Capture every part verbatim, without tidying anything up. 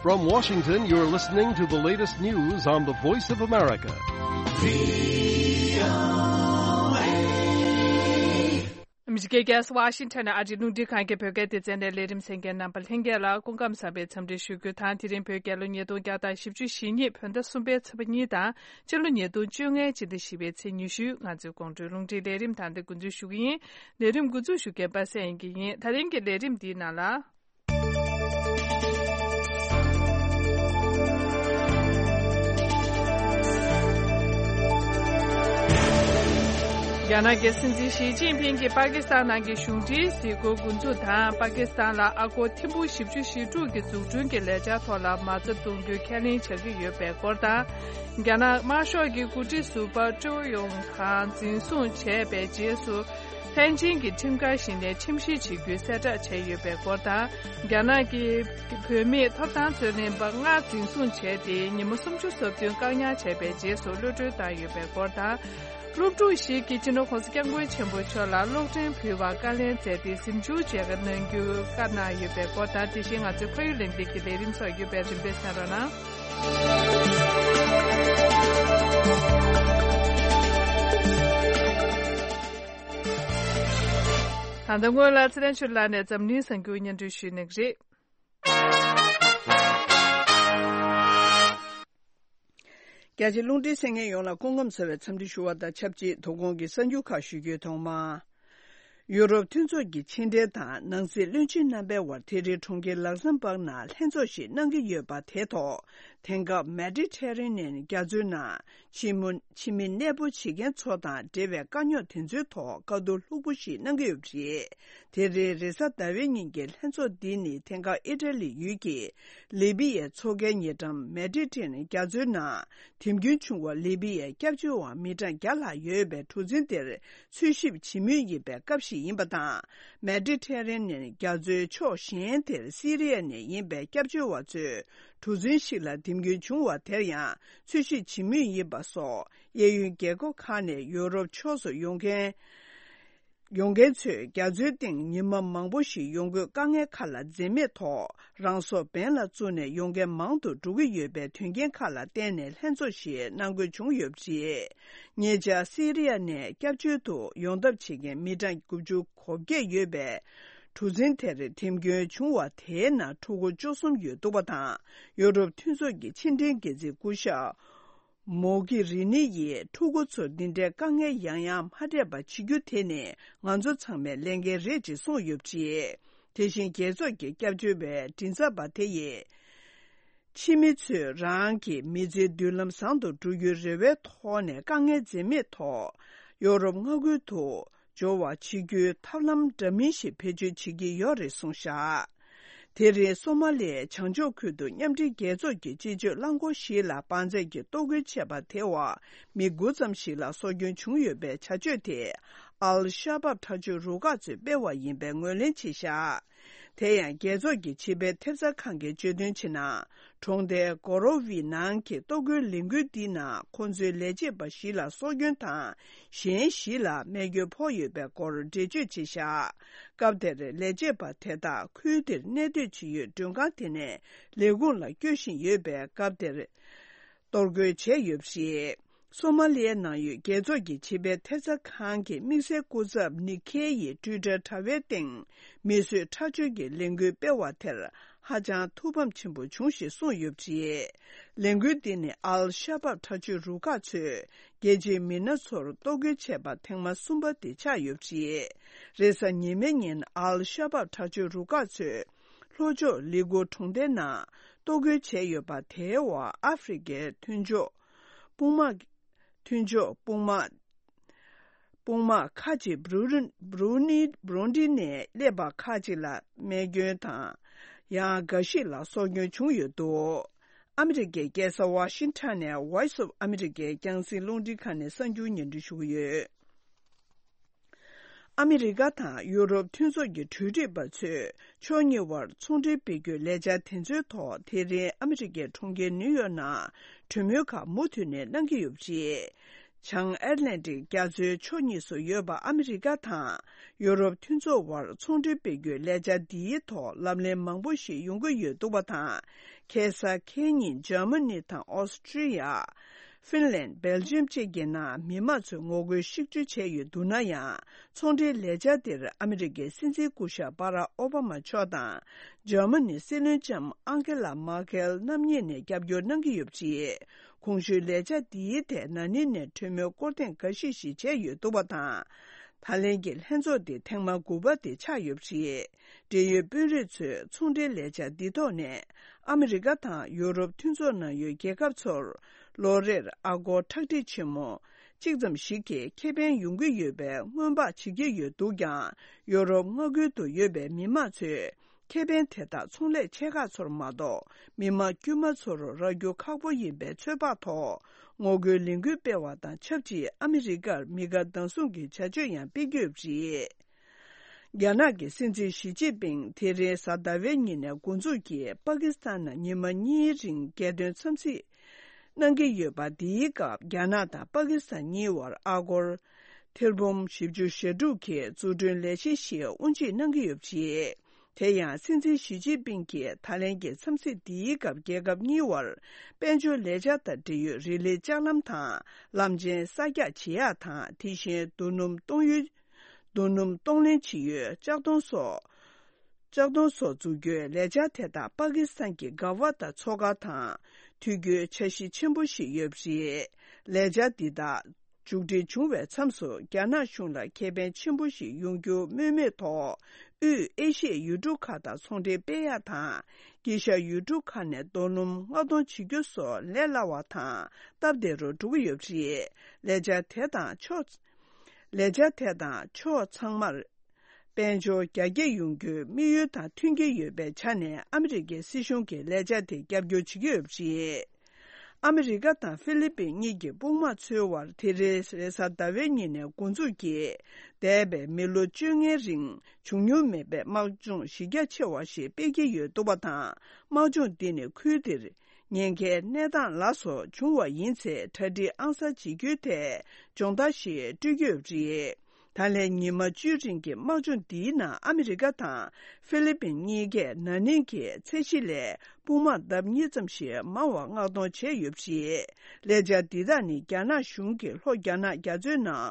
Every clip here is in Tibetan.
From Washington, you're listening to the latest news on the Voice of America. ཨ་མི་རི་ཀའི་རྒྱལ་ས་ཝ་ཤིང་ཊོན་ནས་ཨ་རིའི་རླུང་འཕྲིན་ཁང་གི་བོད་སྐད་སྡེ་ཚན་ནས་ལས་རིམ་གསན་མཁན་རྣམ་པ་ལྷན་རྒྱས་ལ་སྐུ་ཁམས་བཟང་བའི་འཚམས་འདྲི་ཞུ་རྒྱུ་དང་། དེ་རིང་བོད་རྒྱལ་ལོ་ཉིས་སྟོང་བརྒྱ་དང་བཞི་བཅུ་ཞེ་གཉིས་བོད་ཟླ་གསུམ་པའི་ཚེས་པ་གཉིས་དང་། སྤྱི་ལོ་ཉིས་སྟོང་བཅོ་ལྔའི་སྤྱི་ཟླ་བཞི་པའི་ཚེས་ཉི་ཤུ། ང་ཚོའི་དགོང་དྲོའི་རླུང་འཕྲིན་ལས་རིམ་ད་ལྟ་འགོ་འཛུགས་ཞུ་གི་ཡིན། ལས་རིམ་འགོ་འཛུགས་ཞུ་མཁན་པ་སངས་དབྱངས་སྐྱིད་ཡིན། ད་རིང་གི་ལས་རིམ་འདིའི་ནང་ལ། རྒྱ་ནག་གི་སྲིད་འཛིན་ཞི་ཅིན་ཕིང་གིས་པ་ཀི་སི་ཐན་ནང་གི་གཞུང་འབྲེལ་གཟིགས་སྐོར་འགོ་འཛུགས་དང་། པ་ཀི་སི་ཐན་ལ་ཨ་སྒོར་ཐེར་འབུམ་བཞི་བཅུ་ཞེ་དྲུག་གི་འཛུགས་སྐྲུན་གྱི་ལས་འཆར་ཐོག་ལ་མ་རྩ་གཏོང་རྒྱུའི་ཁས་ལེན་བྱ་གི་ཡོད་པའི་སྐོར་དང་། རྒྱ་ནག་དམར་ཤོག་གི་འགོ་ཁྲིད་ཟུར་པ་ཀྲོའུ་ཡོང་ཁང་འཛིན་བཟུང་བྱས་པའི་རྗེས་སུ། ལྷན་ཅིང་གི་ཁྲིམས་འགལ་ཞིག་ནས་ཁྲིམས་བཤེར་བྱེད་རྒྱུའི་གསལ་བསྒྲགས་བྱས་ཡོད་པའི་སྐོར་དང་། རྒྱ་ནག་གི་བུད་མེད་ཐོབ་ཐང་རྩོད་ལེན་པ་ལྔ་འཛིན་བཟུང་བྱས་ཏེ། ཉིན་མོ་སུམ་ཅུ་སོ་བདུན་བཀག་ཉར་བྱས་པའི་རྗེས་སུ་གློད་བཀྲོལ་བཏང་ཡོད་པའི་སྐོར་དང་། སློབ་ཕྲུག་ཞིག་གིས་སྤྱི་ནོར་༸གོང་ས་༸སྐྱབས་མགོན་ཆེན་པོ་མཆོག་ལ་གློག་འཕྲིན་ཕུལ་བར་བཀའ་ལན་མཛད་དེ། གཟིམ་ཆུང་མཇལ་ཁ་གནང་རྒྱུ་བཀའ་གནང་ཡོད་པའི་སྐོར་དང་། དེ་བཞིན་ང་ཚོའི་ཕ་ཡུལ་ལས་འཛིན་གྱི་ལས་རིམ་སོགས་ཡོད་པས། རིམ་པས་གསན་རོགས་གནང་། ད་ལྟ་སྔོན་ལ་ཚེ་བརྟན་ཆོས་ལགས་ནས་འཛམ་གླིང་གསར་འགྱུར་སྙན་སྒྲོན་ཞུས་གནང་གི་རེད། རྒྱ་ཆེ་རླུང་འཕྲིན་གསན་མཁན་ཡོངས་ལ་སྐུ་ཁམས་བཟང་བའི་འཚམས་འདྲི་ཞུ་བ་དང་ཆབས་ཅིག་དོ་དགོང་གི་གསར་འགྱུར་ཁག་ཞུ་རྒྱུའི་ཐོག་མ། ཡུ་རོབ་མཐུན་ཚོགས་ཀྱི་ཕྱི་འབྲེལ་དང་ནང་སྲིད་བློན་ཆེན་རྣམ་པའི་དབར་དེ་རིང་གྲོང་ཁྱེར་ལག་སམ་བྷག་ནང་ལྷན་ཚོགས་ཤིག་གནང་གི་ཡོད་པ་དེ་ཐོག་དེང་སྐབས་མེ་ཌི་ཊེ་རེ་ནན་རྒྱ་མཚོའི་ནང་ཕྱི་མོ་ཕྱི་མི་གནས་སྤོ་བྱེད་མཁན་ཚོ་དང་འབྲེལ་བའི་དཀའ་རྙོག་དེ་ཚོའི་ཐོག་བཀའ་བསྡུར་ལྷུག་པོ་ཞིག་གནང་གི་ཡོད་པ་རེད། དེ་རིང་རེས་གཟའ་ཟླ་བའི་ཉིན་གྱི་ལྷན་ཚོགས་འདི་ནི་དེང་སྐབས་ཨི་ཊ་ལི་ཡུལ་གྱི་ལི་བི་ཡའི་མཚོ་ཁའི་ཉེ་འགྲམ་མེ་ཌི་ཊེ་རེ་ནན་རྒྱ་མཚོའི་ནང་དེམ་རྒྱུན་བྱུང་བ་ལི་བི་ཡའི་སྐྱབས་བཅོལ་བ་མི་གྲངས་བརྒྱ་ལྷག་ཡོད་པའི་གྲུ་གཟིངས་དེར་འཚོལ་ཞིབ་བྱེད་མུས་ཡིན་པའི་སྐབས་ཤིག་ཡིན་པ་དང་། མེ་ཌི་ཊེ་རེ་ནན་རྒྱ་མཚོའི་ཕྱོགས་གཞན་དེར་སི་རི་ཡ་ནས་ཡིན་པའི་སྐྱབས་བཅོལ་བ་ཚོའི་གྲུ་གཟིངས་ཤིག་ལ་དེམ་རྒྱུན་བྱུང་བ་དེར་ཡང་འཚོལ་ཞིབ་བྱེད་མུས་ཡིན་པ་སོགས། གཡས་གཡོན་རྒྱལ་ཁབ་ཁག་ནས་ཡོ་རོབ་ཕྱོགས་སུ་ཡོང་མཁན། ཡོང་མཁན་ཚོས་རྒྱ་མཚོའི་སྟེང་ཉི་མ་མང་པོ་ཞིག་ཡོང་དགོས་དཀའ་ངལ་ཁག་ལ་འཛེམས་མེད་ཐོག་རང་སྲོག་འབེན་ལ་བཙུགས་ནས་ཡོང་མཁན་མང་དུ་འགྲོ་གི་ཡོད་པའི་དོན་རྐྱེན་ཁག་ལ་བརྟེན་ནས་ལྷན་ཚོགས་ཤིག་གནང་དགོས་བྱུང་ཡོད་པ་རེད། ཉེ་ཆར་སི་རི་ཡ་ནས་སྐྱབས་བཅོལ་དུ་ཡོང་ཐབས་བྱེད་མཁན་མི་གྲངས་དགུ་བཅུ་གོ་བརྒྱད་ཡོད་པའི་གྲུ་གཟིངས་དེར་དེམ་རྒྱུན་བྱུང་བ་དེའི་ནང་ཕྲུ་གུ་བཅུ་གསུམ་ཡོད་འདུག་པ་དང་། ཡོ་རོབ་མཐུན་ཚོགས་ཀྱི་ཕྱི་འབྲེལ་འགན་འཛིན་སྐུ་ཞབས་མོ་གྷི་རི་ནི་ཡིས་ཕྲུ་གུ་ཚོར་འདི་འདྲའི་དཀའ་ངལ་ཡང་ཡང་མ་འཕྲད་པ་བྱེད་རྒྱུ་དེ་ནི་ང་ཚོ་ཚང་མའི་ལས་འགན་རེད་ཅེས་གསུངས་ཡོད་པ་རེད། དེ་བཞིན་རྒྱལ་ཚོགས་ཀྱི་སྐྱབས་བཅོལ་བའི་མགྲིན་ཚབ་པ་དེ་ཡིས། ཕྱི་མི་ཚོས་རང་གི་མི་ཚེའི་མདུན་ལམ་བཟང་དུ་འགྲོ་རྒྱུའི་རེ་བའི་ཐོག་ནས་དཀའ་ངལ་འཛེམས་མེད་ཐོག་ཡོ་རོབ་མངའ་ཁུལ་དུ་འབྱོར་བ་བྱེད་རྒྱུའི་ཐབས་ལམ་འདྲ་མིན་ཞིག་བེད་སྤྱོད་བྱེད་ཀྱི་ཡོད་རེད་གསུངས་བཞག་དེ་རིང་སོ་མ་ལིའི་བྱང་ཕྱོགས་ཁུལ་དུ་མཉམ་འབྲེལ་རྒྱལ་ཚོགས་ཀྱི་སྤྱི་སྤྱོད་རླངས་འཁོར་ཞིག་ལ་འབར་རྫས་ཀྱིས་གཏོར་རྒོལ་བྱས་པ་དེའི་འོག་མི་དགུ་ཙམ་ཞིག་ལ་སྲོག་སྐྱོན་བྱུང་ཡོད་པའི་བྱ་སྤྱོད་དེ་ཨལ་ཤ་བབ་དྲག་སྤྱོད་རུ་ཁག་ཚོས་སྤེལ་བ་ཡིན་པའི་ངོས་ལེན་བྱས་བཞག་དེ་ཡང་རྒྱལ་ཚོགས་ཀྱི་ཕྱི་པའི་ཐེབས་རྩ་ཁང་གིས་བརྗོད་དོན་བྱས་ན། གྲོང་རྡལ་གོ་རོ་ཝི་ནང་གི་གཏོར་རྒོལ་ལས་འགུལ་འདིའི་ནང་ཁོང་ཚོའི་ལས་བྱེད་པ་བཞི་ལ་སྲོག་སྐྱོན་དང་། གཞན་བཞི་ལ་རྨས་སྐྱོན་ཕོག་ཡོད་པའི་སྐོར་འགྲེལ་བརྗོད་བྱས་བཞག་སྐབས་དེར་ལས་བྱེད་པ་དེ་དག་ཁུལ་དེར་གནས་སྡོད་བྱེད་ཡུལ་མགྲོན་ཁང་དེ་ནས་ལས་ཁུངས་ལ་བསྐྱོད་བཞིན་ཡོད་པས། སྐབས་དེར་གཏོར་རྒོལ་བྱས་ཡོད་པ་རེད། སོ་མ་ལི་ཡའི་ནང་ཡོད་རྒྱལ་ཚོགས་ཀྱི་ཕྱི་པའི་ཐེབས་རྩ་ཁང་གི་དམིགས་བསལ་སྐུ་ཚབ་ནིག་ཁེ་ཡིས་ཊུའི་ཊར་དྲ་བའི་སྟེང་མི་གསོད་ཁྲག་སྦྱོར་གྱི་ལས་འགུལ་སྤེལ་བ་དེར་ཧ་ཅང་ཐུགས་ཕམ་ཆེན་པོ་བྱུང་ཞེས་གསུངས་ཡོད་པ་རེད། ལས་འགུལ་འདི་ནི་ཨལ་ཤ་བབ་དྲག་སྤྱོད་རུ་ཁག་ཚོས་རྒྱལ་སྤྱིའི་མི་སྣ་ཚོར་གཏོར་རྒོལ་བྱས་པ་ཐེངས་མ་གསུམ་པ་དེ་ཆགས་ཡོད་པ་རེད། རེས་གཟའ་ཉི་མའི་ཉིན་ཨལ་ཤ་བབ་དྲག་སྤྱོད་རུ་ཁག་ཚོས་ལྷོ་ཕྱོགས་ལི་གུ་གྲོང་རྡལ་ནང་གཏོར་རྒོལ་བྱས་ཡོད་པ་དེའི་འོག་ཨ་ཧྥེ་རི་ཁའི་མཐུན་ཕྱོགས། དཔུང་དམག་མཐུན་ཕྱོགས་དཔུང་དམག་དཔུང་དམག་ཁག་ཅིག་བྷུ་རུ་བྷུ་རུ་ནི་བྷུ་རུ་ནི་ནས་སླེབས་པ་ཁག་ཅིག་ལ་རྨས་སྐྱོན་དང་། ཡང་འགའ་ཞིག་ལ་སྲོག་སྐྱོན་བྱུང་ཡོད་འདུག་ཨ་མི་རི་ཀའི་རྒྱལ་ས་ཝ་ཤིང་ཊོན་ནས་Voice of America་རྒྱང་སྲིང་རླུང་འཕྲིན་ཁང་ནས་གསར་འགྱུར་སྙན་སྒྲོན་ཞུ་གི་ཡོད། ཨ་མི་རི་ཀ་དང་ཡུ་རོབ་མཐུན་ཚོགས་ཀྱི་གྲོས་སྒྲིག་པ་ཚོས་ཕྱོགས་གཉིས་དབར་ཚོང་འབྲེལ་སྤེལ་རྒྱུའི་ལས་འཆར་དེ་ཚོའི་ཐོག་དེ་རིང་ཨ་མི་རི་ཀའི་གྲོང་ཁྱེར་ནིའུ་ཡོག་ནང་གྲོས་མོལ་ཁག་མུ་མཐུད་ནས་གནང་གི་ཡོད་པ་རེད། བྱང་ཨེཊ་ལན་ཊིག་རྒྱ་མཚོའི་ཕྱོགས་གཉིས་སུ་ཡོད་པ་ཨ་མི་རི་ཀ་དང་ཡོ་རོབ་མཐུན་ཚོགས་དབར་ཚོང་འབྲེལ་སྤེལ་རྒྱུའི་ལས་འཆར་འདིའི་ཐོག་ལམ་ལྷོང་མང་པོ་ཞིག་ཡོང་གི་ཡོད་འདུག་པ་དང་། ཁ་སང་ཁ་ཉིན་འཇར་མ་ནི་དང་ཨོ་སི་ཀྲི་ཡ། ཧྥིན་ལན། སྦེལ་ཇམ་བཅས་ཀྱི་ནང་མི་མང་ཚོས་ངོ་རྒོལ་ཤུགས་ཆེ་བྱས་ཡོད་འདུག་ན་ཡང་། ཚོང་འབྲེལ་ལས་འཆར་དེར་ཨ་མི་རི་ཀའི་སྲིད་འཛིན་སྐུ་ཞབས་སྦ་རག་ཨོ་བྷ་མ་མཆོག་དང་། འཇར་མ་ནི་སྲིད་བློན་ལྕམ་ཨང་ཀེ་ལ་མར་ཀེལ་རྣམ་གཉིས་ནས་རྒྱབ་སྐྱོར་གནང་གི་ཡོད་པ་རེད། གོང་ཞུས་ལས་འཆར་འདིའི་ཐད་ན་ནིང་ནས་གྲོས་མོལ་སྐོར་ཐེངས་འགའ་ཤས་ཤིག་བྱས་ཡོད་འདུག་པ་དང་། ད་ལན་གྱི་ལྷན་ཚོགས་འདི་ཐེངས་མ་དགུ་པ་དེ་ཆགས་ཡོད་པ་རེད། འབྲེལ་ཡོད་དཔོན་རིགས་ཚོས་ཚོང་འབྲེལ་ལས་འཆར་འདི་ཐོག་ནས་ཨ་མི་རི་ཀ་དང་ཡོ་རོབ་མཐུན་ཚོགས་ནང་ཡོད་རྒྱལ་ཁབ་ཚོར་ལོ་རེར་ཨ་སྒོར་ཁྲག་ཁྲིག་ཆེན་མོ་གཅིག་ཙམ་ཞིག་གི་ཁེ་ཕན་ཡོང་གི་ཡོད་པའི་སྔོན་དཔག་བྱེད་ཀྱི་ཡོད་འདུག་ཀྱང་། ཡོ་རོབ་མངའ་ཁུལ་དུ་ཡོད་པའི་མི་མང་ཚོས་ཁེ་ཕན་དེ་དག་ཚོང་ལས་ཆེ་ཁག་ཚོར་མ་གཏོགས་མི་མང་དཀྱུས་མ་ཚོར་རག་རྒྱུ་ཁག་པོ་ཡིན་པའི་ཚོད་དཔག་ཐོག་ངོ་རྒོལ་ལས་འགུལ་སྤེལ་བ་དང་ཆབས་ཅིག་ཨ་མི་རི་ཀར་མི་དགའ་སྡང་ཟུང་གི་བྱ་སྤྱོད་ཡང་སྤེལ་གྱི་ཡོད་པ་རེད། རྒྱ་ནག་གི་སྲིད་འཛིན་ཞི་ཅིན་ཕིང་དེ་རིང་གཟའ་ཟླ་བའི་ཉིན་ནས་འགོ་འཛུགས་ཀྱིས་པ་ཀི་སི་ཐན་ནང་ཉི་མ་གཉིས་རིང་རྒྱལ་དོན་འཚམས་གཟིགས་གནང་གི་ཡོད་པ། འདིའི་སྐབས་རྒྱ་ནག་དང་པ་ཀི་སི་ཐན་གཉིས་དབར་ཨ་སྒོར་ཐེར་འབུམ་བཞི་བཅུ་ཞེ་དྲུག་གི་འཛུགས་སྐྲུན་ལས་གཞི་ཞིག་དབུ་འབྱེད་གནང་གི་ཡོད་པ་རེད། དེ་ཡང་སྲིད་འཛིན་ཞི་ཅིན་ཕིང་གིས་ད་ལན་གྱི་འཚམས་གཟིགས་འདིའི་སྐབས་རྒྱལ་ཁབ་གཉིས་དབར་དཔལ་འབྱོར་ལས་འཆར་དང་འབྲེལ་ཡོད་རིག་ལས་ལྕགས་ལམ་དང་ལམ་ཆེན་གསར་རྒྱག་བྱེད་ཡག་དང་། དེ་བཞིན་རྡོ་སྣུམ་གཏོང་ཡུལ། རྡོ་སྣུམ་གཏོང་ལེན་བྱེད་ཡུལ་ལྕགས་མདོང་སོགས། ལྕགས་མདོང་སོགས་འཛུགས་རྒྱུའི་ལས་འཆར་དེ་དག་པ་ཀི་སི་ཐན་གྱི་གྷ་ཝ་ཏ་མཚོ་ཁ་དང་དུས་འགྱུར་འཆར་གཞི་ཆེན་པོ་ཞིག་ཡོད་པ་རེད། ལས་འཆར་འདི་དག་མཇུག་སྒྲིལ་བྱུང་བའི་མཚམས་སུ་རྒྱ་ནག་གཞུང་ལ་ཁེ་ཕན་ཆེན་པོ་ཞིག་ཡོང་རྒྱུ་སྨོས་མེད་ཐོག་དབུས་ཨེ་ཤི་ཡའི་ཡུལ་གྲུ་ཁག་དང་ཚོང་འབྲེལ་སྤེལ་ཡག་དང་། དཀྱིལ་ཤར་ཡུལ་གྲུ་ཁག་ནས་རྡོ་སྣུམ་མངགས་གཏོང་བྱེད་རྒྱུ་སོགས་ལས་སླ་བ་དང་སྟབས་བདེ་རུ་འགྲོ་གི་ཡོད་པ་རེད། ལས་འཆར་དེ་དང་ཕྱོགས། ལས་འཆར་དེ་དང་ཕྱོགས་ཚང་མར་དཔལ་འབྱོར་རྒྱ་སྐྱེད་ཡོང་རྒྱུའི་དམིགས་ཡུལ་དང་མཐུན་གྱི་ཡོད་པའི་ཆ་ནས་ཨ་མི་རི་ཀའི་སྲིད་གཞུང་གིས་ལས་འཆར་དེ་རྒྱབ་སྐྱོར་བྱེད་ཀྱི་ཡོད་པ་རེད། ཨ་མི་རི་ཀ་དང་ཧྥི་ལི་པིན་གཉིས་ཀྱི་དཔུང་དམག་ཚོའི་དབར་དེ་རིང་རེས་གཟའ་ཟླ་བའི་ཉིན་ནས་འགོ་འཛུགས་ཀྱིས་འདས་པའི་མི་ལོ་བཅོ་ལྔའི་རིང་བྱུང་མྱོང་མེད་པའི་དམག་སྦྱོང་གཞི་རྒྱ་ཆེ་བ་ཞིག་སྤེལ་གྱི་ཡོད་འདུག་པ་དང་། དམག་སྦྱོང་འདི་ནི་ཁུལ་དེར་ཉེན་ཁའི་གནས་སྟངས་ལ་སོགས་བྱུང་བ་ཡིན་ཚེ་གྲ་སྒྲིག་ཨང་གསར་བྱེད་རྒྱུའི་ཐད་སྦྱོང་བརྡར་ཞིག་སྤྲོད་ཀྱི་ཡོད་པ་རེད། ད་ལན་ཉི་མ་བཅུའི་རིང་གི་དམག་སྦྱོང་འདིའི་ནང་ཨ་མི་རི་ཀ་དང་ཧྥི་ལི་པིན་གཉིས་ཀས་ན་ནིང་གི་ཚད་གཞི་ལས་དཔུང་དམག་ལྡབ་གཉིས་ཙམ་ཞིག་མང་བ་མངགས་གཏོང་བྱས་ཡོད་པ་རེད། ལས་འཆར་འདི་དག་ནི་རྒྱ་ནག་གཞུང་གིས་ལྷོ་རྒྱ་ནག་རྒྱ་མཚོའི་ནང་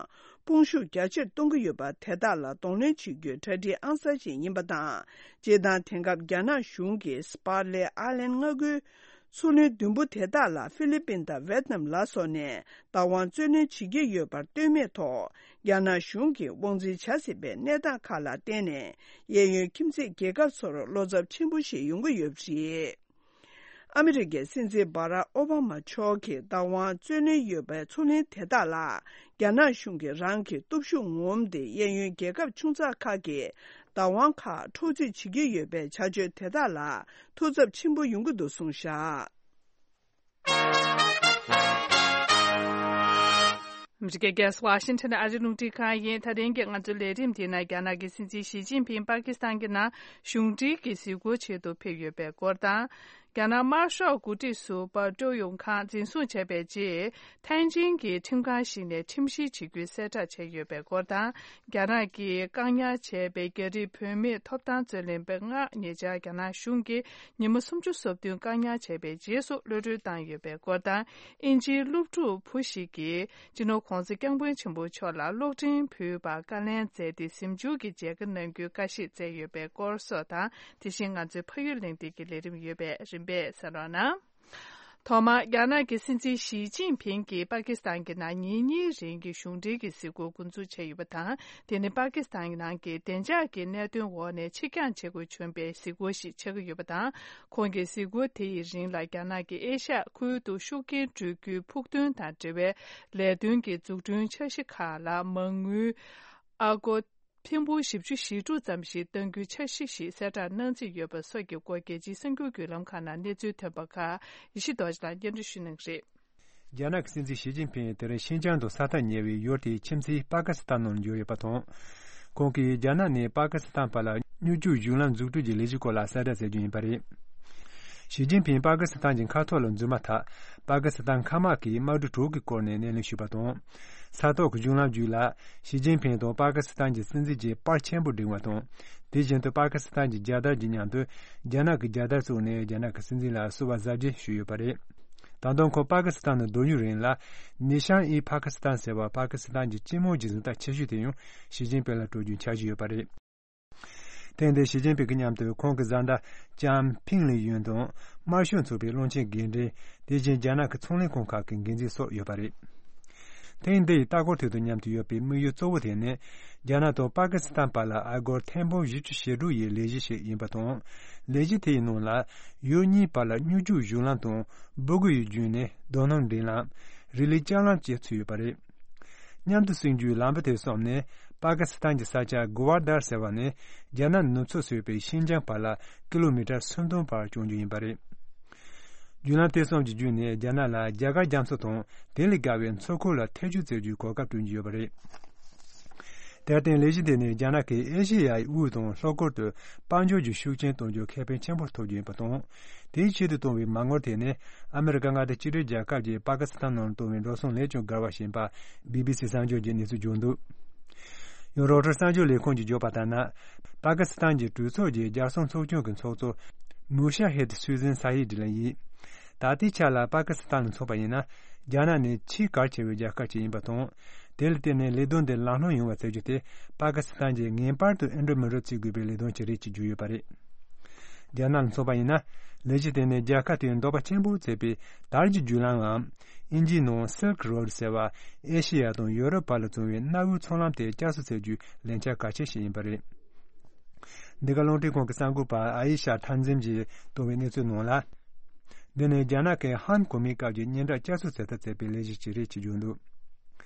དཔུང་ཤུགས་རྒྱ་ཆེར་གཏོང་གི་ཡོད་པ་དེ་དག་ལ་གདོང་ལེན་བྱེད་རྒྱུའི་གྲ་སྒྲིག་ཨང་གསར་ཞིག་ཡིན་པ་དང་། སྤྱིར་བཏང་དེང་སྐབས་རྒྱ་ནག་གཞུང་གིས་སྤར་ལེ་ཨའི་ལན་མངའ་ཁུལ་མཚོ་གླིང་བདུན་པོ་དེ་དག་ལ་ཧྥི་ལི་པིན་དང་ཝེ་ཏི་ནམ་ལ་སོགས་ནས་བདག་དབང་རྩོད་ལེན་བྱེད་ཀྱི་ཡོད་པར་ལྟོས་མེད་ཐོག་རྒྱ་ནག་གཞུང་གིས་དབང་འཛིན་བྱ་སྲིད་པའི་གནས་སྟངས་ཁག་ལ་བརྟེན་ནས་གཡས་གཡོན་ཁྱིམ་མཚེས་རྒྱལ་ཁབ་ཚོར་བློ་འཚབ་ཆེན་པོ་ཞིག་ཡོང་གི་ཡོད་པ་རེད། ཨ་མི་རི་ཀའི་སྲིད་འཛིན་སྦ་རག་ཨོ་བྷ་མ་མཆོག་གིས་བདག་དབང་རྩོད་ལེན་ཡོད་པའི་མཚོ་གླིང་དེ་དག་ལ་རྒྱ་ནག་གཞུང་གིས་རང་གི་སྟོབས་ཤུགས་ངོམ་སྟེ་གཡས་གཡོན་རྒྱལ་ཁབ་ཆུང་ཙག་ཁག་གི་བདག་དབང་ཁག་འཕྲོག་རྩིས་བྱེད་ཀྱི་ཡོད་པའི་བྱ་སྤྱོད་དེ་དག་ལ་ཐུགས་འཚབ་ཆེན་པོ་ཡོང་གི་འདུག་གསུངས་བཞག་ཨ་མི་རི་ཀའི་རྒྱལ་ས་ཝ་ཤིང་ཊོན་ཨ་རིའི་རླུང་འཕྲིན་ཁང་ཡིན། ད་ཐེངས་ཀྱི་ང་ཚོའི་ལས་རིམ་དེའི་ནང་རྒྱ་ནག་གི་སྲིད་འཛིན་ཞི་ཅིན་ཕིང་པ་ཀི་སི་ཐན་གྱི་ནང་གཞུང་འབྲེལ་གྱི་གཟིགས་སྐོར་ཆེད་དུ་ཕེབས་ཡོད་པའི་སྐོར་དང་། རྒྱ་ནག་དམར་ཤོག་འགོ་ཁྲིད་ཟུར་པ་ཀྲོའུ་ཡུང་ཁང་འཛིན་བཟུང་བྱས་པའི་རྗེས། ཐེན་ཅིན་གྱི་ཁྲིམས་ཁང་ཞིག་ནས་ཁྲིམས་བཤེར་བྱེད་རྒྱུའི་གསལ་བསྒྲགས་བྱས་ཡོད་པའི་སྐོར་དང་། རྒྱ་ནག་གིས་བཀག་ཉར་བྱས་པའི་རྒྱ་རིགས་བུད་མེད་ཐོབ་ཐང་རྩོད་ལེན་པ་ལྔ་ཉེ་ཆར་རྒྱ་ནག་གཞུང་གིས་ཉི་མ་སུམ་ཅུ་སོ་བདུན་བཀག་ཉར་བྱས་པའི་རྗེས་སུ་གློད་གྲོལ་བཏང་ཡོད་པའི་སྐོར་དང་། དབྱིན་ཇིའི་སློབ་ཕྲུག་བུ་ཞིག་གིས་སྤྱི་ནོར་༧གོང་ས་༧སྐྱབས་མགོན་ཆེན་པོ་མཆོག་ལ་གློག་འཕྲིན་ཕུལ་བར་བཀའ་ལན་སྩལ་ཏེ་གཟིམ་འཇུག་གི་མཇལ་ཁ་གནང་རྒྱུའི་བཀའ་བཞེས་མཛད་ཡོད་པའི་སྐོར་སོགས་དང་། དེ་བཞིན་ང་ཚོའི་ཕ་ཡུལ་གླེང་སྟེགས་ཀྱི་ལས་རིམ་ཡོད་པས་རིམ་པས་གསན་རོགས་གནང་། ཐོག་མར་རྒྱ་ནག་གི་སྲིད་འཛིན་ཞི་ཅིན་ཕིང་གིས་པ་ཀི་སི་ཐན་གྱི་ནང་ཉིན་གཉིས་རིང་གི་གཞུང་འབྲེལ་གྱི་གཟིགས་སྐོར་འགོ་འཛུགས་བྱས་ཡོད་པ་དང་། དེ་ནི་པ་ཀི་སི་ཐན་གྱི་ནང་གི་བདེ་འཇགས་ཀྱི་གནད་དོན་འོག་ནས་ཕྱིར་འགྱངས་བྱེད་དགོས་བྱུང་བའི་གཟིགས་སྐོར་ཞིག་ཆགས་ཀྱི་ཡོད་པ་དང་། ཁོང་གི་གཟིགས་སྐོར་དེ་ཡི་རིང་ལ་རྒྱ་ནག་གིས་ཨེ་ཤ་ཡ་ཁུལ་དུ་ཤུགས་རྐྱེན་སྤྲོད་རྒྱུའི་ཕུགས་འདུན་དང་འབྲེལ་བའི་ལས་དོན་གྱི་འཛུགས་སྐྲུན་འཆར་གཞི་ཁག་ལ་མ་དངུལ་ཨ་སྒོར་ཐེར་འབུམ་བཞི་བཅུ་ཞེ་དྲུག་ཙམ་ཞིག་གཏང་རྒྱུའི་འཆར་གཞི་ཞིག་གསལ་བསྒྲགས་གནང་རྩིས་ཡོད་པ་སོགས་ཀྱི་སྐོར་རྒྱལ་སྤྱིའི་གསར་འགྱུར་བརྒྱུད་ལམ་ཁག་ནང་གནས་ཚུལ་ཐོན་པ་ཁག་ཡེ་ཤེས་རྡོ་རྗེ་ལགས་སྙན་སྒྲོན་ཞུ་གནང་གི་རེད། རྒྱ་ནག་གི་སྲིད་འཛིན་ཞི་ཅིན་ཕིང་དེ་རིང་ཤིན་ཅང་དུ་ས་མཐའ་ཉེ་བའི་ཡུལ་དེའི་ཁྱིམ་མཚེས་པ་ཀི་སི་ཐན་ནང་འབྱོར་ཡོད་པ་དང་། ཁོང་གིས་རྒྱ་ནག་ནས་པ་ཀི་སི་ཐན་བར་ལ་སྨྱུག་རྒྱུག་གཞུང་ལམ་འཛུགས་སྐྲུན་གྱི་ལས་གཞི་སྐོར་ལ་གསལ་བསྒྲགས་མཛད་རྒྱུ་ཡིན་པ་རེད། ཞི་ཅིན་ཕིང་པ་ཀི་སི་ཐན་གྱི་མཁའ་ཐོག་ལ་འཛུལ་མ་ཐག་པ་ཀི་སི་ཐན་མཁའ་དམག་གིས་དམག་གྲུ་དྲུག་གི་སྐོར་ནས་སྣེ་ལེན་ཞུས་པ་དང་། ས་ཐོག་གི་གཞུང་ལམ་བརྒྱུད་ལ་ཞི་ཅིན་ཕིང་དང་པ་ཀི་སི་ཐན་གྱི་སྲིད་འཛིན་བཅས་པར་ཆེན་པོ་བསྒྲེངས་པ་དང་། དེ་བཞིན་དུ་པ་ཀི་སི་ཐན་གྱི་རྒྱལ་དར་གྱི་མཉམ་དུ་རྒྱ་ནག་གི་རྒྱལ་དར་བཙུགས་ནས་རྒྱ་ནག་གི་སྲིད་འཛིན་ལ་བསུ་བ་གཟབ་རྒྱས་ཞུས་ཡོད་པ་རེད། ད་དུང་ཁོང་པ་ཀི་སི་ཐན་དུ་སྡོད་རྒྱུའི་རིང་ལ་ནི་ཤང་ཨི་པ་ཀི་སི་ཐན་ཟེར་བ་པ་ཀི་སི་ཐན་གྱི་སྤྱི་དམངས་ཀྱི་གཟེངས་རྟགས་ཆེ་ཤོས་དེ་ཡང་ཞི་ཅིན་ཕིང་ལ་སྤྲོད་རྒྱུའི་འཆར་གཞི་ཡོད་པ་རེད། ཐེངས་འདིར་ཞི་ཅིན་ཕིང་གི་མཉམ་དུ་ཁོང་གི་བཟའ་ཟླ་ལྕམ་ཕིང་ལི་ཡོན་དང་དམར་ཤོག་ཚོགས་པའི་བློན་ཆེན་འགན་འཛིན། དེ་བཞིན་རྒྱ་ནག་གི་ཚོང་ལས་ཁང་ཁག་གི་འགན་འཛིན་སོགས་ཡོད་པ་རེད། ཐེངས་འདི་ཡི་ལྟ་སྐོར་དེ་དང་མཉམ་དུ་ཡོད་པའི་དམིགས་ཡུལ་གཙོ་བོ་དེ་ནི། རྒྱ་ནག་དང་པ་ཀི་སི་ཐན་བར་ལ་ཨ་སྒོར་ཐེར་འབུམ་བཞི་བཅུ་ཞེ་དྲུག་ཡི་ལས་གཞི་ཞིག་ཡིན་པ་དང་། ལས་གཞི་དེ་ཡི་ནང་ལ། ཡུལ་གཉིས་བར་ལ་སྨྱུག་རྒྱུག་གཞུང་ལམ་དང་། སྦུ་གུ་ཡི་རྒྱུན་ནས་རྡོ་སྣུམ་འདྲེན་ལམ། རི་ལི་ལྕགས་ལམ་བཅས་ཚུད་ཡོད་པ་རེད། མཉམ་དུ་སྲིང་རྒྱུའི་ལམ་བུ་དེ་བསམ་ནས། པ་ཀི་སི་ཐན་གྱི་ས་ཆ་གུ་ཝར་དར་ཟེར་བ་ནས། རྒྱ་ནག་ནུབ་ཕྱོགས་སུ་ཡོད་པའི་ཤིན་ཅང་བར་ལ་ཀི་ལོ་མི་ཊར་སུམ་སྟོང་བར་སྐྱོང་རྒྱུ་ཡིན་པ་རེད། བརྒྱུད་ལམ་དེ་གསུམ་གྱི་བརྒྱུད་ནས་རྒྱ་ནག་ལ་རྒྱ་གར་རྒྱ་མཚོ་དང་དེ་ལས་བརྒལ་བའི་མཚོ་ཁུལ་ལ་ཐེ་ཇུས་བྱེད་རྒྱུའི་གོ་སྐབས་བསྐྲུན་གྱི་ཡོད་པ་རེད། དེར་བརྟེན་ལས་གཞི་དེ་ནི་རྒྱ་ནག་གིས་ཨེ་ཤེ་ཡའི་དབུས་དང་ལྷོ་ཁུལ་དུ་དཔལ་འབྱོར་གྱི་ཤུགས་རྐྱེན་གཏོང་རྒྱུར་ཁེ་ཕན་ཆེན་པོ་ཐོབ་རྒྱུ་ཡིན་པ་དང་། དེའི་ཆེད་དུ་བཏོན་པའི་མ་དངུལ་དེ་ནི་ཨ་མི་རི་ཀ་མངའ་སྡེ་གཅིག་སྒྲིལ་རྒྱལ་ཁབ་ཀྱིས་པ་ཀི་སི་ཐན་ནང་བཏོན་པའི་འགྲོ་སོང་ལས་ཀྱང་བརྒལ་བ་ཞིག་ཡིན་པ། བི་བི་སི་གསར་འགྱུར་གྱིས་གནས་ཚུལ་བརྗོད་འདུག་ཡང་རོའི་ཊར་གསར་འགྱུར་ལས་ཁང་གིས་བརྗོད་པ་ལྟར་ན། པ་ཀི་སི་ཐན་གྱི་གྲོས་ཚོགས་ཀྱི་རྒྱལ་སྲུང་ཚོགས་ཆུང་གི་ཚོགས་གཙོ་མུ་ཤ་ཧེད་སུ་ཟན་ས་ཧི་ཌི་ལགས་ཡིན། ད་ལྟའི་ཆ་ལ་པ་ཀི་སི་ཐན་ལ་མཚོན་པ་ཡིན་ན། རྒྱ་ནག་ནི་ཆེས་གལ་ཆེ་བའི་རྒྱལ་ཁབ་ཅིག་ཡིན་པ་དང་། དེ་ལ་བརྟེན་ནས་ལས་དོན་འདི་ལམ་ལྷོང་ཡོང་བ་བྱེད་རྒྱུ་དེ་པ་ཀི་སི་ཐན་གྱིས་ངེས་པར་དུ་ཨེ་འགྲུབ་མི་འགྲུབ་བྱེད་དགོས་པའི་ལས་དོན་ཅིག་རེད་ཅེས་བརྗོད་ཡོད་པ་རེད། རྒྱ་ནག་ལ་མཚོན་པ་ཡིན་ན། ལས་གཞི་དེ་ནི་རྒྱལ་ཁབ་དེའི་འདོད་པ་ཆེན་པོ་བྱེད་པའི་དར་གྱི་བརྒྱུད་ལམ་ངམ། དབྱིན་ཇིའི་ནང་Silk Road ཟེར་བ། ཨེ་ཤེ་ཡ་དང་ཡོ་རོབ་བར་ལ་བཙུགས་པའི་གནའ་བོའི་མཚོ་ལམ་དེ་བསྐྱར་གསོ་བྱེད་རྒྱུའི་ལས་འཆར་གལ་ཆེ་ཞིག་ཡིན་པ་རེད། འདི་ག་རླུང་འཕྲིན་ཁང་གི་གསར་འགོད་པ་ཨ་ཡི་ཤ་ཐན་ཛིམ་གྱིས་བཏོན་པའི་གནས་ཚུལ་ནང་ལ། འདི་ནི་རྒྱ་ནག་གི་ཧན་གོ་མིའི་སྐབས་ཀྱི་སྙན་གྲགས་བསྐྱར་གསོ་བྱེད་ཐབས་བྱས་པའི་ལས་གཞི་ཞིག་རེད་ཅེས་བརྗོད་འདུག་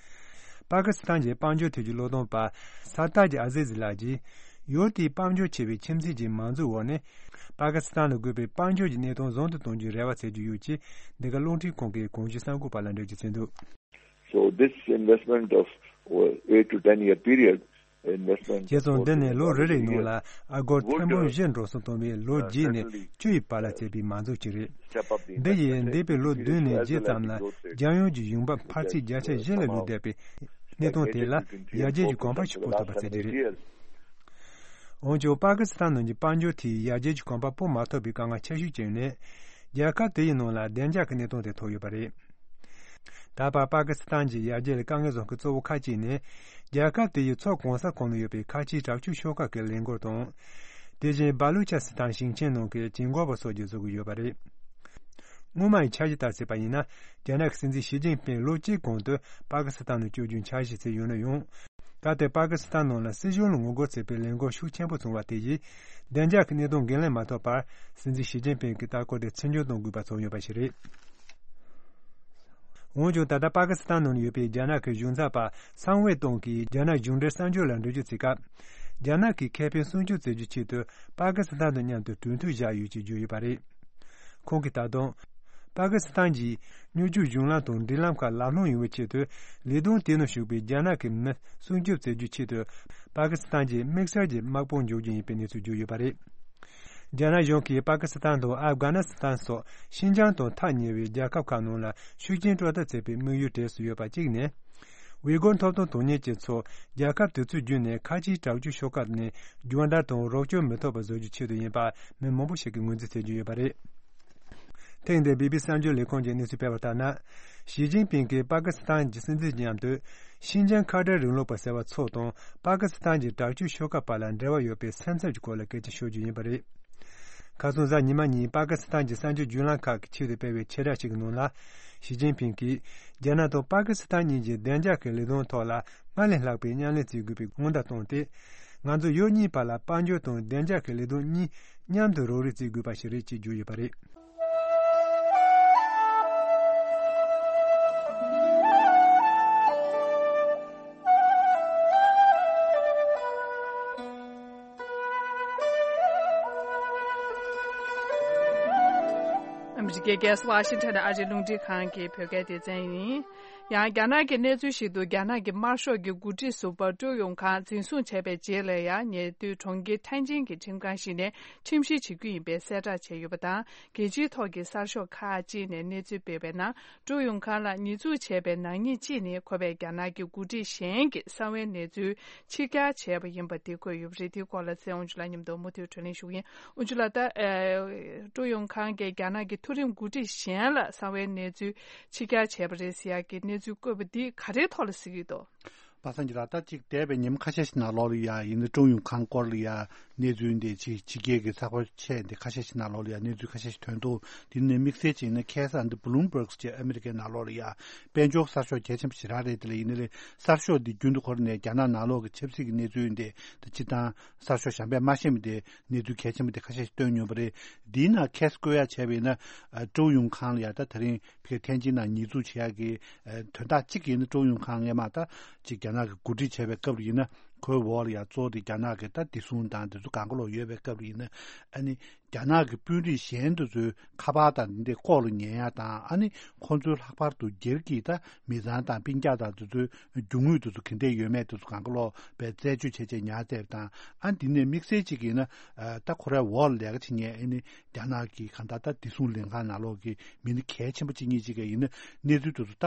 པ་ཀི་སི་ཐན་གྱི་དཔལ་འབྱོར་ཐད་ཀྱི་བློས་གཏོང་པ་སར་ཏཱ་ཇི་ཨ་ཟི་ཟི་ལགས་ཀྱིས། ཡུལ་དེའི་དཔལ་འབྱོར་ཆེ་བའི་ཁྱིམ་མཚེས་ཀྱི་མང་གཙོའི་འོག་ནས། པ་ཀི་སི་ཐན་ལ་དགོས་པའི་དཔལ་འབྱོར་གྱི་གནས་སྟངས་བཟང་དུ་གཏོང་རྒྱུའི་རེ་བ་བྱེད་ཀྱི་ཡོད་ཅེས་འདི་ག་རླུང་འཕྲིན་ཁང་གི་གོང་ཞུས་གསར་འགོད་པ་ལ་འགྲེལ་བརྗོད་བྱས་འདུག So this investment of, uh, eight to ten year period, investment བྱས་ཙང་འདི་ནི་ལོ་རེ་རེའི་ནང་ལ་ཨ་སྒོར་ཐེར་འབུམ་བཞི་འགྲོ་སོང་བཏང་བའི་ལོ་བརྒྱད་ནས་བཅུ་ཡི་བར་ལ་བྱས་པའི་མ་འཛུགས་ཅིག་རེད། འདི་ཡིས་འདས་པའི་ལོ་བདུན་ནས་བརྒྱད་ཙམ་ལ་རྒྱལ་ཡོངས་ཀྱི་ཡོང་འབབ་འཕར་ཚད་བརྒྱ་ཆ་བཞི་ལ་ལུས་བསྡད་པའི་གནས་སྟངས་དེ་ལ་ཡར་རྒྱས་ཀྱི་གོམ་པ་ཞིག་སྤོ་ཐུབ་པ་བྱེད་ཀྱི་རེད། འོན་ཀྱང་པ་ཀི་སི་ཐན་ནང་གི་དཔལ་འབྱོར་དེས་ཡར་རྒྱས་ཀྱི་གོམ་པ་སྤོ་མ་ཐུབ་པའི་དཀའ་ངལ་ཆེ་ཤོས་ཀྱི་ནི། རྒྱལ་ཁབ་དེ་ཡི་ནང་ལ་བདེ་འཇགས་ཀྱི་གནས་སྟངས་དེ་ཐོབ་ཡོད་པ་རེད། ད་བར་པ་ཀི་སི་ཐན་གྱི་ཡར་རྒྱས་ལ་དཀའ་ངལ་བཟོ་མཁན་གཙོ་བོ་ཁག་ཅིག་ནི། རྒྱལ་ཁབ་དེ་ཡི་མཚོ་གང་ས་གང་ན་ཡོད་པའི་ཁ་ཆེའི་དྲག་སྤྱོད་ཤོག་ཁག་གི་ལས་འགུལ་དང་། དེ་བཞིན་སྦ་ལུ་ཆ་སི་ཐན་ཞིང་ཆེན་ནང་གི་གྱེན་འགོག་པ་སོགས་ཀྱིས་བཟོ་གི་ཡོད་པ་རེད། སྔོན་མ་ཡི་འཆར་གཞི་ལྟར་བྱས་པ་ཡིན་ན། རྒྱ་ནག་གི་སྲིད་འཛིན་ཞི་ཅིན་ཕིང་ལོ་གཅིག་གོང་དུ་པ་ཀི་སི་ཐན་ནང་བསྐྱོད་རྒྱུའི་འཆར་གཞི་བྱས་ཡོད་ན་ཡང་། ད་ལྟའི་པ་ཀི་སི་ཐན་ནང་ལ་སྲིད་གཞུང་ལ་ངོ་རྒོལ་བྱེད་པའི་ལས་འགུལ་ཤུགས་ཆེན་པོ་བྱུང་བ་དེ་ཡིས། བདེ་འཇགས་ཀྱི་གནད་དོན་འགན་ལེན་མ་ཐུབ་པར། སྲིད་འཛིན་ཞི་ཅིན་ཕིང་གི་ལྟ་སྐོར་དེ་ཚིག་འཇོག་གཏོང་དགོས་པ་བྱུང་ཡོད་པ་ཞིག་རེད། འོན་ཀྱང་ད་ལྟ་པ་ཀི་སི་ཐན་ནང་ཡོད་པའི་རྒྱ་ནག་གི་གཞུང་ཚབ་པ་སང་ཝེ་ཏུང་གིས་རྒྱ་ནག་གཞུང་འབྲེལ་གསར་འགྱུར་ལ་འགྲེལ་བརྗོད་བྱེད་སྐབས། རྒྱ་ནག་གིས་ཁེ་ཕན་སྲུང་སྐྱོབ་བྱེད་རྒྱུའི་ཆེད་དུ་པ་ཀི་སི་ཐན་དང་མཉམ་དུ་གྲོས་མཐུན་བཞག་ཡོད་ཅེས་བརྗོད་ཡོད་པ་རེད། ཁོང་གིས་ད་དུང་། པ་ཀི་སི་ཐན་གྱིས་སྨྱུག་རྒྱུག་གཞུང་ལམ་དང་འགྲུལ་ལམ་ཁག་ལམ་ལྷོང་ཡོང་བའི་ཆེད་དུ་ལས་དོན་དེ་ནང་ཞུགས་པའི་རྒྱ་ནག་གི་མི་སྲུང་སྐྱོབ་བྱེད་རྒྱུའི་ཆེད་དུ་པ་ཀི་སི་ཐན་གྱིས་དམིགས་བསལ་གྱི་དམག་དཔུང་འཇོག་རྒྱུ་ཡིན་པའི་གནས་ཚུལ་བརྗོད་ཡོད་པ་རེད། རྒྱ་ནག་གཞུང་གིས་པ་ཀི་སི་ཐན་དང་ཨབ་གྷ་ནི་སི་ཐན་སོགས་ཤིན་ཅང་དང་ཐག་ཉེ་བའི་རྒྱལ་ཁབ་ཁག་ནང་ལ་ཤུགས་རྐྱེན་སྤྲོད་ཐབས་བྱེད་པའི་དམིགས་ཡུལ་གྲས་སུ་ཡོད་པ་གཅིག་ནི། ཝི་གོར་ཐོབ་ཐང་དོན་གཉེར་ཅན་ཚོ་རྒྱལ་ཁབ་དེ་ཚོའི་བརྒྱུད་ནས་ཁ་ཆེའི་དྲག་སྤྱོད་ཤོག་ཁག་ནས་སྦྱོང་བརྡར་དང་རོགས་སྐྱོར་མི་ཐོབ་པ་བཟོ་རྒྱུའི་ཆེད་དུ་ཡིན་པ་མི་མང་པོ་ཞིག་གིས་ངོས་འཛིན་བྱེད་ཀྱི་ཡོད་པ་རེད། ཐེངས་འདིར་བི་བི་སི་གསར་འགྱུར་ལས་ཁང་གིས་གནས་ཚུལ་སྤེལ་བ་ལྟར་ན། ཞི་ཅིན་ཕིང་གིས་པ་ཀི་སི་ཐན་གྱི་སྲིད་འཛིན་མཉམ་དུ་ཤིན་ཅང་ཁ་བྲལ་རིང་ལུགས་པ་ཟེར་བ་ཚོ་དང་པ་ཀི་སི་ཐན་གྱི་དྲག་སྤྱོད་ཤོག་ཁག་བར་ལ་འབྲེལ་བ་ཡོད་པའི་སེམས་འཚབ་ཀྱི་སྐོར་ལ་སྐད་ཆ་ཤོད་རྒྱུ་ཡིན་པ་རེད། ཁ་སང་གཟའ་ཉི་མ་ཉིན་པ་ཀི་སི་ཐན་གྱི་གསར་འགྱུར་བརྒྱུད་ལམ་ཁག་གི་ཆེད་དུ་སྤེལ་བའི་ཕྱིར་བསྒྲགས་ཤིག་གི་ནང་ལ། ཞི་ཅིན་ཕིང་གིས་རྒྱ་ནག་དང་པ་ཀི་སི་ཐན་གཉིས་ཀྱི་བདེ་འཇགས་ཀྱི་ལས་དོན་ཐོག་ལ་སྔར་ལས་ལྷག་པའི་མཉམ་ལས་བྱེད་དགོས་པའི་སྔོན་བརྡ་བཏང་སྟེ། ང་ཚོ་ཡུལ་གཉིས་བར་ལ་དཔལ་འབྱོར་དང་བདེ་འཇགས་ཀྱི་ལས་དོན་གཉིས་མཉམ་དུ་རོགས་རེས་བྱེད་དགོས་པ་ཞིག་རེད་ཅེས་བརྗོད་ཡོད་པ་རེད། ཨ་མི་རི་ཀའི་རྒྱལ་ས་ཝ་ཤིང་ཊོན་ཨ་རིའི་རླུང་འཕྲིན་ཁང་གི་བོད་སྐད་སྡེ་ཚན་ཡིན། ཡང་རྒྱ་ནག་གི་གནས་ཚུལ་ཞིག་ཏུ། རྒྱ་ནག་གི་དམར་ཤོག་གི་འགོ་ཁྲིད་ཟུར་པ་ཀྲོའུ་ཡུང་ཁང་འཛིན་བཟུང་བྱས་པའི་རྗེས་ལ་ཡང་ཉེ་དུས་གྲོང་ཁྱེར་ཐན་ཅིན་གྱི་ཁྲིམས་ཁང་ཞིག་ནས་ཁྲིམས་བཤེར་བྱེད་རྒྱུ་ཡིན་པའི་གསལ་བསྒྲགས་བྱས་ཡོད་པ་དང་། རྒྱལ་སྤྱིའི་ཐོག་གི་གསར་ཤོག་ཁག་ཅིག་ནས་གནས་ཚུལ་སྤེལ་བའི་ནང་། ཀྲོའུ་ཡུང་ཁང་ལ་ཉེས་འཛུགས་བྱས་པའི་ནག་ཉེས་གཅིག་ནི། ཁོ་པས་རྒྱ་ནག་གི་འགོ་ཁྲིད་གཞན་གྱི་གསང་བའི་གནས་ཚུལ་ཕྱི་གྱར་བྱས་པ་ཡིན་པ་དེ་འཁོད་ཡོད་པ་རེད། དེའི་སྐོར་ལ་ཚེ་དབང་ཕྱུག་ལགས་མཉམ་དུ་མུ་མཐུད་བགྲོ་གླེང་ཞུ་གི་ཡིན། དབང་ཕྱུག་ལགས། ད་ཨ་ཀྲོའུ་ཡུང་ཁང་གིས་རྒྱ་ནག་གི་མཐོ་རིམ་འགོ་ཁྲིད་གཞན་ལ་གསང་བའི་གནས་ཚུལ་ཕྱི་གྱར་བྱས་པ་རེད་ཟེར་ཡག་གི་གནས་ཚུལ་བཀོད་པ་འདི་ག་རེའི་ཐོག་ལ་གཟིགས་ཀྱི་འདུག་པ་སངས་ཀྱི་ལགས། ད་གཅིག་འདས་པའི་ཉིན་མོ་ཁ་ཤས་ཤིག་ནང་ལོགས་ལ་ཡ་ཡིན་ན་ཀྲོའུ་ཡུང་ཁང་སྐོར་ལ་ཡ་གནས་ཚུལ་འདི་ཕྱི་ཕྱི་རྒྱལ་གྱི་ཚགས་པར་ཆེ་འདི་ཁ་ཤས་ཤིག་ནང་ལོགས་ལ་ཡ་གནས་ཚུལ་ཁ་ཤས་ཤིག་ཐོན་འདུག་དེ་ནས་དམིགས་བསལ་ཅིག་ཡིན་ན་ཁ་སང་འདི་བྷུ་ལུམ་བྷརག་ཟེར་ཨ་མི་རི་ཀའི་ནང་ལོགས་ལ་ཡ་དཔལ་འབྱོར་གསར་ཤོག་གལ་ཆེན་པོ་ཞེ་དྲག་རེད། དེ་ལ་ཡིན་ན་ལས་གསར་ཤོག་འདི་རྒྱུན་དུ་ཁོ་རང་ནས་རྒྱ་ནག་ནང་ལོགས་ཀྱི་ཆབ་སྲིད་ཀྱི་གནས་ཚུལ་འདི་ད་སྤྱིར་བཏང་གསར་ཤོག་གཞན་པས་མ་ཤེས་པ་འདི་གནས་ཚུལ་གལ་ཆེན་པོ་འདི་ཁ་ཤས་ཤིག་བཏོན་མྱོང་པ་རེད། འདིའི་ནང་ཁ་གསལ་བཀོད་ཡ་བྱས་པ་ཡིན་ན་ཀྲོའུ་ཡུང་ཁང་ལ་ཡ་ད་དེ་རིང་ཕ་གིར་ཐན་ཅིན་ནང་ཉེས་འཛུགས་བྱེད་ཡག་གི་དོན་དག་གཅིག་ཡིན་ན། ཀྲོའུ་ཡུང་ཁང་སྔས་མ་ད་ཅིག་རྒྱ་ནག་གི་འགོ་ཁྲིད་བྱས་པའི་སྐབས་ལ་ཡིན་ན་ཁོའི་འོག་ལ་ཡང་གཙོ་བོ་དེ་རྒྱ་ནག་གི་ད་བདེ་སྲུང་དང་དེ་ཚོ་གང་ག་ལོག་ཡོད་པའི་སྐབས་ལ་ཡིན་ན། ཨ་ནི་རྒྱ་ནག་གི་དཔོན་རིགས་གཞན་དེ་ཚོའི་ཁ་པར་དང་དེ་འདྲའི་ལྐོག་ལ་ཉན་ཡ་དང་། ཨ་ནི་ཁོང་ཚོའི་ལྷག་པར་དུ་སྒེར་གྱི་ད་མི་ཚང་དང་སྤུན་ཀྱག་དང་དེ་ཚོའི་རྒྱུ་དངོས་དེ་ཚོ་ག་འདྲས་ཡོད་མེད་དེ་ཚོ་གང་ག་ལོག་པའི་རྩད་གཅོད་བྱས་བྱས་ཉར་བསྡད་པ་དང་། ཨ་འདི་ནས་དམིགས་བསལ་གཅིག་ཡིན་ན་ད་ཁོ་རའི་འོག་ལ་ལས་ཀ་བྱེད་མཁན་ཨ་ནི་རྒྱ་ནག་གི་གང་ལྟར་ད་བདེ་སྲུང་ལྷན་ཁང་ནང་ལོགས་ཀྱི་མི་སྣ་གལ་ཆེན་པོ་གཅིག་གཉིས་གཅིག་ག་ཡིན་ན་གནས་ཚུལ་དེ་ཚོ་ད་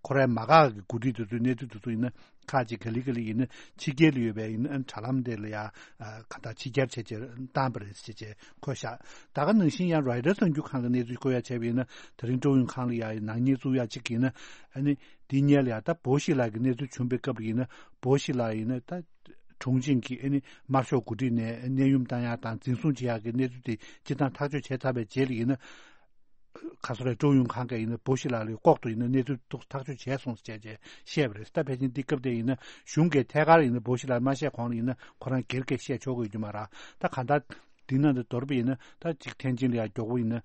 ཁོ་རའི་མ་འགག་གི་འགོ་ཁྲིད་དེ་ཚོའི་གནས་ཚུལ་དེ་ཚོ་ཡིན་ན་ཁག་ཅིག་ག་ལེ་ག་ལེ་ཡིན་ན་ཕྱི་རྒྱལ་ལ་ཡོད་པའི་ཡིན་ན་དྲ་ལམ་དེ་ལ་ཡང་གང་ལྟར་ཕྱི་གྱར་བྱས་བྱས་བཏང་པ་རེད་ཟེར་བྱས་འཁོད་བཞག་ད་ག་ནང་བཞིན་ཡང་རོའི་ཊར་གསར་འགྱུར་ཁང་གི་གནས་ཚུལ་བཀོད་ཡ་བྱས་པ་ཡིན་ན་དེ་རིང་ཀྲོའུ་ཡུང་ཁང་ལ་ཡང་ནག་ཉེས་བཙུགས་ཡ་གཅིག་ཡིན་ན། ཨ་ནི་དེ་སྔོན་ལ་ཡང་ད་བོ་ཤི་ལགས་ཀྱི་གནས་ཚུལ་བྱུང་པའི་སྐབས་ལ་ཡིན་ན་བོ་ཤི་ལགས་ཡིན་ན་ད། གྲོང་ཆིང་གི་ཨ་ནི་དམར་ཤོག་འགོ་ཁྲིད་ནས་གནས་ཡུམ་བཏང་ཡག་དང་འཛིན་བཟུང་བྱེད་ཡག་གི་གནས་ཚུལ་དེ་སྤྱིར་བཏང་ཐག་གཅོད་བྱས་ཚར་བའི་རྗེས་ལ་ཡིན་ན། ག་སོ་རེད། ཀྲོའུ་ཡུང་ཁང་གིས་ཡིན་ན་བོ་ཤི་ལགས་ལ་ལྐོག་ཏུ་ཡིན་ན་གནས་ཚུལ་ཐག་ཐག་གཅོད་བྱས་སོང་ཟེར་བྱས་བཤད་པ་རེད། ད་ཕལ་ཆེར་འདི་སྐབས་དེ་ཡིན་ན་གཞུང་གིས་ཐད་ཀར་ཡིན་ན་བོ་ཤི་ལགས་མ་བཤད་གོང་ལ་ཡིན་ན་ཁོ་རང་སྒེར་གྱིས་བཤད་ཆོག་གི་ཡོད་རྒྱུ་མ་རེད། ད་གང་ལྟར་འདི་ནང་དུ་མདོར་བསྡུས་ཡིན་ན་ད་ཅིག་ཐེན་ཅིན་ལ་ཡང་མགྱོགས་པོ་ཡིན་ན་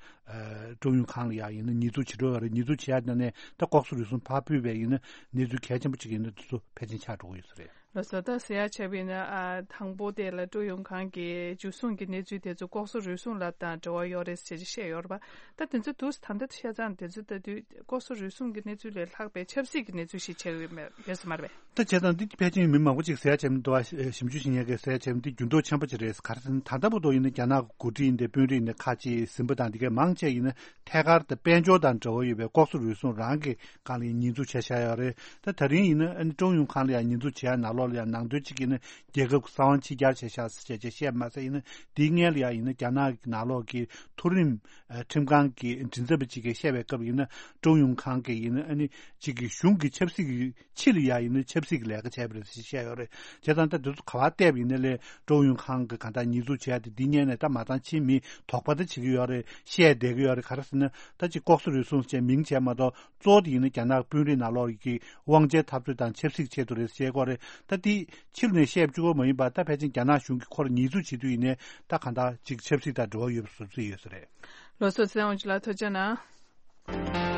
ཀྲོའུ་ཡུང་ཁང་ལ་ཡང་ཡིན་ན་ཉེས་འཛུགས་བྱེད་འགྲོ་བ་རེད། ཉེས་འཛུགས་བྱེད་ཡག་ནང་ནས་ད་ལྐོག་ཟ་རུལ་སུངས་ཕར་ཕུད་པའི་ཡིན་ན་གནས་ཚུལ་གལ་ཆེན་པོ་ཅིག་ཡིན་ན་དེ་ཚོ་ཕལ་ཆེར་ཆགས་འགྲོ་གི་ཡོད་ས་རེད། ལགས་སོ། ད་ཟེར་ཡ་བྱས་པ་ཡིན་ན་ཨ་དང་པོ་དེ་ལ་ཀྲོའུ་ཡུང་ཁང་གི་འཇུ་བཟུང་གི་གནས་ཚུལ་དེ་ཚོ་ལྐོག་ཟ་རུལ་སུངས་ལ་དང་འབྲེལ་བ་ཡོད་རེད་ཟེར་བཤད་ཡོད་རེད་པ། ད་དེ་ཚོ་འདུག་ད་ལྟ་བཤད་ཙང་དེ་ཚོ་ལྟ་དུས་ལྐོག་ཟ་རུལ་སུངས་ཀྱི་གནས་ཚུལ་ལས་ལྷག་པའི་ཆབ་སྲིད་ཀྱི་གནས་ཚུལ་ཞིག་ཆགས་ཡོད་མེད་ཡོད་ས་མ་རེད་པས། ད་བྱས་ཙང་འདི་ཕལ་ཆེར་མི་མང་པོ་ཅིག་ཟེར་ཡ་བྱས་མི་འདུག་ཨ། ཞིབ་འཇུག་བྱེད་མཁན་གྱིས་ཟེར་ཡ་བྱས་མི་འདི་འགྱུར་ལྡོག་ཆེན་པོ་ཅིག་རེད། ག་རེ་ཟེར་ན་ད་ལྟ་བར་དུ་ཡིན་ན་རྒྱ་ནག་གི་འགོ་ཁྲིད་ཡིན་ཏེ་དཔོན་རིགས་ཡིན་ན་ཁག་ཅིག་ཟིན་པ་དང་འདི་གའི་མང་ཆེ་ཡིན་ན་ཐད་ཀར་དུ་དཔལ་འབྱོར་དང་འབྲེལ་བ་ཡོད་པའི་ལྐོག་ཟ་རུལ་སུངས་རང་གི་སྒང་ལ་ཉེས་འཛུགས་བྱས་བཞག་ཡོད་རེད། ད་ད་རིང་ཡིན་ན་ཨ་ནི་ཀྲོའུ་ཡུང་ཁང་ལ་ཡང་ཉེས་འཛུགས་བྱེད་ཡ་ནང་ལོགས་ལ་ཡང་ནང་དོན་གཅིག་ཡིན་ན་རྒྱལ་ཁབ་གསང་བ་ཕྱི་གྱར་བྱས་བཞག་ཟེར་བྱས་བཤད་མ་ཟད་ཡིན་ན་དེའི་སྔོན་ལ་ཡང་ཡིན་ན་རྒྱ་ནག་གི་ནང་ལོགས་ཀྱི་མཐོ་རིམ་ཨ་ཁྲིམས་ཁང་གི་མགྲིན་ཚབ་པ་གཅིག་གིས་བཤད་པའི་སྐབས་ཡིན་ན་ཀྲོའུ་ཡུང་ཁང་གིས་ཡིན་ན་ཨ་ནི་གཅིག་གི་གཞུང་གི་ཆབ་སྲིད་ཀྱི་ཕྱི་ལ་ཡ་ཡིན་ན་ཆབ་སྲིད་ཀྱི་ལས་ཀ་བྱས་པ་རེད་ཟེར་བཤད་ཡོད་རེད། བྱས་ཙང་ད་དེ་ཚོ་ག་པར་བལྟས་པ་ཡིན་ན་ལས་ཀྲོའུ་ཡུང་ཁང་གི་གང་ལྟར་ཉེས་འཛུགས་བྱས་ཏེ་འདི་སྔོན་ནས་ད་མ་ཚང་ཕྱིན་མི་དོགས་པ་ད་བྱེད་ཀྱི་ཡོད་རེད། བཤད་བསྡད་ཀྱི་ཡོད་རེད། ག་རེ་ཟེར་ན་ད་ཅིག་ལྐོག་ཟ་རུལ་སུངས་བྱས་མིང་བྱས་མ་གཏོགས་གཙོ་བོ་དེ་ཡིན་ན་རྒྱ་ནག་དཔོན་རིགས་ནང་ལོགས་ཀྱི་དབང་ཆའི་འཐབ་རྩོད་དང་ཆབ་སྲིད་ཆེད་དུ་རེད་ཟེར་བཤད་ཀྱི་ཡོད་རེད། ད་འདི་ཕྱི་ལ་ནས་བཤད་བཅུག་པ་མ་ཡིན་པར་ད་ཕལ་ཆེར་རྒྱ་ནག་གཞུང་གིས་ཁོར་ཉེས་འཛུགས་བྱེད་དུས་ཡིན་ནའི་ད་གང་ལྟར་ཅིག་ཆབ་སྲིད་དང་འབྲེལ་བ་ཡོད་པ་བཟོ་རྩིས་ཡོད་ས་རེད། ལགས་སོ། ཚེ་དབང་ལགས་ཐུགས་རྗེ་གནང་།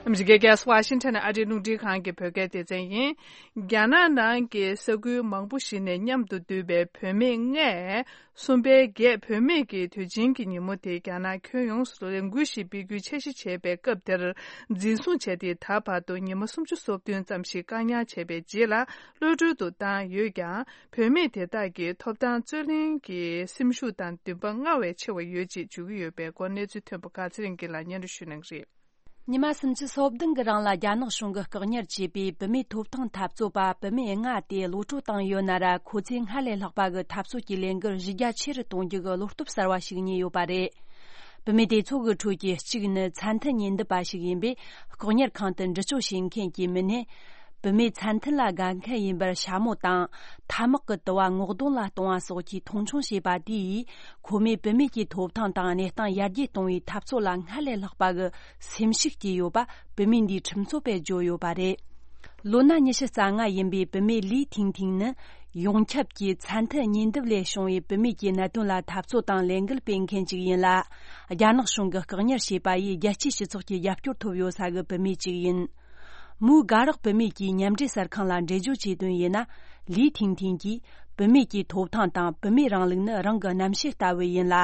ཨ་མི་རི་ཀའི་རྒྱལ་ས་ཝ་ཤིང་ཊོན་ཨ་རིའི་རླུང་འཕྲིན་ཁང་གི་བོད་སྐད་སྡེ་ཚན་ཡིན། རྒྱ་ནག་ནང་གི་ས་ཁུལ་མང་པོ་ཞིག་ནས་མཉམ་དུ་འདུས་པའི་བུད་མེད་ལྔས། གསུམ་པའི་རྒྱལ་བུད་མེད་ཀྱི་དུས་ཆེན་གྱི་ཉིན་མོ་དེ་རྒྱ་ནག་ཁྱོན་ཡོངས་སུ་ལས་འགུལ་ཞིག་སྤེལ་རྒྱུའི་འཆར་གཞི་བྱས་པའི་སྐབས་དེར། འཛིན་བཟུང་བྱས་ཏེ་ད་བར་དུ་ཉི་མ་སུམ་ཅུ་སོ་བདུན་ཙམ་ཞིག་བཀག་ཉར་བྱས་པའི་རྗེས་ལ་གློད་གྲོལ་དུ་བཏང་ཡོད་ཀྱང་། བུད་མེད་དེ་དག་གི་ཐོབ་ཐང་རྩོད་ལེན་གྱི་སེམས་ཤུགས་དང་འདུན་པ་སྔར་བས་ཆེ་བ་ཡོད་ཅེས་བརྗོད་ཀྱི་ཡོད་པའི་སྐོར་གནས་ཚུལ་ཐོན་པ་ག་ཚེ་རིང་སྐྱིད་ལགས་སྙན་སྒྲོན་ཞུ་གནང་གི་རེད། ཉི་མ་སུམ་ཅུ་སོ་བདུན་གྱི་རིང་ལ་རྒྱ་ནག་གཞུང་གིས་བཀག་ཉར་བྱས་པའི་བུད་མེད་ཐོབ་ཐང་འཐབ་རྩོད་པ་བུད་མེད་ལྔ་དེ་གློད་གྲོལ་བཏང་ཡོད་ན་ར། ཁོ་ཚོས་སྔར་ལས་ལྷག་པ་གི་འཐབ་རྩོད་ཀྱི་ལས་འགུལ་གཞི་རྒྱ་ཆེ་རུ་གཏོང་རྒྱུ་གི་བློ་སྟོབས་གསར་བ་ཞིག་རྙེད་ཡོད་པ་རེད། བུད་མེད་དེ་ཚོ་གི་ཁྲོད་ཀྱི་གཅིག་ནི་མཚན་མཐུན་ཉེན་འདུན་པ་ཞིག་ཡིན་པས། བཀག་ཉར་ཁང་དུ་འདྲི་གཅོད་བྱེད་མཁན་གྱི་མི་སྣས། བུད་མེད་མཚན་མཐུན་ལ་དགའ་མཁན་ཡིན་པར་ཞྭ་མོ་དང་། ཐ་མག་གི་དུ་བ་ངོ་གདོང་ལ་གཏོང་བ་སོགས་ཀྱིས་མཐོང་ཆུང་བྱས་པ་དེ་ཡིས། ཁོ་མོས་བུད་མེད་ཀྱི་ཐོབ་ཐང་དང་གནས་སྟངས་ཡར་རྒྱས་གཏོང་བའི་འཐབ་རྩོད་ལ་སྔར་ལས་ལྷག་པ་གི་སེམས་ཤུགས་སྐྱེས་ཡོད་པ་བུད་མེད་འདིའི་ཁྲིམས་རྩོད་པས་བརྗོད་ཡོད་པ་རེད། ལོ་ན་ཉི་ཤུ་རྩ་ལྔ་ཡིན་པའི་བུད་མེད་ལི་ཐིང་ཐིང་ནི། ཡོངས་ཁྱབ་ཀྱི་ཚད་མཐོའི་ཉེ་འདབས་ལས་བྱུང་བའི་བུད་མེད་ཀྱི་གནད་དོན་ལ་འཐབ་རྩོད་དང་ལས་འགུལ་སྤེལ་མཁན་ཞིག་ཡིན་ལ། རྒྱ་ནག་གཞུང་གིས་བཀག་ཉར་བྱས་པ་ཡིས་རྒྱལ་སྤྱིའི་སྤྱི་ཚོགས་ཀྱི་རྒྱབ་སྐྱོར་ཐོབ་ཡོད་ས་གི་བུད་མེད་ཅིག་ཡིན། མུའུ་དགའ་རག་བུད་མེད་ཀྱི་མཉམ་འབྲེལ་གསར་ཁང་ལ་འགྲེལ་བརྗོད་བྱས་དོན་ཡིན་ན། ལི་ཐིང་ཐིང་གིས་བུད་མེད་ཀྱི་ཐོབ་ཐང་དང་བུད་མེད་རིང་ལུགས་ནི་རང་གི་རྣམ་ཤེས་ལྟ་བུ་ཡིན་ལ།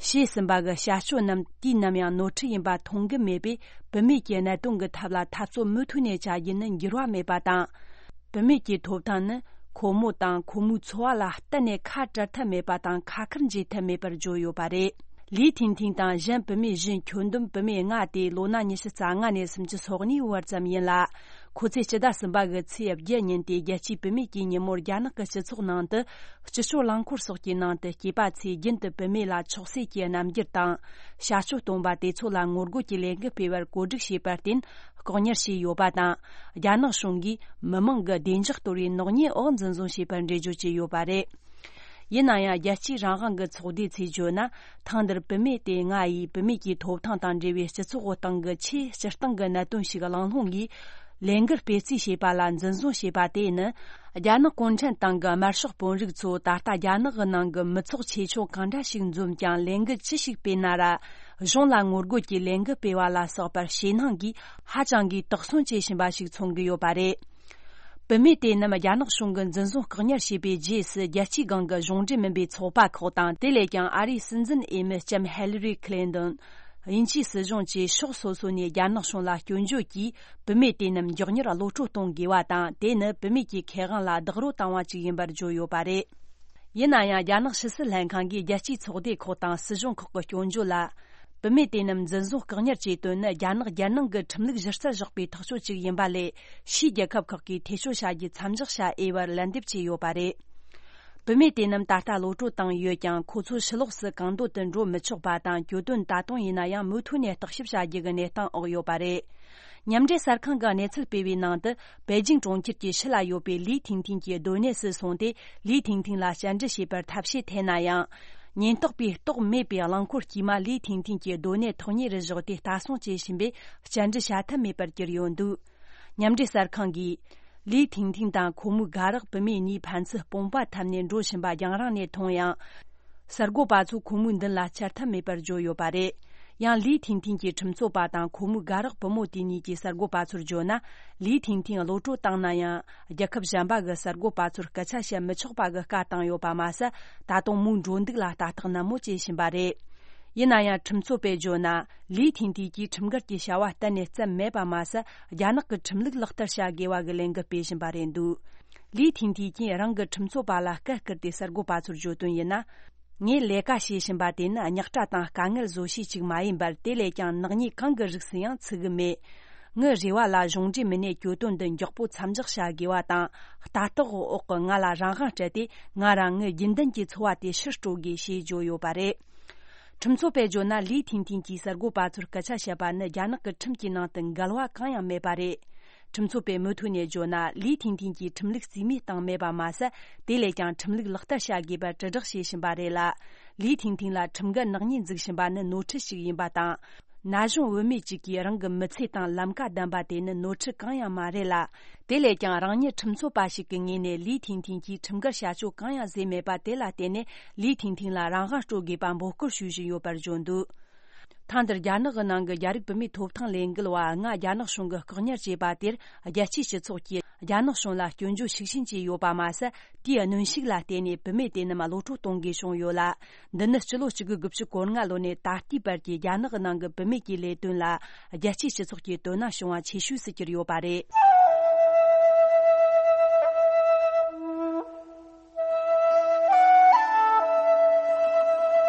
བྱས་ཟིན་པ་གི་བྱ་སྤྱོད་རྣམས་དུས་ནམ་ཡང་ནོར་འཁྲུལ་ཡིན་པ་མཐོང་གི་མེད་པས། བུད་མེད་ཀྱི་གནད་དོན་གྱི་ཐབས་ལ་འཐབ་རྩོད་མུ་མཐུད་ནས་བྱ་རྒྱུ་ནི་འགྱུར་བ་མེད་པ་དང་། བུད་མེད་ཀྱི་ཐོབ་ཐང་ནི་ཁོ་མོ་དང་ཁོ་མོའི་འཚོ་བ་ལ་གཏན་ནས་ཁ་བྲལ་ཐབས་མེད་པ་དང་ཁ་ཁར་འབྱེད་ཐབས་མེད་པར་བརྗོད་ཡོད་པ་རེད། ལི་ཐིང་ཐིང་དང་གཞན་བུད་མེད་བཞི་ཁྱོན་བསྡོམས་བུད་མེད་ལྔ་དེ་ལོ་ན་ཉི་ཤུ་རྩ་ལྔ་ནས་སུམ་ཅུ་སོ་གཉིས་བར་ཙམ་ཡིན་ལ། ཁོ་ཚོས་སྤྱི་ཟླ་གསུམ་པ་གི་ཚེས་བརྒྱད་ཉིན་དེ་རྒྱལ་སྤྱིའི་བུད་མེད་ཀྱི་ཉིན་མོར་རྒྱ་ནག་གི་སྤྱི་ཚོགས་ནང་དུ། སྤྱི་སྤྱོད་རླངས་འཁོར་སོགས་ཀྱི་ནང་དུ་སྐྱེས་པ་ཚོས་རྒྱུན་དུ་བུད་མེད་ལ་མཆོག་གསོད་ཀྱི་རྣམ་འགྱུར་དང་། བྱ་སྤྱོད་སྟོན་པ་དེ་ཚོ་ལ་ངོ་རྒོལ་གྱི་ལས་འགུལ་སྤེལ་བར་བཀོད་སྒྲིག་བྱས་པར་བརྟེན། ལྐོག་ཉར་བྱས་ཡོད་པ་དང་། རྒྱ་ནག་གཞུང་གིས་མི་མང་གི་བདེ་འཇགས་གཏོར་བའི་ནག་ཉེས་འོག་འཛིན་བཟུང་བྱས་པར་འགྲེལ་བརྗོད་བྱས་ཡོད་པ་རེད། ཡིན་ན་ཡང་། རྒྱལ་སྤྱིའི་རང་དབང་གི་ཚོགས་སྡེ་ཚོས་བརྗོད་ན། ཐེངས་འདིར་བུད་མེད་དེ་ལྔ་ཡིས་བུད་མེད་ཀྱི་ཐོབ་ཐང་དང་འབྲེལ་བའི་སྤྱི་ཚོགས་སྟེང་གི་ཆེས་སྤྱིར་བཏང་གི་གནད་དོན་ཞིག་གླེང་སློང་གིས། ལས་འགུལ་སྤེལ་རྩིས་བྱས་པ་ལ་འཛིན་བཟུང་བྱས་པ་དེ་ནི། རྒྱ་ནག་གུང་ཁྲན་ཏང་གི་དམར་ཤོག་དཔོན་རིགས་ཚོས་ད་ལྟ་རྒྱ་ནག་གི་ནང་གི་མི་ཚོགས་ཆེ་ཆུང་གང་འདྲ་ཞིག་འཛོམས་ཀྱང་ལས་འགུལ་ཅི་ཞིག་སྤེལ་ན་ར། གཞུང་ལ་ངོ་རྒོལ་གྱི་ལས་འགུལ་སྤེལ་བ་ལ་སོགས་པར་ཞེད་སྣང་གིས་ཧ་ཅང་གིས་དོགས་ཟོན་བྱེད་བཞིན་པ་ཞིག་མཚོན་གྱི་ཡོད་པ་རེད། བུད་མེད་དེ་རྣམས་རྒྱ་ནག་གཞུང་གིས་འཛིན་བཟུང་བཀག་ཉར་བྱས་པའི་རྗེས་སུ། རྒྱལ་སྤྱིའི་སྒང་གི་གཞུང་འབྲེལ་མིན་པའི་ཚོགས་པ་ཁག་དང་། དེ་ལས་ཀྱང་ཨ་རིའི་སྲིད་འཛིན་འོས་མི་ལྕམ་ཧེ་ལི་རི་ཁི་ལིན་ཏོན། དབྱིན་ཇིའི་སྲིད་གཞུང་བཅས་ཕྱོགས་སོ་སོ་ནས་རྒྱ་ནག་གཞུང་ལ་སྐྱོན་བརྗོད་ཀྱིས། བུད་མེད་དེ་རྣམས་མགྱོགས་མྱུར་གློད་བཀྲོལ་གཏོང་དགོས་པ་དང་། དེ་ནི་བུད་མེད་ཀྱི་ཁེ་དབང་ལ་རྡོག་རོལ་བཏང་བ་ཅིག་ཡིན་པར་བརྗོད་ཡོད་པ་རེད། ཡིན་ན་ཡང་། རྒྱ་ནག་ཕྱི་སྲིད་ལྷན་ཁང་གིས་རྒྱལ་སྤྱིའི་ཚོགས་སྡེ་ཁག་དང་སྲིད་གཞུང་ཁག་གི་སྐྱོན་བརྗོད་ལ། བུད་མེད་དེ་རྣམས་འཛིན་བཟུང་བཀག་ཉར་བྱས་དོན་ནི། རྒྱ་ནག་རྒྱལ་ནང་གི་ཁྲིམས་ལུགས་གཞི་རྩར་བཞག་པའི་ཐག་གཅོད་ཅིག་ཡིན་པ་ལས། ཕྱིའི་རྒྱལ་ཁབ་ཁག་གིས་ཐེ་གཏོགས་བྱ་རྒྱུ་མཚམས་འཇོག་བྱ་འོས་པར་ལན་འདེབས་བྱས་ཡོད་པ་རེད། བུད་མེད་དེ་རྣམས་ད་ལྟ་གློད་བཀྲོལ་བཏང་ཡོད་ཀྱང་། ཁོ་ཚོ་ཕྱི་ལོགས་སུ་གང་འདོད་དུ་འགྲོ་མི་ཆོག་པ་དང་། གྱོད་དོན་ད་དུང་ཡིན་ན་ཡང་མུ་མཐུད་ནས་བརྟག་ཞིབ་བྱ་རྒྱུ་གི་གནས་སྟངས་འོག་ཡོད་པ་རེད། མཉམ་འབྲེལ་གསར་ཁང་གིས་གནས་ཚུལ་སྤེལ་བའི་ནང་དུ། པེ་ཅིང་གྲོང་ཁྱེར་གྱི་ཕྱི་ལ་ཡོད་པའི་ལི་ཐིང་ཐིང་གི་སྡོད་གནས་སུ་སོང་སྟེ། ལི་ཐིང་ཐིང་ལ་བཅར་འདྲི་བྱེད་པར་ཐབས་ཤེས་འཐེན་ན་ཡང་། ཉེན་རྟོག་པས་རྟོགས་མེད་པའི་རླངས་འཁོར་དཀྱུས་མ་ལི་ཐིང་ཐིང་གི་སྡོད་གནས་ཐོག་ཉེ་རུ་བཞག་སྟེ་ལྟ་སྲུང་བྱེད་བཞིན་པས། བཅར་འདྲི་བྱ་ཐབས་མེད་པར་གྱུར་ཡོད་འདུག་མཉམ་འབྲེལ་གསར་ཁང་གིས། ལི་ཐིང་ཐིང་དང་ཁོ་མོའི་དགའ་རོགས་བུད་མེད་གཉིས་ཕན་ཚུན་དཔུང་པ་འཐམས་ནས་འགྲོ་བཞིན་པ་རྒྱང་རིང་ནས་མཐོང་ཡང་། གསར་འགོད་པ་ཚོས་ཁོ་མོའི་མདུན་ལ་བཅར་ཐབས་མེད་པར་བརྗོད་ཡོད་པ་རེད། ཡང་ལི་ཐིང་ཐིང་གི་ཁྲིམས་རྩོད་པ་དང་ཁོ་མོའི་དགའ་རོགས་བུ་མོ་དེ་གཉིས་ཀྱིས་གསར་འགོད་པ་ཚོར་བརྗོད་ན། ལི་ཐིང་ཐིང་གློད་བཀྲོལ་བཏང་ན་ཡང་། རྒྱལ་ཁབ་གཞན་པ་གི་གསར་འགོད་པ་ཚོར་སྐད་ཆ་བཤད་མི་ཆོག་པ་གི་བཀའ་བཏང་ཡོད་པ་མ་ཟད། ད་དུང་མོའི་འགྲོ་འདུག་ལ་ལྟ་རྟོག་ནན་མོ་བྱེད་བཞིན་པ་རེད། ཡིན་ན་ཡང་། ཁྲིམས་རྩོད་པས་བརྗོད་ན། ལི་ཐིང་ཐིང་གིས་ཁྲིམས་འགལ་གྱི་བྱ་བ་གཏན་ནས་བརྩམས་མེད་པ་མ་ཟད། རྒྱ་ནག་གི་ཁྲིམས་ལུགས་ལག་བསྟར་བྱ་དགོས་པ་གི་ལས་འགུལ་སྤེལ་བཞིན་པ་རེད་འདུག་ལི་ཐིང་ཐིང་གིས་རང་གི་ཁྲིམས་རྩོད་པ་ལ་བཀའ་བསྐུར་ཏེ་གསར་འགོད་པ་ཚོར་བརྗོད་དོན་ཡིན་ན། ངས་ལས་ཀ་བྱེད་བཞིན་པ་དེ་ནི་རྙོག་དྲ་དང་དཀའ་ངལ་བཟོ་བྱེད་ཅིག་མ་ཡིན་པར། དེ་ལས་ཀྱང་ནག་ཉེས་གང་གི་རིགས་སུ་ཡང་ཚུད་གི་མེད། ངའི་རེ་བ་ལ་གཞུང་འབྲེལ་མི་སྣས་གྱོད་དོན་འདི་མགྱོགས་པོ་མཚམས་འཇོག་བྱ་དགོས་པ་དང་། ལྟ་རྟོག་འོག་གི་ང་ལ་རང་དབང་སྤྲད་དེ། ང་རང་ངའི་རྒྱུན་ལྡན་གྱི་འཚོ་བ་དེ་ཕྱིར་སྤྲོད་དགོས་ཞེས་བརྗོད་ཡོད་པ་རེད། ཁྲིམས་རྩོད་པས་བརྗོད་ན། ལི་ཐིང་ཐིང་གིས་གསར་འགོད་པ་ཚོར་སྐད་ཆ་བཤད་པ་ནི་རྒྱ་ནག་གི་ཁྲིམས་ཀྱི་ནང་དུ་འགལ་བ་གང་ཡང་མེད་པ་རེད། ཁྲིམས་རྩོད་པས་མུ་མཐུད་ནས་བརྗོད་ན། ལི་ཐིང་ཐིང་གིས་ཁྲིམས་ལུགས་རྩིས་མེད་བཏང་མེད་པ་མ་ཟད། དེ་ལས་ཀྱང་ཁྲིམས་ལུགས་ལག་བསྟར་བྱ་དགོས་པར་དྲིལ་བསྒྲགས་བྱེད་བཞིན་པ་རེད་ལ། ལི་ཐིང་ཐིང་ལ་ཁྲིམས་འགལ་ནག་ཉེས་འཛུགས་བཞིན་པ་ནི་ནོར་འཁྲུལ་ཞིག་ཡིན་པ་དང་། ན་གཞོན་བུད་མེད་ཅིག་གིས་རང་གི་མི་ཚེ་དང་ལམ་ཀ་བདམས་པ་དེ་ནི་ནོར་འཁྲུལ་གང་ཡང་མ་རེད་ལ། དེ་ལས་ཀྱང་རང་ཉིད་ཁྲིམས་རྩོད་པ་ཞིག་གི་ངོས་ནས་ལི་ཐིང་ཐིང་གིས་ཁྲིམས་འགལ་བྱ་སྤྱོད་གང་ཡང་བཟོས་མེད་པ་དེ་ལ་བརྟེན་ནས། ལི་ཐིང་ཐིང་ལ་རང་དབང་སྤྲོད་དགོས་པ་འབོད་སྐུལ་ཞུ་བཞིན་ཡོད་པར་བརྗོད་འདུག་ཐེངས་འདིར་རྒྱ་ནག་གི་ནང་གི་རྒྱ་རིགས་བུད་མེད་ཐོབ་ཐང་ལས་འགུལ་བ་ལྔ་རྒྱ་ནག་གཞུང་གིས་བཀག་ཉར་བྱས་པ་དེར། རྒྱལ་སྤྱིའི་སྤྱི་ཚོགས་ཀྱིས་རྒྱ་ནག་གཞུང་ལ་སྐྱོན་བརྗོད་ཤུགས་ཆེན་བྱས་ཡོད་པ་མ་ཟད། དེའི་གནོན་ཤུགས་ལ་བརྟེན་ནས་བུད་མེད་དེ་རྣམས་གློད་བཀྲོལ་གཏོང་དགོས་བྱུང་ཡོད་ལ། འདི་ནི་སྤྱི་ལོ་གཅིག་དགུ་དགུ་བཅུ་གོ་ལྔ་ལོ་ནས་ད་ལྟའི་བར་གྱི་རྒྱ་ནག་གི་ནང་གི་བུད་མེད་ཀྱི་ལས་དོན་ལ་རྒྱལ་སྤྱིའི་སྤྱི་ཚོགས་ཀྱི་དོ་སྣང་བྱུང་བ་ཆེ་ཤོས་སུ་གྱུར་ཡོད་པ་རེད།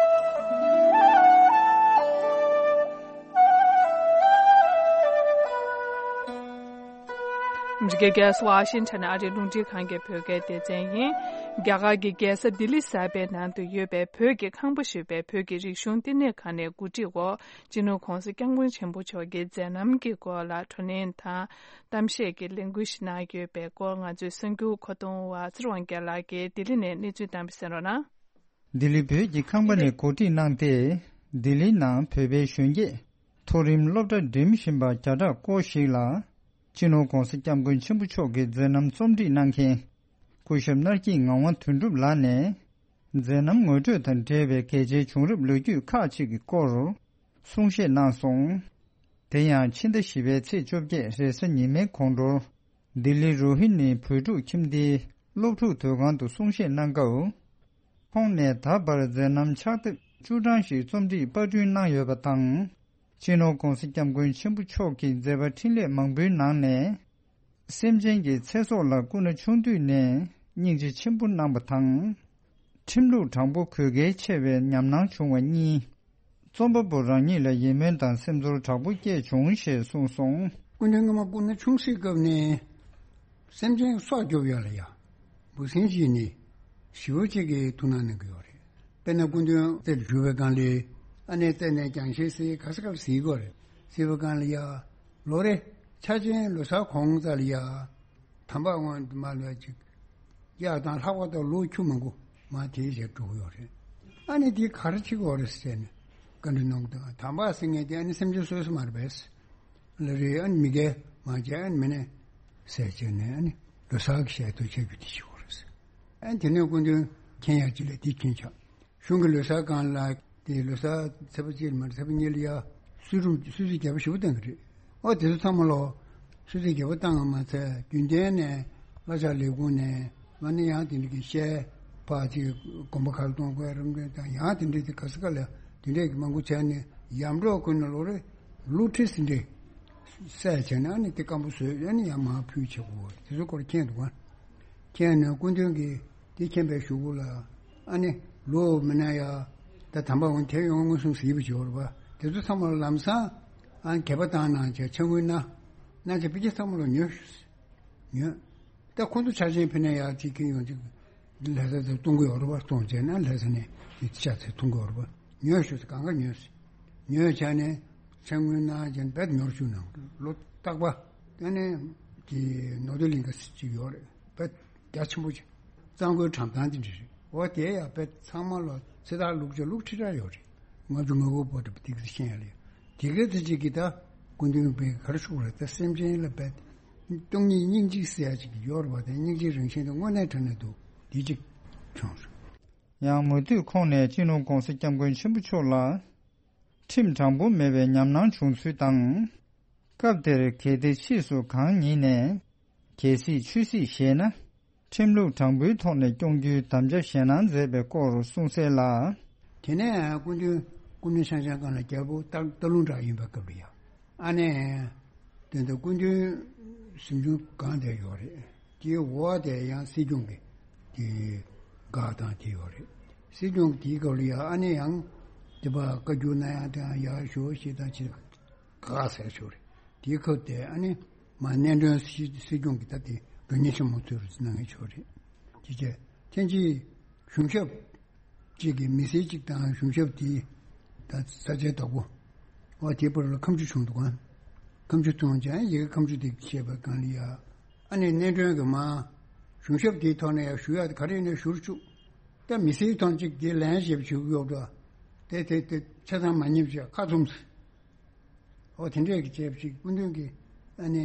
འདི་ག་རྒྱལ་ས་ཝ་ཤིང་ཊོན་ཨ་རིའི་རླུང་འཕྲིན་ཁང་གི་བོད་སྐད་སྡེ་ཚན་ཡིན། རྒྱ་གར་གྱི་རྒྱལ་ས་ལྡི་ལི་གསར་པའི་ནང་དུ་ཡོད་པའི་བོད་ཀྱི་ཁང་པ་ཞེས་པའི་བོད་ཀྱི་རིག་གཞུང་བསྟི་གནས་ཁང་ནས་གོ་སྒྲིག་འོག་སྤྱི་ནོར་༧གོང་ས་༧སྐྱབས་མགོན་ཆེན་པོ་མཆོག་གི་མཛད་རྣམ་གྱི་སྐོར་ལ་བགྲོ་གླེང་དང་གཏམ་བཤད་ཀྱི་ལས་འགུལ་ཞིག་གནང་ཡོད་པའི་སྐོར། ང་ཚོའི་གསར་འགྱུར་མཁོ་གཏོང་བ་ཚེ་རིང་དབང་རྒྱལ་ལགས་ཀྱིས་ལྡི་ལི་ནས་གནས་ཚུལ་བཏང་བ་གསན་རོགས་གནང་། ལྡི་ལི་བོད་ཀྱི་ཁང་པ་ནས་གོ་སྒྲིག་གནང་སྟེ། ལྡི་ལིའི་ནང་བོད་པའི་གཞོན་སྐྱེས་མཐོ་རིམ་སློབ་གྲྭ་འགྲིམ་བཞིན་པ་བརྒྱ་ཕྲག་སྐོར་ཞིག་ལ། སྤྱི་ནོར་༧གོང་ས་༧སྐྱབས་མགོན་ཆེན་པོ་མཆོག་གི་མཛད་རྣམ་རྩོམ་སྒྲིག་གནང་མཁན། སྐུ་ཞབས་ནར་སྐྱིད་ངག་དབང་དོན་གྲུབ་ལགས་ནས། མཛད་རྣམ་ངོ་སྤྲོད་དང་འབྲེལ་བའི་གལ་ཆེའི་བྱུང་རབས་ལོ་རྒྱུས་ཁག་ཅིག་གི་སྐོར་གསུང་བཤད་གནང་སོང་། དེ་ཡང་ཕྱི་ཟླ་བཞི་པའི་ཚེས་བཅོ་བརྒྱད་རེས་གཟའ་ཉི་མའི་དགོང་དྲོར། ལྡི་ལི་རོ་ཧི་ནི་བོད་ཕྲུག་ཁྱིམ་སྡེའི་སློབ་ཕྲུག་དོས་ཁང་དུ་གསུང་བཤད་གནང་སྐབས། ཁོང་ནས་ད་བར་མཛད་རྣམ་ཕྱག་དེབ་བཅུ་གྲངས་ཤིག་རྩོམ་སྒྲིག་པར་སྐྲུན་གནང་ཡོད་པ་དང་། སྤྱི་ནོར་༧གོང་ས་༧སྐྱབས་མགོན་ཆེན་པོ་མཆོག་གི་མཛད་པ་འཕྲིན་ལས་མང་པོའི་ནང་ནས། སེམས་ཅན་གྱི་ཚེ་སྲོག་ལ་སྐུ་ན་ཆུང་དུས་ནས་སྙིང་རྗེ་ཆེན་པོ་གནང་བ་དང་། ཁྲིམས་ལུགས་དྲང་པོ་དགོས་གལ་ཆེ་བའི་ཉམས་སྣང་བྱུང་བ་གཉིས། རྩོམ་པ་པོ་རང་ཉིད་ལ་ཡིད་སྨོན་དང་སེམས་ཚོར་དྲག་པོ་སྐྱེས་བྱུང་ཞེས་གསུངས་སོང་། སྐུ་མདུན་སྔོན་མ་སྐུ་ན་ཆུང་སའི་སྐབས་ནས་སེམས་ཅན་སྲོག་སྐྱོབ་ཡ་ལ་ཡ་འབུ་སྲིན་བྱས་ནས་ཞེ་པོ་ཅིག་གི་ཐུགས་སྣང་གནང་གི་ཡོད་རེད། དཔེར་ན་སྐུ་མདུན་རྩེར་བཞུགས་པའི་སྒང་ལ་ཨ་ནེ་རྩེ་ནས་རྒྱང་ཤེལ་གཟིགས། ག་ས་ག་ལ་གཟིགས་ཀྱི་ཡོད་རེད། གཟིགས་པའི་སྒང་ལ་ཡ་ལོ་རེ་འཆར་ཅན་ལོ་གསར་གོང་ཙམ་ལ་ཡ། དམ་པ་དབང་དུ་མ་ལོས་ཅིག་གཡག་དང་ལྷགས་པ་དང་ལུག་ཁྱུ་མང་པོ་མ་དེའི་ཞལ་འགྲོ་གི་ཡོད་རེད། ཨ་ནི་དེ་ག་རེ་བྱེད་ཀྱི་ཡོད་རེད་ཟེར་ནས་བཀའ་འདྲི་གནང་གི་འདུག་དམ་པ་ཟེར་མཁན་དེ་ཨ་ནི་སེམས་ཅན་གསོ་ས་མ་རེད་པས། ལ་རེད། ཨ་ནི་མི་དགེ་མ་བྱས། ཨ་ནི་མི་ནས་ཟས་བྱས་ནས་ཨ་ནི་ལོ་གསར་གྱི་ཞལ་ཏོག་བྱེད་རྒྱུ་དེ་བྱེད་ཀྱི་ཡོད་རེད་ཟེར། ཨ་ནི་དེ་ནས་སྐུ་མདུན་མཁྱེན་ཡག་ཅིག་ལ་དེ་མཁྱེན་ཆགས། གཞུང་གི་ལོ་གསར་སྒང་ལ་དེ་ལོ་གསར་ཚེས་པ་གཅིག་ལ་མ་རེད། ཚེས་པ་གཉིས་ལ་ཡ་གསོལ་རུམ་གསོལ་ཚིགས་བརྒྱད་པ་ཞེ་པོ་བཏང་གི་རེད། ཨོ་དེ་ཚོ་ཚང་མ་ལོ་གསོལ་ཚིགས་བརྒྱད་པ་བཏང་བ་མ་ཚད་རྒྱུན་ལྡན་ནས་བླ་བྱ་ལས་ཁུངས་ནས་མ་ནི་ཡང་དེ་འདྲ་གི་ཤེས་པ་ཅིག་དགོན་པ་ཁ་ལ་གཏོང་དགོས་རམ་འདྲ་དང་ཡང་དེ་འདྲ་དེ་ག་ས་ག་ལ་དེ་འདྲ་གི་མང་པོ་བྱས་ནས་ཡམ་འགྲོ་ཁུལ་ནས་ལོ་རེ་ལུག་ཁྲི་ཟིན་འདྲ་བསད་བྱས་ནས་ཨ་ནི་དེ་སྐམ་པོ་བཟོས་ཨ་ནི་ཡང་མར་ཕུལ་བྱེད་དགོས། དེ་ཚོ་སྐོར་མཁྱེན་འདུག་ག་མཁྱེན་ནས་སྐུ་མདུན་གྱིས་དེ་མཁྱེན་པའི་གཞུག་གུ་ལ་ཨ་ནི་ལོ་མི་ན་ཡ་ད་དམ་པ་འོང་དེ་ཡོང་མངོན་སུམ་གཟིགས་པ་བྱེད་པ་རེད་པ། དེ་ཚོ་ཚང་མ་ལ་ལམ་སང་ཨ་ནི་དད་པ་བཏང་གནང་བྱས་ཕྱག་དངུལ་གནང་གནང་བྱས་ཕ་གི་ཚང་མ་ལ་ཉོས་ཉོས། ད་ཁོང་ཚོ་ཆ་ཆེན་ཕེབས་ན་ཡ་དེ་ཁྱེད་ཡོང་ཅིག་ལྷ་ས་ཚོ་གཏོང་གི་ཡོད་རེད་པ། གཏོང་བྱས་ན་ལྷ་ས་ནས་དེ་ཤ་ཚ་གཏོང་གི་ཡོད་རེད་པ། ཉོས་ཤོག་ཟེར་གང་ག་ཉོས་ཟེར། ཉོས་བྱས་ནས་ཕྱག་དངུལ་གནང་བྱས་ནས་རྦད་ཉོར་བཅུག་གནང་། ལོ་རྟག་པ་ཨ་ནི་དེ་ནོར་དུ་གླིང་ག་ཅིག་ཡོད་རེད། རྦད་རྒྱ་ཆེན་པོ་ཅིག་གཙང་པོའི་གྲམ་ཐང་དེ་འདྲ་རེད། འོ་དེ་ཡང་དཔེ་ཚང་མ་ལོ་ཚེ་ཐར་ལུག་ཅིག་ལུག་ཁྲི་ཕྲག་ཡོད་རེད། ལྔ་བཅུ་ང་དགུ་བར་དུ་དེ་ག་ཚོད་ཤེས་ཡ་ལེ། དེ་ག་ཚོད་ཅིག་གིས་ད་སྐུ་མདུན་པས་ག་རེ་ཞུ་རེད། ད་སེམས་ཅན་ལ་དཔེ་སྟོང་ཉིད་སྙིང་རྗེ་ཟེར་ཡ་ཅིག་ཡོད་རེད་པ། དེ་སྙིང་རྗེའི་རང་བཞིན་དེ་དངོས་གནས་དྲང་གནས་འདུག་དེ་གཅིག་བྱུང་སོང་། ཡང་མུ་མཐུད་ཁོང་ནས་སྤྱི་ནོར་༧གོང་ས་༧སྐྱབས་མགོན་ཆེན་པོ་མཆོག་ལ་ཁྲིམས་དྲང་པོ་མེད་པའི་ཉམས་སྣང་བྱུང་ཚུལ་དང་། སྐབས་དེར་གལ་ཏེ་ཕྱིས་སུ་གང་ཉིད་ནས་གལ་སྲིད་ཆོས་སྲིད་བཞེས་ན། ཁྲིམས་ལུགས་དྲང་པོའི་ཐོག་ནས་སྐྱོང་རྒྱུའི་དམ་བཅའ་བཞེས་གནང་མཛད་པའི་སྐོར་གསུངས་གསལ་ལ། དེ་ནས་སྐུ་མདུན་སྐུ་མདུན་ཤང་ཤང་ཀང་ལ་རྒྱལ་པོ་སྟག་སྟག་ལུང་བྲག་ཡིན་པའི་སྐབས་ལ་ཡ། ཨ་ནེ། དེ་འདྲ་སྐུ་མདུན་གཟིམ་ཆུང་སྒང་དེར་ཡོད་རེད། དེའི་འོག་དེ་ཡང་སྲིད་སྐྱོང་གི་དེ་སྒར་དང་དེ་ཡོད་རེད། སྲིད་སྐྱོང་དེའི་སྐབས་ལ་ཡ་ཨ་ནེ་ཡང་དེ་པ་བཀའ་བསྒྱུར་གནང་ཡ་དེ་ཡང་ཡག་ཤོས་ཤིག་དང་ཅི། ག་ཟེར་ཞོར་དེའི་ཁ་དེ་ཨ་ནི་མ་གནས་མགྲོན་སྲིད་སྲིད་སྐྱོང་གི་ད་དེ་དགོན་གཉེར་ཆེན་མོ་ཚོས་རུ་གནང་ངེས་ཆོག་རེད། དེ་རྗེས་ཐེངས་གཅིག་གཞུང་ཞབས་གཅིག་གི་མི་སེར་གཅིག་དང་གཞུང་ཞབས་དེའི་ད་ས་ཆའི་བདག་པོ་ཨོ་དེའི་བར་ལ་ཁ་མཆུ་བྱུང་འདུག་ག་ཁ་མཆུ་བྱུང་ཀྱང་ཡི་གེ་ཁ་མཆུ་དེ་བཤད་པའི་སྒང་ལ་ཡ་ཨ་ནི་གནས་མགྲོན་གྱི་མ་གཞུང་ཞབས་དེའི་ཐོག་ནས་ཡ་ཞུ་ཡ་དེ་ག་རེ་ཡིན་ན་ཞུ་རུ་བཅུག་ད་མི་སེར་ཐོག་གཅིག་དེ་ལན་ཞེས་ཞུ་གི་ཡོད་འགྲོ། དེ་དེ་དེ་ཆ་ཚང་མ་ཉེས་བྱས་ཁ་ཚུམས། ཨོ་དེ་འདྲས་ཀྱི་བྱས་པ་ཞིག་སྐུ་མདུན་གྱིས་ཨ་ནི་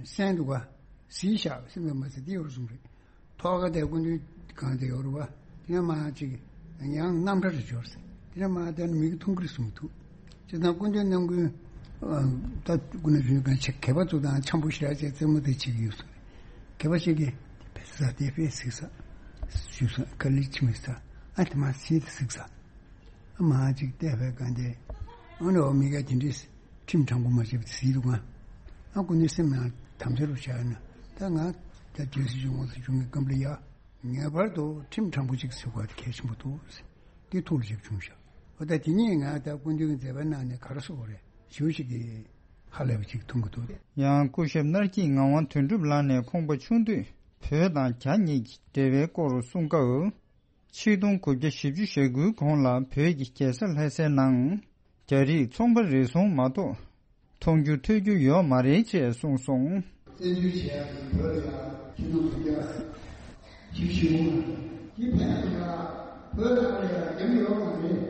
གསན་འདུག་ག་གཟིགས་བཞག་སེམས་ལ་མ་ཟད་དེ་ཡོད་རེད་གསུངས་རེད། ཐོག་ཁ་དེ་སྐུ་མདུན་གང་དེ་ཡོད་རེད་བ། དེ་ནས་མ་ཅིག་ཡང་རྣམ་ཐར་རེ་འབྱོར་ཟེར། དེ་ནས་མ་དེ་ནི་མིག་གིས་མཐོང་གི་རེད་གསུངས་འདུག་བྱས་ཙང་སྐུ་མདུན་རྣམ་ཀུན་ད་སྐུ་ན་གཞོན་གང་ཆེ་གད་པ་བཙུགས་དང་འཆམ་པོ་ཞེ་དྲག་བྱས་རྩེད་མོ་དེ་བྱེད་ཀྱི་ཡོད་གསུངས་རེད། གད་པ་ཞིག་གིས་དེ་ཕེ་ཟ་དེ་ཕེ་ཟིག་ཟ། ཞུས་སོང་། དཀའ་ལས་ཆེ་མི་ཟ། ཨ་དེ་མ་ཟིག་དེ་ཟིག་ཟ། མ་ཅིག་བལྟས་པའི་སྒང་དེ། ཨ་ནི་འོ་མི་ག་དེ་འདྲས་ཁྲིམས་དྲང་པོ་མ་བྱས་པ་དེ་ཟིག་འདུག་ག་ཨ་ཁོ་ནི་སེམས་ནང་དམ་བཅའ་རུ་བཞག་ན་ད་ང་ད་རྒྱལ་སྲིད་སྐྱོང་བ་སུ་བྱུང་གི་སྐབས་ལ་ཡ། ངེས་པར་དུ་ཁྲིམས་དྲང་པོ་ཅིག་ཟེར་བ་དེ་གལ་ཆེན་པོ་འདུག་དེ་ཐུགས་ལ་བཞག་བྱུང་ཤག་འོ་ད་དེ་གཉིས་ང་ད་སྐུ་མདུན་གྱི་མཛད་པའི་ནང་ནས་ག་རེ་ཟེར་དགོས་རེད་ཞུ་ཞིག་གི་ཧ་ལས་པ་ཅིག་མཐོང་གི་འདུག་ཡང་སྐུ་ཞབས་ནར་སྐྱིད་ངག་དབང་དོན་གྲུབ་ལགས་ནས་ཁོང་པ་ཆུང་དུས་བོད་དང་རྒྱ་གཉིས་ཀྱི་འབྲེལ་བའི་སྐོར་གསུང་སྐབས། ཆིག་སྟོང་དགུ་བརྒྱ་བཞི་བཅུ་ཞེ་དགུའི་གོང་ལ་བོད་ཀྱི་རྒྱལ་ས་ལྷ་སའི་ནང་རྒྱ་རིགས་ཚོང་པ་རེ་ཟུང་མ་གཏོགས་མཐོང་རྒྱུ་ཐོས་རྒྱུ་ཡོད་མ་རེད་ཅེས་གསུངས་སོང་། བཙན་འཛུལ་བྱས་ཡག་གི་བོད་ལ་ཡང་ཆིག་སྟོང་དགུ་བརྒྱ་བཞི་བཅུ་ཞེ་དགུ་ནང་དེ་ཕན་ཚུན་ལ་བོད་ནང་ལ་ཡང་རྒྱ་མི་ཡོད་མ་རེད།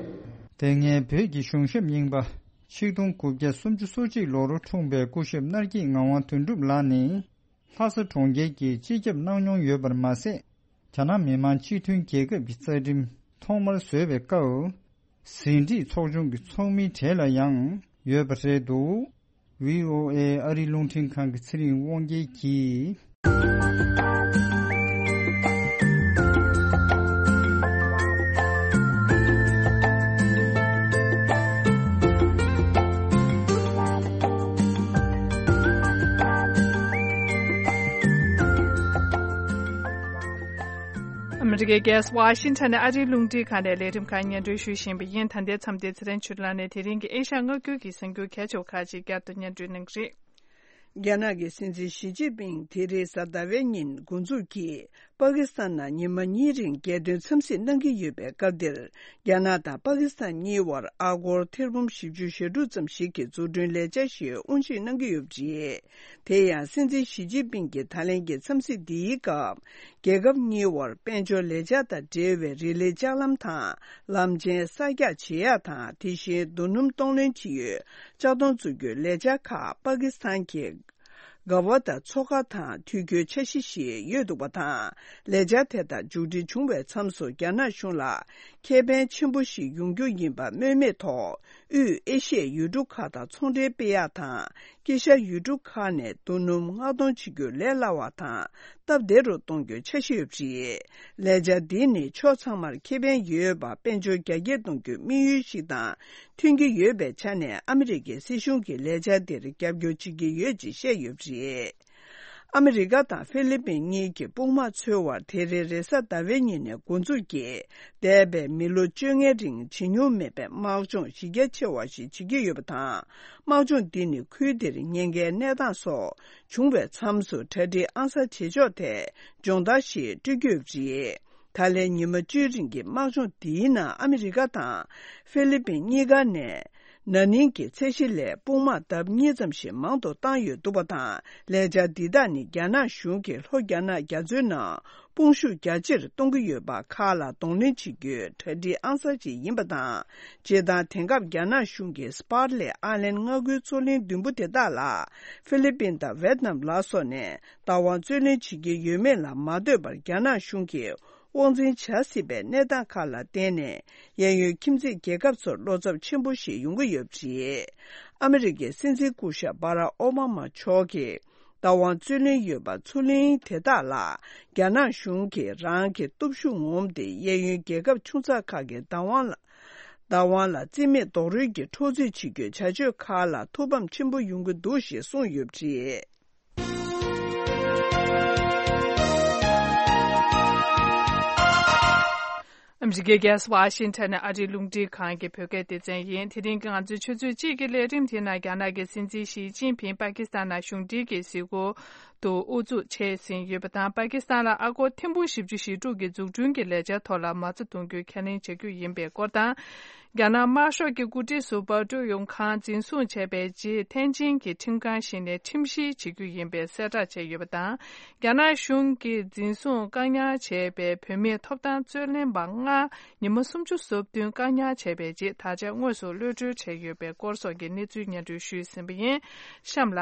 དེ་སྔའི་བོད་ཀྱི་གཞུང་ཞབས་རྙིང་པ་ཆིག་སྟོང་དགུ་བརྒྱ་སུམ་ཅུ་སོ་གཅིག་ལོར་འཁྲུངས་པའི་སྐུ་ཞབས་ནར་སྐྱིད་ངག་དབང་དོན་གྲུབ་ལགས་ནི། ལྷ་ས་གྲོང་ཁྱེར་གྱི་སྤྱི་ཁྱབ་གནང་མྱོང་ཡོད་པར་མ་ཟད། རྒྱ་ནག་མི་དམངས་སྤྱི་མཐུན་རྒྱལ་ཁབ་ཀྱི་རྩ་ཁྲིམས་ཐོག་མར་བཟོས་པའི་སྐབས། ཟིན་བྲིས་ཚོགས་ཆུང་གི་ཚོགས་མིའི་གྲས་ལ་ཡང་ཡོད་པ་རེད་འདུག། ཝི་ཨོ་ཨེ་ཨ་རིའི་རླུང་འཕྲིན་ཁང་གི་ཚེ་རིང་དབང་རྒྱལ་གྱིས། ཨ་མི་རི་ཀའི་རྒྱལ་ས་ཝ་ཤིང་ཊོན་ནས་ཨ་རིའི་རླུང་འཕྲིན་ཁང་ནས་ལས་རིམ་ཁག་སྙན་སྒྲོན་ཞུ་བཞིན་པ་ཡིན། ད་ལྟའི་མཚམས་འདིར་ཚེ་རིང་ཆོས་ལགས་ནས་དེ་རིང་གི་ཨེ་ཤ་ཡ་མངའ་ཁུལ་གྱི་གསར་འགྱུར་གལ་ཆེ་བ་ཁག་ཅིག་བསྐྱར་དུ་སྙན་སྒྲོན་གནང་གི་རེད། རྒྱ་ནག་གི་སྲིད་འཛིན་ཞི་ཅིན་ཕིང་དེ་རིང་གཟའ་ཟླ་བའི་ཉིན་འགོ་འཛུགས་ཀྱིས་པ་ཀི་སི་ཐན་ནང་ཉི་མ་གཉིས་རིང་རྒྱལ་དོན་འཚམས་གཟིགས་གནང་གི་ཡོད་པའི་སྐབས་འདིར། རྒྱ་ནག་དང་པ་ཀི་སི་ཐན་གཉིས་དབར་ཨ་སྒོར་ཐེར་འབུམ་བཞི་བཅུ་ཞེ་དྲུག་ཙམ་ཞིག་གི་འཛུགས་སྐྲུན་ལས་འཆར་ཞིག་དབུ་འབྱེད་གནང་གི་ཡོད་པ་རེད། དེ་ཡང་སྲིད་འཛིན་ཞི་ཅིན་ཕིང་གི་ད་ལན་གྱི་འཚམས་གཟིགས་འདིའི་སྐབས། རྒྱལ་ཁབ་གཉིས་དབར་དཔལ་འབྱོར་ལས་འཆར་དང་འབྲེལ་བའི་རིག་ལས་ལྕགས་ལམ་དང་ལམ་ཆེན་གསར་རྒྱག་བྱེད་ཡག་དང་། དེ་བཞིན་རྡོ་སྣུམ་གཏོང་ལེན་བྱེད་ཡུལ་ལྕགས་མདོང་བཙུགས་རྒྱུའི་ལས་འཆར་ཁག་པ་ཀི་སི་ཐན་གྱི་གྷ་ཝ་ཏ་མཚོ་ཁ་དང་དུས་འགྱུར་འཆར་གཞི་ཞིག་ཡོད་འདུག་པ་དང་། ལས་འཆར་དེ་དག་མཇུག་སྒྲིལ་བྱུང་བའི་མཚམས་སུ་རྒྱ་ནག་གཞུང་ལ་ཁེ་ཕན་ཆེན་པོ་ཞིག་ཡོང་རྒྱུ་ཡིན་པ་སྨོས་མེད་ཐོག་དབུས་ཨེ་ཤི་ཡའི་ཡུལ་གྲུ་ཁག་དང་ཚོང་འབྲེལ་སྤེལ་ཡག་དང་། དཀྱིལ་ཤར་ཡུལ་གྲུ་ཁག་ནས་རྡོ་སྣུམ་མངགས་གཏོང་བྱེད་རྒྱུ་ལས་སླ་བ་དང་སྟབས་བདེ་རུ་གཏོང་རྒྱུའི་འཆར་གཞི་ཡོད་པ་རེད། ལས་འཆར་འདི་ནི་ཕྱོགས་ཚང་མར་ཁེ་ཕན་ཡོད་པ་དཔལ་འབྱོར་རྒྱ་སྐྱེད་གཏོང་རྒྱུའི་དམིགས་ཡུལ་ཞིག་དང་མཐུན་གྱི་ཡོད་པའི་ཆ་ནས། ཨ་མི་རི་ཀའི་སྲིད་གཞུང་གིས་ལས་འཆར་འདིར་རྒྱབ་སྐྱོར་བྱེད་ཀྱི་ཡོད་ཅེས་བཤད་ཡོད་པ་རེད། ཨ་མི་རི་ཀ་དང་ཧྥི་ལི་པིན་གཉིས་ཀྱི་དཔུང་དམག་འཚོལ་བར་དེ་རིང་རེས་གཟའ་ཟླ་བའི་ཉིན་ནས་འགོ་འཛུགས་ཀྱིས། འདས་པའི་མི་ལོ་བཅོ་ལྔའི་རིང་བྱེད་མྱོང་མེད་པའི་དམག་སྦྱོང་གཞི་རྒྱ་ཆེ་བ་ཞིག་བྱེད་ཀྱི་ཡོད་པ་དང་། དམག་སྦྱོང་འདི་ནི་ཁུལ་འདིར་ཉེན་ཁའི་གནས་སྟངས་སོགས་བྱུང་བའི་མཚམས་སུ་གྲ་སྒྲིག་ཨང་གསར་བྱེད་ཕྱོགས་ཐད་སྦྱོང་བརྡར་ཞིག་སྤྲོད་ཀྱི་ཡོད་པ་རེད། ད་ལན་ཉི་མ་བཅུའི་རིང་གི་དམག་སྦྱོང་འདིའི་ནང་ཨ་མི་རི་ཀ་དང་ཧྥི་ལི་པིན་གཉིས་ཀ་ནས་ན་ནིང་གི་ཚད་གཞི་ལས་དཔུང་དམག་ལྡབ་གཉིས་ཙམ་ཞིག་མང་དུ་བཏང་ཡོད་འདུག་པ་དང་། ལས་འཆར་འདི་དག་ནི་རྒྱ་ནག་གཞུང་གིས་ལྷོ་རྒྱ་ནག་རྒྱ་མཚོའི་ནང་དཔུང་ཤུགས་རྒྱ་ཆེར་གཏོང་གི་ཡོད་པ་ཁག་ལ་གདོང་ལེན་བྱེད་རྒྱུའི་གྲ་སྒྲིག་ཨང་གསར་ཞིག་ཡིན་པ་དང་། སྤྱིར་བཏང་དེང་སྐབས་རྒྱ་ནག་གཞུང་གིས་སྤར་ལས་ཨ་ལན་མངའ་ཁུལ་མཚོ་གླིང་བདུན་པོ་དེ་དག་ལ་ཧྥི་ལི་པིན་དང་ཝེད་ནམ་ལ་སོགས་ནས་བདག་དབང་རྩོད་ལེན་བྱེད་ཀྱི་ཡོད་མེད་ལ་མ་ལྟོས་པར། རྒྱ་ནག་གཞུང་གིས་དབང་འཛིན་བྱ་སྲིད་པའི་གནས་སྟངས་ཁག་ལ་བརྟེན་ནས། གཡས་གཡོན་ཁྱིམ་མཚེས་རྒྱལ་ཁབ་ཚོར་བློ་འཚབ་ཆེན་པོ་ཞིག་ཡོང་གི་ཡོད་པ་རེད། ཨ་མི་རི་ཀའི་སྲིད་འཛིན་སྐུ་ཞབས་སྦ་རག་ཨོ་བྷ་མ་མཆོག་གིས་བདག་དབང་རྩོད་ལེན་ཡོད་པ་མཚོ་གླིང་དེ་དག་ལ། རྒྱ་ནག་གཞུང་གིས་རང་གི་སྟོབས་ཤུགས་ངོམ་སྟེ། གཡས་གཡོན་རྒྱལ་ཁབ་ཆུང་ཙག་ཁག་གི་བདག་དབང་ལ། བདག་དབང་ལ་རྩིས་མེད་རྡོག་རོལ་གྱིས་འཕྲོག་རྩིས་བྱེད་རྒྱུའི་བྱ་སྤྱོད་ཁག་ལ་ཐུགས་ཕམ་ཆེན་པོ་ཡོང་གི་འདུག་ཞེས་གསུངས་ཡོད་པ་རེད། ཨ་མི་རི་ཀའི་རྒྱལ་ས་ཝ་ཤིང་ཊོན་ནས་ཨ་རིའི་རླུང་འཕྲིན་ཁང་གི་བོད་སྐད་སྡེ་ཚན་ཡིན། དེ་རིང་གི་ང་ཚོའི་ཆུ་ཚོད་གཅིག་གི་ལས་རིམ་དེའི་ནང་རྒྱ་ནག་གི་སྲིད་འཛིན་ཞི་ཅིན་ཕིང་པ་ཀི་སི་ཐན་ནང་གཞུང་འབྲེལ་གྱི་གཟིགས་སྐོར་དུ་དབུ་འཛུགས་བྱས་ཟིན་ཡོད་པ་དང་། པ་ཀི་སི་ཐན་ལ་ཨ་སྒོར་ཐེར་འབུམ་བཞི་བཅུ་ཞེ་དྲུག་གི་འཛུགས་སྐྲུན་གྱི་ལས་འཆར་ཐོག་ལ་མ་རྩ་གཏོང་རྒྱུའི་ཁས་ལེན་བྱ་རྒྱུ་ཡིན་པའི་སྐོར་དང་། རྒྱ་ནག་དམར་ཤོག་གི་འགོ་ཁྲིད་ཟུར་པ་ཀྲུའུ་ཡུང་ཁང་འཛིན་བཟུང་བྱས་པའི་རྗེས། ཐེན་ཅིན་གྱི་ཁྲིམས་ཁང་ཞིག་ནས་ཁྲིམས་བཤེར་བྱེད་རྒྱུ་ཡིན་པའི་གསལ་བསྒྲགས་བྱས་ཡོད་པ་དང་། རྒྱ་ནག་གཞུང་གིས་འཛིན་བཟུང་བཀག་ཉར་བྱས་པའི་བུད་མེད་ཐོབ་ཐང་རྩོད་ལེན་པ་ལྔ་ཉི་མ་སུམ་ཅུ་སོ་བདུན་བཀག་ཉར་བྱས་པའི་རྗེས། ད་ཆ་དངོས་སུ་གློད་གྲོལ་བྱས་ཡོད་པའི་སྐོར་སོགས་ཀྱི་གནས་ཚུལ་སྙན་སྒྲོན་ཞུས་ཟིན་པ་ཡིན། གཤམ་ལ།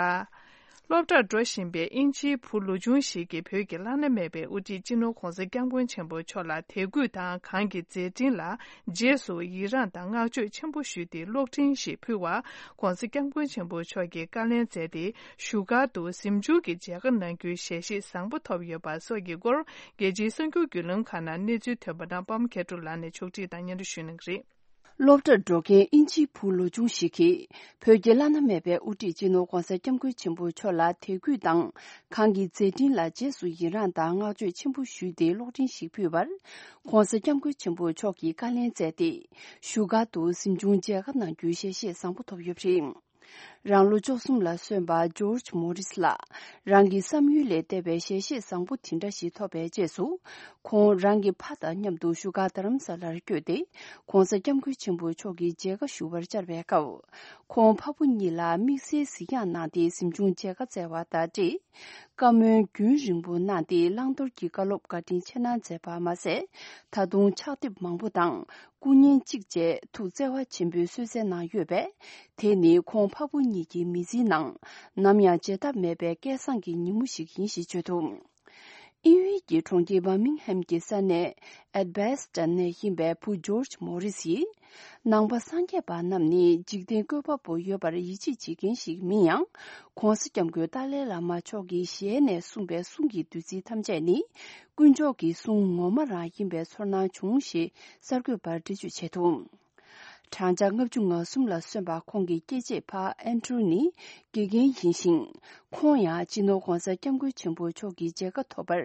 སློབ་གྲྭར་འགྲོ་བཞིན་པའི་དབྱིན་ཇིའི་བུ་ལོ་ཆུང་ཞིག་གིས་བོད་ཀྱི་བླ་ན་མེད་པའི་དབུ་ཁྲིད་སྤྱི་ནོར་༧གོང་ས་༧སྐྱབས་མགོན་ཆེན་པོ་མཆོག་ལ་དད་གུས་དང་། གང་གི་མཛད་འཕྲིན་ལ་རྗེས་སུ་ཡི་རངས་དང་བསྔགས་བརྗོད་ཆེན་པོ་ཞུས་ཏེ། གློག་འཕྲིན་ཞིག་ཕུལ་བར་༧གོང་ས་༧སྐྱབས་མགོན་ཆེན་པོ་མཆོག་གིས་བཀའ་ལན་སྩལ་ཏེ། བཞུགས་སྒར་དུ་གཟིམ་ཆུང་གི་མཇལ་ཁ་གནང་རྒྱུའི་ཞལ་བཞེས་བཟང་པོ་ཐོབ་ཡོད་པ་སོགས་ཀྱི་སྐོར། རྒྱལ་སྤྱིའི་གསར་འགྱུར་བརྒྱུད་ལམ་ཁག་ནང་གནས་ཚུལ་ཐོན་པ་རྣམས་པདྨ་མཁས་གྲུབ་ལགས་ནས་ཕྱོགས་སྒྲིག་དང་སྙན་སྒྲོན་ཞུ་གནང་གི་རེད། སློབ་གྲྭར་འགྲོ་མཁན་དབྱིན་ཇིའི་བུ་ལོ་ཆུང་ཞིག་གིས་བོད་ཀྱི་བླ་ན་མེད་པའི་དབུ་ཁྲིད་སྤྱི་ནོར་༧གོང་ས་༧སྐྱབས་མགོན་ཆེན་པོ་མཆོག་ལ་དད་གུས་དང་། གང་གི་མཛད་འཕྲིན་ལ་རྗེས་སུ་ཡི་རངས་དང་བསྔགས་བརྗོད་ཆེན་པོ་ཞུས་ཏེ། གློག་འཕྲིན་ཞིག་ཕུལ་བར། ༧གོང་ས་༧སྐྱབས་མགོན་ཆེན་པོ་མཆོག་གིས་བཀའ་ལན་སྩལ་ཏེ། བཞུགས་སྒར་དུ་གཟིམ་ཆུང་མཇལ་ཁ་གནང་རྒྱུའི་ཞལ་བཞེས་བཟང་པོ་ཐོབ་ཡོད་པ་རེད། རང་ལོ་བཅུ་གསུམ་ལ་སོན་པ་ཇོརྗ་མོ་རིས་ལགས། རང་གི་བསམ་ཡུལ་ལས་འདས་པའི་ཞལ་བཞེས་བཟང་པོ་དེ་འདྲ་ཞིག་ཐོབ་པའི་རྗེས་སུ། ཁོང་རང་གི་ཕ་དང་མཉམ་དུ་བཞུགས་སྒར་རྡ་རམ་ས་ལར་བསྐྱོད་དེ། ༧གོང་ས་༧སྐྱབས་མགོན་ཆེན་པོ་མཆོག་གི་མཇལ་ཁ་ཞུ་བར་བཅར་བའི་སྐབས། ཁོང་ཕ་བུ་གཉིས་ལ་དམིགས་བསལ་གཟིགས་ཡག་གནང་སྟེ། གཟིམ་ཆུང་མཇལ་ཁ་བསྩལ་བ་དང་འབྲེལ། བཀའ་མོལ་རྒྱུན་རིང་པོ་གནང་སྟེ། བླང་དོར་གྱི་བཀའ་སློབ་བཀའ་དྲིན་ཆེ་གནང་མཛད་པ་མ་ཟད། ད་དུང་ཕྱག་དེབ་མང་པོ་དང་། སྐུ་བརྙན་གཅིག་བཅས་ཐུགས་བརྩེ་བ་ཆེན་པོས་གསོལ་སྩལ་གནང་ཡོད་པས། དེ་ནི་ཁོང་ཕ་བུ་གཉིས་ཀྱི་མི་ཚེའི་ནང་ནམ་ཡང་བརྗེད་ཐབས་མེད་པའི་སྐལ་བཟང་གི་ཉིན་མོ་ཞིག་ཡིན་ཞེས་བརྗོད་འདུག། དབྱིན་ཡུལ་གྱི་གྲོང་ཁྱེར་བར་མིང་ཧམ་གྱི་ས་གནས་ཨེད་བྷེ་སི་ཊོན་ནས་ཡིན་པའི་བུ་ཇོརྗ་མོ་རིས་ཡིས། ནང་པ་སངས་རྒྱས་པ་རྣམས་ནི་འཇིག་རྟེན་བཀོད་པ་པོ་ཡོད་པར་ཡིད་ཆེས་བྱེད་མཁན་ཞིག་མིན་ཡང་། ༸གོང་ས་༸སྐྱབས་མགོན་ཏཱ་ལའི་བླ་མ་མཆོག་གིས་ཞལ་ནས་གསུངས་པའི་གསུང་གི་བདུད་རྩི་ཐམས་ཅད་ནི། དཀོན་མཆོག་གི་གསུང་ངོ་མ་རང་ཡིན་པའི་ཚོར་སྣང་བྱུང་ཞེས་གསར་འགོད་པར་འགྲེལ་བརྗོད་བྱས་འདུག་བགྲང་བྱ་ལྔ་བཅུ་ང་གསུམ་ལ་སོན་པ་ཁོང་གི་སྐྱེས་ཆེད་ཕ་ཨན་ཌྲུ་ནི་དགེ་རྒན་ཡིན་ཞིང་། ཁོང་ཡང་སྤྱི་ནོར་༸གོང་ས་༸སྐྱབས་མགོན་ཆེན་པོ་མཆོག་གི་མཇལ་ཁ་ཐོབ་པར་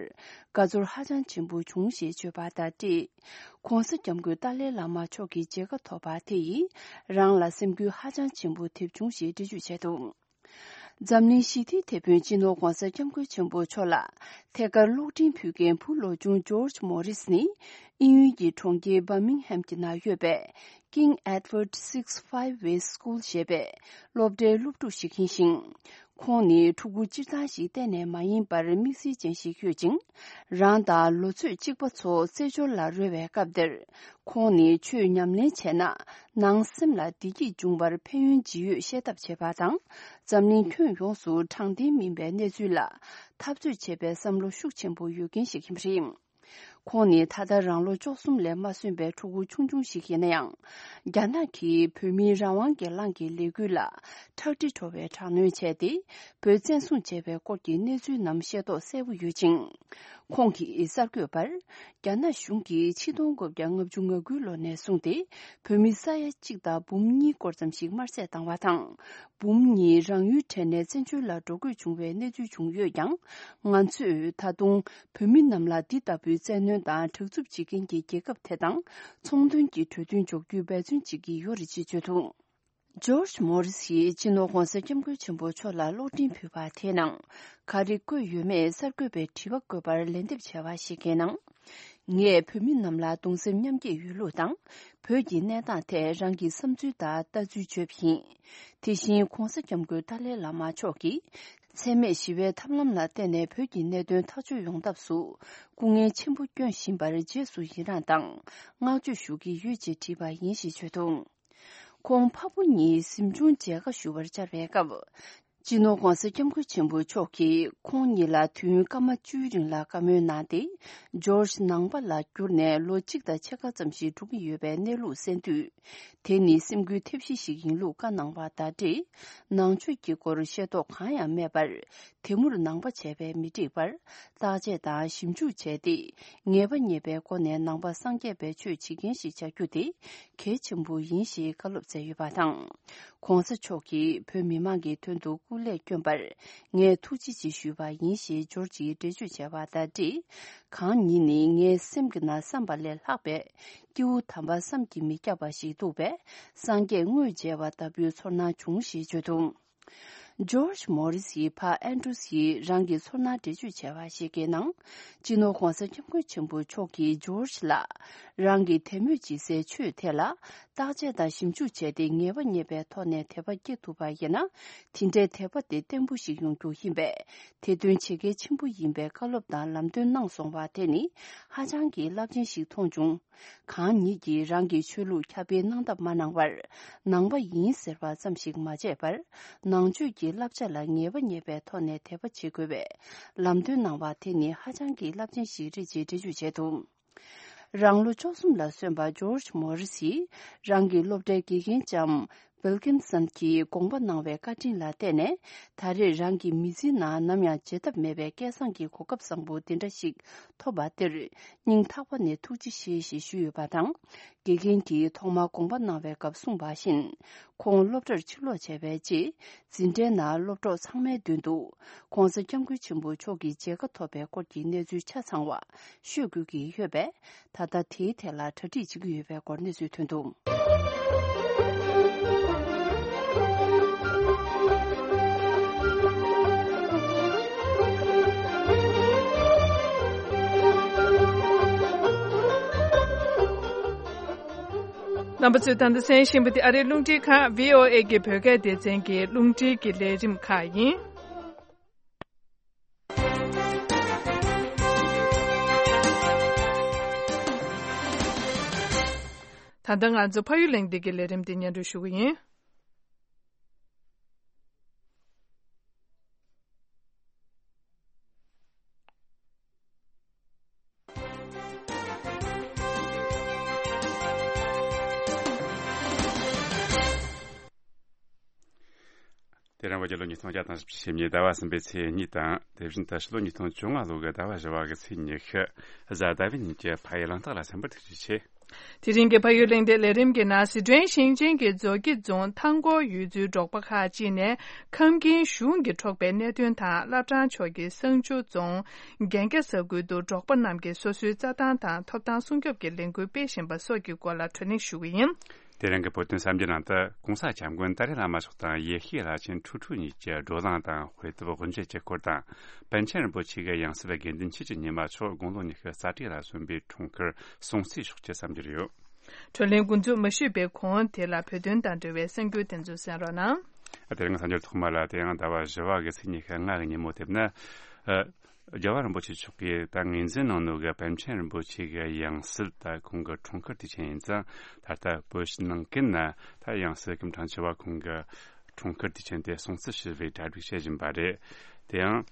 དགའ་ཚོར་ཧ་ཅང་ཆེན་པོ་བྱུང་ཞེས་བརྗོད་པ་དང་འབྲེལ། ༸གོང་ས་༸སྐྱབས་མགོན་ཏཱ་ལའི་བླ་མ་མཆོག་གི་མཇལ་ཁ་ཐོབ་པ་དེ་ཡིས་རང་ལ་སེམས་འགུལ་ཧ་ཅང་ཆེན་པོ་ཐེབས་བྱུང་ཞེས་འགྲེལ་བརྗོད་བྱས་འདུག་འཛམ་གླིང་ཞི་བདེའི་དེད་དཔོན་སྤྱི་ནོར་༸གོང་ས་༸སྐྱབས་མགོན་ཆེན་པོ་མཆོག་ལ་ཐད་ཀར་གློག་འཕྲིན་ཕུལ་མཁན་བུ་བློ་ཆུང་ཇོརྗ་མོ་རིས་ནི། དབྱིན་ཡུལ་གྱི་གྲོང་ཁྱེར་བར་མིང་ཧམ་གྱི་ནང་ཡོད་པའི་King Edward Sixth Five Way School ཞེས་པའི་སློབ་གྲྭའི་སློབ་ཕྲུག་ཞིག་ཡིན་ཞིང་། ཁོང་ནི་ཕྲུ་གུ་སྤྱིར་བཏང་ཞིག་གཏན་ནས་མ་ཡིན་པར་དམིགས་བསལ་ཅན་ཞིག་ཡོད་ཅིང་། རང་དང་ལོ་ཚོད་གཅིག་པ་ཚོ་རྩེད་འཇོར་ལ་རོལ་བའི་སྐབས་དེར། ཁོང་ནི་ཆོས་ཉམས་ལེན་བྱས་ན་ནང་སེམས་ལ་བདེ་སྐྱིད་འབྱུང་བར་ཕན་ཡོན་ཇི་ཡོད་ཤེས་ཐབས་བྱེད་པ་དང་། འཛམ་གླིང་ཁྱོན་ཡོངས་སུ་དྲང་བདེན་མིན་པའི་གནས་ཚུལ་ལ་འཐབ་རྩོད་བྱེད་པའི་བསམ་བློ་ཤུགས་ཆེན་པོ་ཡོད་མཁན་ཞིག་ཡིན་པ་རེད། ཁོང་ནི་ད་ལྟ་རང་ལོ་བཅུ་གསུམ་ལས་མ་སོན་པའི་ཕྲུ་གུ་ཆུང་ཆུང་ཞིག་ཡིན་ན་ཡང་། རྒྱ་ནག་གིས་བོད་མིའི་རང་དབང་སྒེར་ལངས་ཀྱི་ལས་འགུལ་ལ་ཁྲག་དྲི་བྲོ་བའི་དྲག་གནོན་བྱས་ཏེ། བོད་བཙན་བཟུང་བྱས་པའི་སྐོར་གྱི་གནས་ཚུལ་རྣམས་ཤེས་རྟོགས་གསལ་པོ་ཡོད་ཅིང་། ཁོང་གིས་གསར་འགོད་པར། རྒྱ་ནག་གཞུང་གིས་ཆིག་སྟོང་དགུ་བརྒྱ་ལྔ་བཅུ་ང་དགུའི་ལོ་ནས་བཟུང་སྟེ། བོད་མི་ས་ཡ་གཅིག་དང་འབུམ་གཉིས་སྐོར་ཙམ་ཞིག་དམར་གསོད་བཏང་བ་དང་། འབུམ་གཉིས་རང་ཡུལ་བྲལ་ནས་བཙན་བྱོལ་ལ་འགྲོ་དགོས་བྱུང་བའི་གནས་ཚུལ་བྱུང་ཡོད་ཀྱང་། ང་ཚོས་ད་དུང་བོད་མི་རྣམས་ལ་འདི་ལྟ་བུའི་བཙན་གནོན་དང་དྲག་རྩུབ་བྱེད་མཁན་གྱི་རྒྱལ་ཁབ་དེ་དང་ཚོང་དོན་གྱི་གྲོས་མཐུན་འཇོག་རྒྱུའི་འབད་བརྩོན་བྱེད་ཀྱི་ཡོད་རེད་ཅེས་བརྗོད་འདུག་ཇོརྗ་མོ་རིས་ཡིས་སྤྱི་ནོར་༸གོང་ས་༸སྐྱབས་མགོན་ཆེན་པོ་མཆོག་ལ་གློག་འཕྲིན་ཕུལ་བ་དེའི་ནང་ག་རེ་བཀོད་ཡོད་མེད་གསར་འགོད་པའི་དྲི་བ་བཀོད་པར་ལན་འདེབས་བྱས་པ་ཞིག་གི་ནང་། ངས་བོད་མི་རྣམས་ལ་གདུང་སེམས་མཉམ་སྐྱེད་ཡོད་ལུགས་དང་། བོད་ཀྱི་གནས་སྟངས་ཐད་རང་གི་བསམ་ཚུལ་དང་ལྟ་ཚུལ་བརྗོད་པ་ཡིན། དེ་བཞིན་༸གོང་ས་༸སྐྱབས་མགོན་ཏཱ་ལའི་བླ་མ་མཆོག་གིས། འཚེ་མེད་ཞི་བའི་ཐབས་ལམ་ལ་བརྟེན་ནས་བོད་ཀྱི་གནད་དོན་ཐག་གཅོད་ཡོང་ཐབས་སུ། སྐུ་ངལ་ཆེན་པོ་བསྐྱོན་བཞིན་པར་རྗེས་སུ་ཡི་རངས་དང་། བསྔགས་བརྗོད་ཞུ་གི་ཡོད་ཅེས་བྲིས་པ་ཡིན་ཞེས་བརྗོད་འདུག་ཁོང་ཕ་བུ་གཉིས་གཟིམ་ཆུང་མཇལ་ཁ་ཞུ་བར་བཅར་བའི་སྐབས། སྤྱི་ནོར་༸གོང་ས་༸སྐྱབས་མགོན་ཆེན་པོ་མཆོག་གིས་ཁོང་གཉིས་ལ་དུས་ཡུན་སྐར་མ་བཅུའི་རིང་ལ་བཀའ་མོལ་གནང་སྟེ། ཇོརྗ་ནང་པ་ལ་གྱུར་ནས་ལོ་གཅིག་དང་ཕྱེད་ཀ་ཙམ་ཞིག་འགྲོ་གི་ཡོད་པའི་གནས་ལུགས་གསན་དུས། དེ་ནི་སེམས་འགུལ་ཐེབས་གཞི་ཞིག་ཡིན་ལུགས་བཀའ་གནང་བ་དང་འབྲེལ། ནང་ཆོས་ཀྱི་སྐོར་ཤེས་རྟོགས་གང་ཡང་མེད་པར། དེ་མུར་ནང་པ་བྱས་པས་མི་འགྲིག་པར། བརྟག་དཔྱད་དང་ཞིབ་འཇུག་བྱས་ཏེ། ངེས་པ་རྙེད་པའི་སྒོ་ནས་ནང་པ་སངས་རྒྱས་པའི་ཆོས་བྱེད་མཁན་ཞིག་བྱ་རྒྱུ་དེ་གལ་ཆེན་པོ་ཡིན་ཞེས་བཀའ་སློབ་སྩལ་ཡོད་པ་དང་། ༸གོང་ས་མཆོག་གིས་བོད་མི་མང་གི་དོན་དུ་སྐུ་ལས་བསྐྱོན་པར་ངས་ཐུགས་རྗེ་ཆེ་ཞུས་པ་ཡིན་ཞེས་ཇོརྗ་ཡིས་འགྲེལ་བརྗོད་བྱས་པ་དང་འབྲེལ། གང་ཉིད་ནི་ངའི་སེམས་ཀྱི་ནང་བསམ་པ་ལས་ལྷག་པའི་སྐྱེས་བུ་དམ་པ་བསམ་གྱིས་མི་ཁྱབ་པ་ཞིག་འདུག་པས། སངས་རྒྱས་དངོས་མཇལ་བ་ལྟ་བུའི་ཚོར་སྣང་བྱུང་ཞེས་བརྗོད་འདུག་ཇོརྗ་མོ་རིས་ཡི་ཕ་ཨན་ཌྲུ་སི་ཡིས་རང་གི་ཚོར་སྣང་འགྲེལ་བརྗོད་བྱས་པ་ཞིག་གི་ནང་། སྤྱི་ནོར་༸གོང་ས་༸སྐྱབས་མགོན་ཆེན་པོ་མཆོག་གིས་ཇོརྗ་ལ། རང་གི་དད་མོས་བྱེད་སའི་ཆོས་དེ་ལ། བརྟག་དཔྱད་དང་ཞིབ་འཇུག་བྱས་ཏེ་ངེས་པ་རྙེད་པའི་ཐོག་ནས་དད་པ་སྐྱེ་ཐུབ་པ་ཡིན་ན། དེ་འདྲའི་དད་པ་དེ་བརྟན་པོ་ཞིག་ཡོང་རྒྱུ་ཡིན་པས། དེ་དོན་བྱེད་གལ་ཆེན་པོ་ཡིན་པའི་བཀའ་སློབ་དང་ལམ་སྟོན་གནང་སོང་བ་དེ་ནི་ཧ་ཅང་གི་རླབས་ཆེན་ཞིག་མཐོང་བྱུང་། གང་ཉིད་ཀྱིས་རང་གི་ཆོས་ལུགས་ཁྱབ་སྤེལ་གནང་ཐབས་མ་གནང་བར། ནང་པ་ཡིན་ཟེར་བ་ཙམ་ཞིག་མ་བྱས་པར། ནང་ཆོས་ཀྱི་བསླབ་བྱ་ལ་ངེས་པ་རྙེད་པའི་ཐོག་ནས་དད་པ་བྱེད་དགོས་པའི་ལམ་སྟོན་གནང་བ་དེ་ནི་ཧ་ཅང་གི་རླབས་ཆེན་ཞིག་རེད་ཅེས་འགྲེལ་བརྗོད་བྱས་འདུག་རང་ལོ་བཅུ་གསུམ་ལ་སོན་པ་ཇོརྗ་མོ་རི་སིས་རང་གི་སློབ་གྲྭའི་དགེ་རྒན་ལྕམ་ཝིལ་ཀིན་སན་གྱིས་དགོངས་པ་གནང་བའི་བཀའ་དྲིན་ལ་བརྟེན་ནས། ད་རེས་རང་གི་མི་ཚེའི་ནང་ནམ་ཡང་བརྗེད་ཐབས་མེད་པའི་སྐལ་བཟང་གི་གོ་སྐབས་བཟང་པོ་འདི་འདྲ་ཞིག་ཐོབ་པ་དེར་སྙིང་ཐག་པ་ནས་ཐུགས་རྗེ་ཆེ་ཞེས་ཞུས་ཡོད་པ་དང་། དགེ་རྒན་གྱིས་ཐོག་མར་དགོངས་པ་གནང་བའི་སྐབས་གསུངས་པ་བཞིན། ཁོང་སློབ་གྲྭར་ཕྱིར་ལོག་བྱས་པའི་རྗེས། འཛིན་གྲྭའི་ནང་སློབ་གྲོགས་ཚང་མའི་མདུན་དུ། ༸གོང་ས་༸སྐྱབས་མགོན་ཆེན་པོ་མཆོག་གི་མཇལ་ཁ་ཐོབ་པའི་སྐོར་གྱི་གནས་ཚུལ་ཆ་ཚང་བ་ཤོད་དགོས་ཀྱི་ཡོད་པས། ད་ལྟ་དེའི་ཐད་ལ་གྲ་སྒྲིག་བྱེད་ཀྱི་ཡོད་པའི་སྐོར་གནས་ཚུལ་ཐོན་འདུག་རྣམ་པ་ཚོས་ད་ལྟ་གསན་བཞིན་པ་དེ་ཨ་རིའི་རླུང་འཕྲིན་ཁང་བྷི་ཨོ་ཨེ་གི་བོད་སྐད་སྡེ་ཚན་གྱི་རླུང་འཕྲིན་གྱི་ལས་རིམ་ཁག་ཡིན། ད་ལྟ་ང་ཚོ་ཕ་ཡུལ་གླེང་སྟེགས་ཀྱི་ལས་རིམ་དེ་སྙན་སྒྲོན་ཞུ་གི་ཡིན། དེ་རིང་བོད་རྒྱལ་ལོ་ཉིས་སྟོང་བརྒྱ་དང་བཞི་བཅུ་ཞེ་གཉིས་ཟླ་བ་གསུམ་པའི་ཚེས་གཉིས་དང་། དེ་བཞིན་དུ་ཕྱི་ལོ་ཉིས་སྟོང་བཅོ་ལྔ་ལོ་གི་ཟླ་བ་བཞི་བ་གི་ཚེས་ཉི་ཤུ། གཟའ་ཟླ་བའི་ཉིན་གྱི་ཕ་ཡུལ་གླེང་སྟེགས་ལ་གསན་པར་ཐུགས་རྗེ་ཆེ། དེ་རིང་གི་ཕ་ཡུལ་གླེང་སྟེགས་ལས་རིམ་གྱི་ནང་། སི་ཁྲོན་ཞིང་ཆེན་གྱི་མཛོད་དགེ་རྫོང་ཐང་སྐོར་ཡུལ་ཚོའི་འབྲོག་པ་ཁག་ཅིག་ནས་ཁམས་རྒན་གཞུང་གིས་འཕྲོག་པའི་གནད་དོན་དང་། བླ་བྲང་ཕྱོགས་ཀྱི་བསང་ཆུ་རྫོང་རྒན་རྒྱ་ས་ཁུལ་དུ་འབྲོག་པ་རྣམས་ཀྱིས་སོ་སོའི་རྩྭ་ཐང་དང་ཐོབ་ཐང་སྲུང་སྐྱོབ་ཀྱི་ལས་འགུལ་སྤེལ་བཞིན་པ་སོགས་ཀྱི་སྐོར་ལ་བགྲོ་གླེང་ཞུ་གི་ཡིན། དེ་རིང་གི་བོད་དོན་གསར་འགྱུར་ནང་དུ། གོང་ས་སྐྱབས་མགོན་ཏཱ་ལའི་བླ་མ་མཆོག་དང་ཡེ་ཤེས་བླ་ཆེན་ཁྲུ་ཁྲུ་གཉིས་ཀྱི་བགྲོ་གླེང་དང་། དཔེ་དེབ་དབུ་འབྱེད་ཀྱི་སྐོར་དང་། པཎ་ཆེན་རིན་པོ་ཆེ་གི་ཡང་སྲིད་དགེ་འདུན་ཆོས་ཀྱི་ཉི་མ་མཆོག་དགུང་ལོ་ཉི་ཤུ་རྩ་དྲུག་ལ་སོན་པའི་འཁྲུངས་སྐར་སྲུང་བརྩིའི་ཕྱོགས་ཀྱི་བསམ་འཆར་ཡོད། བགྲོ་གླེང་འགོ་འཛུགས་མ་ཞུས་པའི་གོང་དེ་ལ་བོད་དོན་དང་འབྲེལ་བའི་གསར་འགྱུར་དེ་ཚོ་གསན་རོགས་གནང་། དེ་རིང་གསར་འགྱུར་ཐོག་མ་ལ། དེ་ཡང་ཟླ་བ་བཞི་བ་གི་ཚེས་ཉི་ཤུ་ལྔ་གི་ཉིན་མོ་དེབ་ན། ཨ། རྒྱལ་བ་རིན་པོ་ཆེ་མཆོག་གིས་ད་ངོས་འཛིན་གནང་ནོ་གི་པཎ་ཆེན་རིན་པོ་ཆེ་གི་ཡང་སྲིད། ད་ཁོང་གི་འཁྲུངས་སྐར་དུས་ཆེན་ཡིན་ཙང་། ད་ལྟ་བོད་ཕྱི་ནང་ཀུན་ན་ད་ཡང་སྲིད་སྐུ་ཕྲེང་བཅུ་བ་ཁོང་གི་འཁྲུངས་སྐར་དུས་ཆེན་དེ་སྲུང་བརྩི་ཞུ་བའི་གྲ་སྒྲིག་བྱེད་བཞིན་པ་རེད། དེ་ཡང་།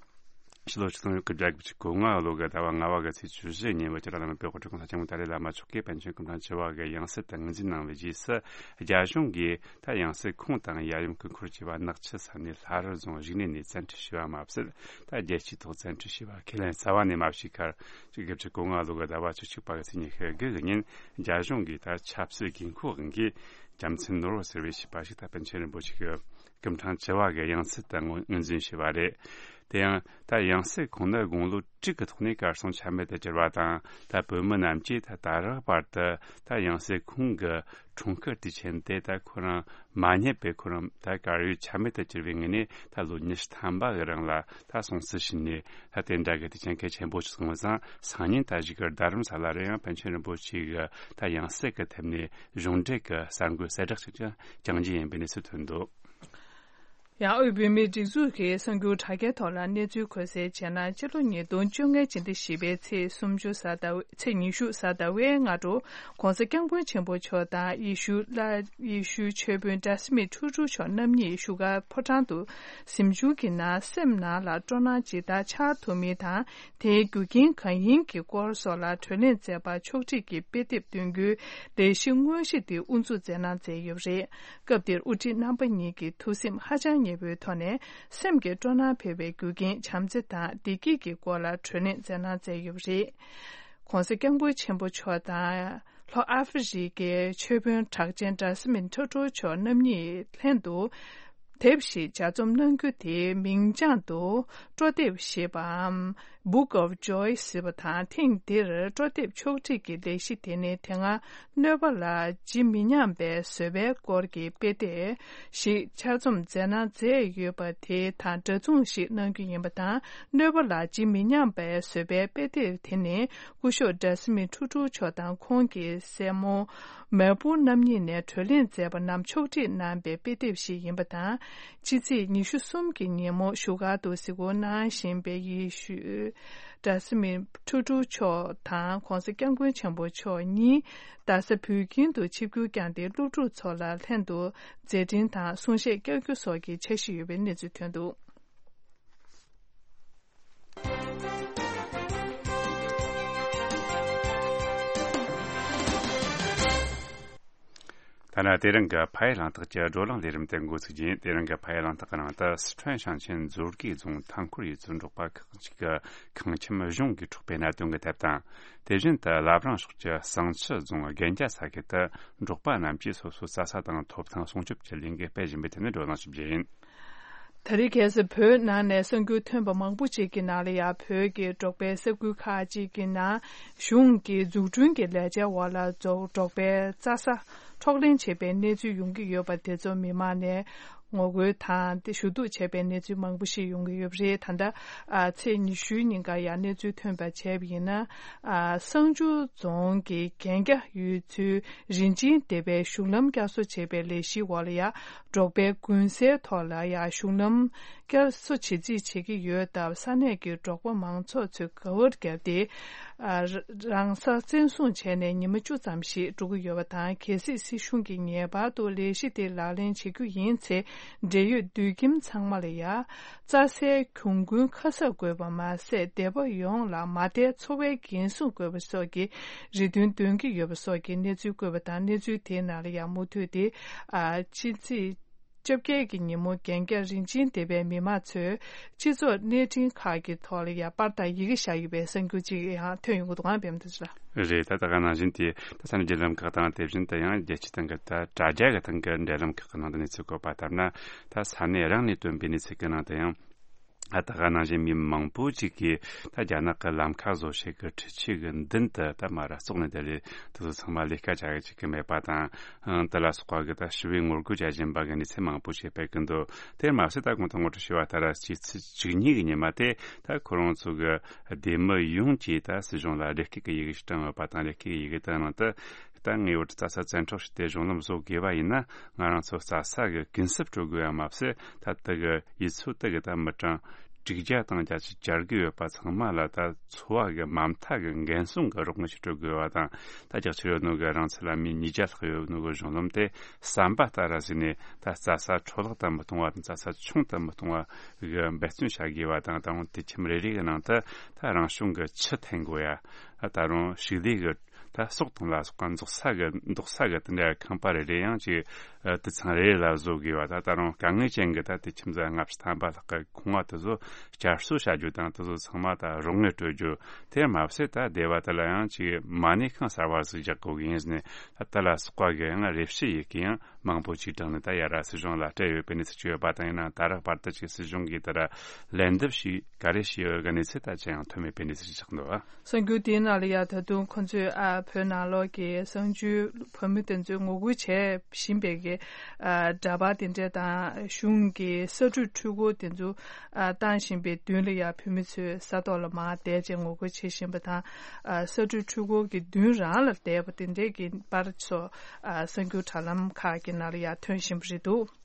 ཕྱི་ལོ་ཆིག་སྟོང་དགུ་བརྒྱ་དགུ་བཅུ་གོ་ལྔ་ལོ་གི་ཟླ་བ་ལྔ་བ་གི་ཚེས་བཅུ་བཞི་ཉིན། བོད་ཀྱི་བླ་ན་མེད་པའི་དབུ་ཁྲིད་གོང་ས་སྐྱབས་མགོན་ཏཱ་ལའི་བླ་མ་མཆོག་གིས་པཎ་ཆེན་སྐུ་ཕྲེང་བཅུ་བ་གི་ཡང་སྲིད་དུ་ངོས་འཛིན་གནང་བའི་རྗེས་སུ། རྒྱ་གཞུང་གིས་ད་ཡང་སྲིད་ཁོང་དང་ཡབ་ཡུམ་སྐུ་འཁོར་བཅས་པ་ནག་ཆུ་ས་གནས་ལྷ་རི་རྫོང་བཞུགས་གནས་ནས་བཙན་ཁྲིད་བྱས་པ་མ་ཟད། ད་རྒྱལ་སྤྱིའི་ཐོག་བཙན་ཁྲིད་བྱས་པ་ཁས་ལེན་རྩ་བ་ནས་མ་བྱས་ཁར། དགུ་བཅུ་གོ་ལྔ་ལོ་གི་ཟླ་བ་བཅུ་གཅིག་པ་གི་ཚེས་ཉི་ཤུ་དགུ་གི་ཉིན། རྒྱ་གཞུང་གིས་ད་ཆབ་སྲིད་དགོས་མཁོ་དབང་གིས་རྒྱལ་མཚན་ནོར་བུ་ཟེར་བའི་བྱིས་པ་ཞིག་ད་པཎ་ཆེན་རིན་པོ་ཆེ་གི་སྐུ་ཕྲེང་བཅུ་བ་གི་ཡང་སྲིད་དུ་ངོས་ངོས་འཛིན་བྱས་པ་རེད། དེ་ཡང་ད་ཡང་སྲིད་ཁོང་ནི་དགུང་ལོ་དྲུག་གི་ཐོག་ནས་གར་སོང་ཆ་མེད་དུ་གྱུར་བ་དང་། ད་བོད་མི་རྣམས་ཀྱིས་ད་ད་རག་བར་དུ་ད་ཡང་སྲིད་ཁོང་གི་འཁྲུངས་སྐར་དུས་ཆེན་དེ་ད་ཁོ་རང་མ་རྙེད་པའི། ཁོ་རང་ད་གར་ཡོད་ཆ་མེད་དུ་གྱུར་བའི་ངོས་ནས། ད་ལོ་ཉི་ཤུ་ཐམ་པ་གི་རིང་ལ་ད་སྲུང་བརྩི་ཞུས་ནས། ད་དེ་འདྲ་གི་དུས་ཆེན་གལ་ཆེན་པོ་ཞིག་སོང་བ་དང་། སང་ཉིན་ད་གཞུག་གི་རྡ་རམ་ས་ལ་རུ་ཡང་པཎ་ཆེན་རིན་པོ་ཆེ་གི་ད་ཡང་སྲིད་ཀྱི་ཐད་ནས་གཞུང་འབྲེལ་གྱི་གསར་འགོད་གསལ་བསྒྲགས་ཤིག་ཀྱང་བསྐྱང་རྒྱུ་ཡིན་པའི་གནས་ཚུལ་ཐོན་འདུག། ཡང་དབུས་བོད་མིའི་སྒྲིག་འཛུགས་ཀྱི་གསར་འགྱུར་དྲ་རྒྱའི་ཐོག་ལ་གནས་ཚུལ་འཁོད་གསལ་བྱས་ན། སྤྱི་ལོ་ཉིས་སྟོང་བཅོ་ལྔའི་སྤྱི་ཟླ་བཞི་པའི་ཚེས་སུམ་ཅུ་གཟའ་ཟླ་བའི་ཚེས་ཉི་ཤུ་གཟའ་ཟླ་བའི་སྔ་དྲོ། ྋགོང་ས་ྋསྐྱབས་མགོན་ཆེན་པོ་མཆོག་དང་། ཡེ་ཤུ་བླ་ཡེ་ཤུའི་ཆོས་དཔོན་གྲ་སི་མི་ཁྲུ་ཁྲུ་མཆོག་རྣམ་གཉིས་བཞུགས་སྒར་ཕོ་བྲང་དུ་གཟིམ་ཆུང་གི་ནང་སེམས་ནང་ལ་སྤྲོ་སྣང་ཇི་ལྟར་འཆར་ཐུབ་མིན་དང་། དེའི་རྒྱུ་རྐྱེན་གང་ཡིན་གྱི་སྐོར་སོགས་ལ་བགྲོ་གླེང་མཛད་པར་ཕྱོགས་སྒྲིག་གི་དཔེ་དེབ་འདོན་རྒྱུའི་ལས་གཞི་དངོས་གཞི་དེ་དབུ་འཛུགས་མཛད་གནང་མཛད་ཡོད་པ་རེད། སྐབས་དེར་དབུ་ཁྲིད་རྣམ་པ་གཉིས་ཀྱི་ཐུགས་སེམས་ཧ་ཅང་མཉེས་པོའི་ཐོག་ནས། སེམས་ཀྱི་སྤྲོ་སྣང་འཕེལ་བའི་རྒྱུ་རྐྱེན་བྱམས་བརྩེ་དང་བདེ་སྐྱིད་ཀྱི་སྐོར་ལ་བགྲོ་གླེང་མཛད་གནང་མཛད་ཡོད་པ་རེད། ྋགོང་ས་ྋསྐྱབས་མགོན་ཆེན་པོ་མཆོག་དང་། ལྷོ་ཨ་ཧྥེ་རི་ཀའི་ཆོས་དཔོན་གྲགས་ཅན་གྲ་སི་མི་ཁྲུ་ཁྲུ་མཆོག་རྣམ་གཉིས་ལྷན་དུ་དེབ་ཞིག་ལྗགས་རྩོམ་གནང་རྒྱུ་དེའི་མིང་རྐྱང་དུ་སྤྲོ་དེབ་ཞེས་པའམ། Book of Joy ཟེར་བ་དང་། ཐེངས་འདིར་སྤྲོ་དེབ་ཕྱོགས་སྒྲིག་གི་ལས་གཞི་དེ་ནི། དེ་སྔ་གནོད་པ་ལ་ཇི་མི་སྙམ་པའི་བཟོད་པའི་སྐོར་གྱི་དཔེ་དེབ་ཞིག་ཆ་རྩོམ་མཛད་གནང་མཛད་ཡོད་པ་དེ་དང་འདྲ་མཚུངས་ཤིག་གནང་རྒྱུ་ཡིན་པ་དང་། གནོད་པ་ལ་ཇི་མི་སྙམ་པའི་བཟོད་པའི་དཔེ་དེབ་དེ་ནི། སྐུ་ཞབས་གྲ་སི་མི་ཁྲུ་ཁྲུ་མཆོག་དང་ཁོང་གི་སྲས་མོ་མལ་པོ་རྣམ་གཉིས་ནས་བགྲོ་གླེང་མཛད་པ་རྣམས་ཕྱོགས་སྒྲིག་གནང་པའི་དཔེ་དེབ་ཞིག་ཡིན་པ་དང་། ཕྱི་ཚེས་ཉི་ཤུ་གསུམ་གྱི་ཉིན་མོ་བཞུགས་སྒར་དུ་གཟིགས་སྐོར་གནང་བཞིན་པའི་ཡེ་ཤུ་གྲ་སི་མི་ཁྲུ་ཁྲུ་མཆོག་དང་ྋགོང་ས་ྋསྐྱབས་མགོན་ཆེན་པོ་མཆོག་གཉིས་རྡ་ས་བོད་ཁྱིམ་དུ་ཆིབས་བསྒྱུར་བསྐྱངས་ཏེ། སློབ་ཕྲུག་ཚོ་ལ་ལྷན་དུ་མཛད་འཕྲིན་དང་གསུང་བཤད་བསྐྱང་རྒྱུ་སོགས་ཀྱི་འཆར་གཞི་ཡོད་པའི་གནས་ཚུལ་ཐོན་འདུག། ཐ་ན་དེ་རིང་གི་ཕ་ཡུལ་གླེང་སྟེགས་ཀྱི་བགྲོ་གླེང་ལས་རིམ་དེ་འགོ་ཚུགས་རྗེས། དེ་རིང་གི་ཕ་ཡུལ་གླེང་སྟེགས་ཀྱི་ནང་དུ། སི་ཁྲོན་ཞིང་ཆེན་མཛོད་དགེ་རྫོང་ཐང་སྐོར་ཡུལ་ཚོའི་འབྲོག་པ་ཁག་ཅིག་གི་ཁང་ཁྱིམ་གཞུང་གིས་འཕྲོག་པའི་གནད་དོན་གྱི་ཐད་དང་། དེ་བཞིན་དུ་བླ་བྲང་ཕྱོགས་ཀྱི་བསང་ཆུ་རྫོང་རྒན་རྒྱ་ས་ཁུལ་དུ་འབྲོག་པ་རྣམས་ཀྱིས་སོ་སོའི་རྩྭ་ས་དང་ཐོབ་ཐང་སྲུང་སྐྱོབ་ཀྱི་ལས་འགུལ་སྤེལ་བཞིན་པའི་ཐད་ནས་བགྲོ་གླེང་ཞུ་རྒྱུ་ཡིན། ད་རེས་ཁ་སང་བོད་ནང་ནས་གསར་འགྱུར་ཐོན་པ་མང་པོ་ཅིག་གི་ནང་ལ་ཡང་། བོད་ཀྱི་འབྲོག་པའི་ས་ཁུལ་ཁག་ཅིག་གི་ནང་གཞུང་གི་འཛུགས་སྐྲུན་གྱི་ལས་འཆར་འོག་ལ་འབྲོག་འབྲོག་པའི་རྩྭ་ས་འཕྲོག་ལེན་བྱས་པའི་གནས་ཚུལ་ཡོང་གི་ཡོད་པ་དེ་ཚོ་མི་མང་ནས་ངོ་རྒོལ་དང་དེ་ཞུ་གཏུག་བྱས་པའི་གནས་ཚུལ་མང་པོ་ཞིག་ཡོང་གི་ཡོད་པ་རེད། ད་ལྟ་ཨ་ཚེས་ཉི་ཤུའི་ཉིན་ཀ་ཡང་གནས་ཚུལ་ཐོན་པ་བྱས་པ་ཡིན་ན། ཨ་བསང་ཆུ་རྫོང་གི་རྒན་རྒྱ་ཡུལ་ཚོའི་རིན་ཆེན་སྡེ་པའི་གཞུང་ལམ་བསྐྱར་གསོ་བྱེད་པའི་ལས་གཞིའི་འོག་ལ་ཡང་། འབྲོག་པའི་དགུན་སའི་ཐོག་ལ་ཡང་གཞུང་ལམ་བསྐྱར་གསོ་བྱེད་རྩིས་བྱེད་ཀྱི་ཡོད་སྟབས། ས་གནས་ཀྱི་འབྲོག་པ་མང་ཚོགས་ཚོས་དགའ་བར་བརྒྱབ་སྟེ། ཨ་རང་ས་བཙན་བཟུང་བྱས་ནས་ཉི་མ་བཅུ་ཙམ་ཞིག་འགྲོ་གི་ཡོད་པ་དང་། གལ་སྲིད་སྲིད་གཞུང་གིས་ངེས་པར་དུ་ལས་གཞི་དེ་ལག་ལེན་བྱེད་རྒྱུ་ཡིན་ཚེ། འབྲེལ་ཡོད་དུད་ཁྱིམ་ཚང་མ་ལ་ཡང་རྩྭ་སའི་གྱོང་གུན་ཁ་གསབ་དགོས་པ་མ་ཟད། སྡེ་པ་ཡོངས་ལ་མ་མཐའི་འཚོ་བའི་འགན་སྲུང་དགོས་པ་སོགས་ཀྱི་རེ་འདུན་འདོན་གྱི་ཡོད་པ་སོགས་ཀྱི་གནས་ཚུལ་བཀོད་པ་དང་། གནས་ཚུལ་དེའི་ནང་ལ་ཡང་མུ་མཐུད་དེ་ཨ་ཕྱི་ཚེས་ བཅོ་བརྒྱད་ཀྱི་ཉིན་མོ་རྒན་རྒྱ་རིན་ཆེན་སྡེ་བའི་མི་མང་ཚོས་སྤྱི་ཚོགས་གནས་འཕྲིན་ཁག་གི་ཐོག་ལ་ཡང་པར་དང་ཡི་གེ་བཞག་ཡོད་པའི་གསར་འགྱུར་ཅིག་ཡང་ཐོན་ཡོང་གི་འདུག་ཨང་། པད་མ་བདེ་ལེགས་ལགས། རེད། ད་ལྟ་ག་ནང་བཞིན་དེ་ད་ས་གནས་བརྒྱུད་ལམ་ཁག་དང་དེ་བཞིན་དུ་ཡང་རྒྱལ་སྤྱིའི་སྟེང་གི་ད་དྲ་རྒྱ་གི་སྟེང་གི་འབྲེལ་ལམ་ཁག་གི་ནང་དུ་གནས་ཚུལ་བཀོད་པ་ལྟར་ན། ད་ས་གནས་རང་ནས་བཏོན་པའི་གནས་ཚུལ་གྱི་ནང་དུ་ཡང་། ད་ལྟ་ག་ནང་བཞིན་མི་མང་པོ་ཅིག་གིས་ད་རྒྱ་ནག་གི་ལམ་ཁ་བཟོ་བྱེད་ཀྱི་འཕྲུལ་ཆས་ཀྱི་མདུན་དུ་ད་མར་ར་ཙོག་ནས་བསྡད་ལས་དེ་ཚོ་ཚང་མ་ལས་ཀ་བྱ་གི་ཅིག་གི་མེད་པ་དང་། ཨང་། དེ་ལ་སོགས་པ་གི་ད་ཞི་བའི་ངོ་རྒོལ་བྱ་བཞིན་པ་གི་གནས་ཚུལ་མང་པོ་ཞིག་སྤེལ་གི་འདུག་དེར་མ་ཟད་ད་གོང་དུ་ངོ་སྤྲོད་ཞུས་པ་ལྟར་ཕྱི་ཚེས་བཅུ་གཉིས་ཀྱི་ཉི་མ་དེ་ད་ཁོ་རང་ཚོ་གི་སྡེ་མི་ཡོངས་ཀྱིས་ད་སྲིད་གཞུང་ལ་རེ་སྐུལ་གྱི་ཡི་གེ་ཞིག་བྲིས་ཡོད་པ་དང་། རེ་སྐུལ་གྱི་ཡི་གེ་དེ་ནང་དུ། ད་ངའི་འོག་ཏུ་རྩྭ་ས་བཙན་འཕྲོག་བྱས་ཏེ་གཞུང་ལམ་བཟོ་དགོས་པ་ཡིན་ན། ང་རང་ཚོ་རྩྭ་ས་གི་གུན་གསབ་སྤྲོད་དགོས་ཡ་མ་ཟད། ད་དེ་གི་ཡུལ་ཚོ་དེ་གི་ད་མི་གྲངས་དྲུག་བརྒྱ་དང་བརྒྱད་ཅུ་གྱ་དགུ་ཡོད་པ་ཚང་མ་ལ་ད་འཚོ་བ་གི་མ་མཐའ་གི་འགན་སྲུང་གི་རོགས་དངུལ་ཞིག་སྤྲོད་དགོས་པ་དང་། ད་རྒྱག་ཆེར་ཡོད་ནོ་གི་རང་ཚོ་ལ་མི་ཉིས་བརྒྱ་ལྷག་ཡོད་ནོ་གི་གཞུང་ལམ་དེ་ཟམ་པ་ལྟར་ར་བཟོས་ནས། ད་རྩྭ་ས་འཕྲོ་བརླག་ཏུ་མི་གཏོང་བ་དང་། རྩྭ་ས་ཆུང་དུ་མི་གཏོང་བ་གི་འབད་བརྩོན་བྱ་དགོས་པ་དང་། ད་རུང་དུད་ཁྱིམ་རེ་རེ་གི་ནང་དུ་ད་རང་བྱུང་གི་ཆུ་འཐེན་དགོས་ཡ། ད་རུང་ཕྱུགས་ལས་གི་ད་ཟོག་དང་ལ་སོགས་པ་འཛུགས་ས་གི་འདོགས་ས་གི་དེ་འདྲ་ཁང་པ་རེ་རེ་ཡང་ཅིག་ཨ་དུད་ཚང་རེ་རེ་ལ་བཟོ་དགོས་པ། ད་ད་རུང་དཀའ་ངལ་ཅན་གི་ད་དུད་ཁྱིམ་ཚང་ལྔ་བཅུ་ཐམ་པ་ལྷག་གི་ཁང་བ་དེ་ཚོ་བསྐྱར་གསོ་བྱ་རྒྱུ་དང་། དེ་ཚོ་ཚང་མ་ད་རོགས་དངུལ་སྤྲོད་རྒྱུ། དེར་མ་ཟད་ད་སྡེ་བ་དེ་ལ་ཡང་ཅིག་མ་ཎི་ཁང་གསར་བ་ཟིག་རྒྱག་དགོས་གི་ཡིན་ཟེར་ནས། ད་དེ་ལ་སོགས་པ་གི་ཡང་རེ་ཞུ་ཡི་གེ་ཡང་མང་པོ་ཅིག་བྲིས་ནས་ད་ཡར་ར་སྲིད་གཞུང་ལ་སྤྲད་ཡོད་པའི་གནས་ཚུལ་ཅིག་ཡོད་པ་དང་། ཡིན་ནའང་ད་རག་བར་དུ་ཅིག་སྲིད་གཞུང་གིས་དེ་ལ་ལན་འདེབས་ཤིག་ག་རེ་བྱས་ཡོད་གི་གནས་ཚུལ་ད་ཅི་ཡང་ཐོན་མེད་པའི་གནས་ཚུལ་ཞིག་ཆགས་འདུག་ཨ། གསར་འགྱུར་དེའི་ནང་ལ་ཡ་ད་དུང་ཁོ་ཚོས་ཨ་བོད་ནང་ལོགས་ཀྱི་གསར་འགྱུར་བོད་མི་དེ་ཚོས་ངོ་རྒོལ་བྱེད་བཞིན་པའི་གི་ཨ་འདྲ་པར་དེ་འདྲ་དང་། གཞུང་གི་ས་འབྲུ་འཕྲུལ་འཁོར་དེ་ཚོ་ཨ་བཏང་བཞིན་པའི་མདུན་ལ་ཡ་བོད་མི་ཚོས་ས་ཐོག་ལ་མར་བསྡད་བྱས་ངོ་རྒོལ་བྱེད་བཞིན་པ་དང་། ཨ་ས་འབྲུ་འཕྲུལ་འཁོར་གྱི་མདུན་རང་ལ་བསྡད་པ་དེ་འདྲའི་གི་པར་ཚོ་ཨ་གསར་འགྱུར་དྲ་ལམ་ཁག་གི་ནང་ལ་ཡ་ཐོན་བཞིན་པ་རེད་འདུག་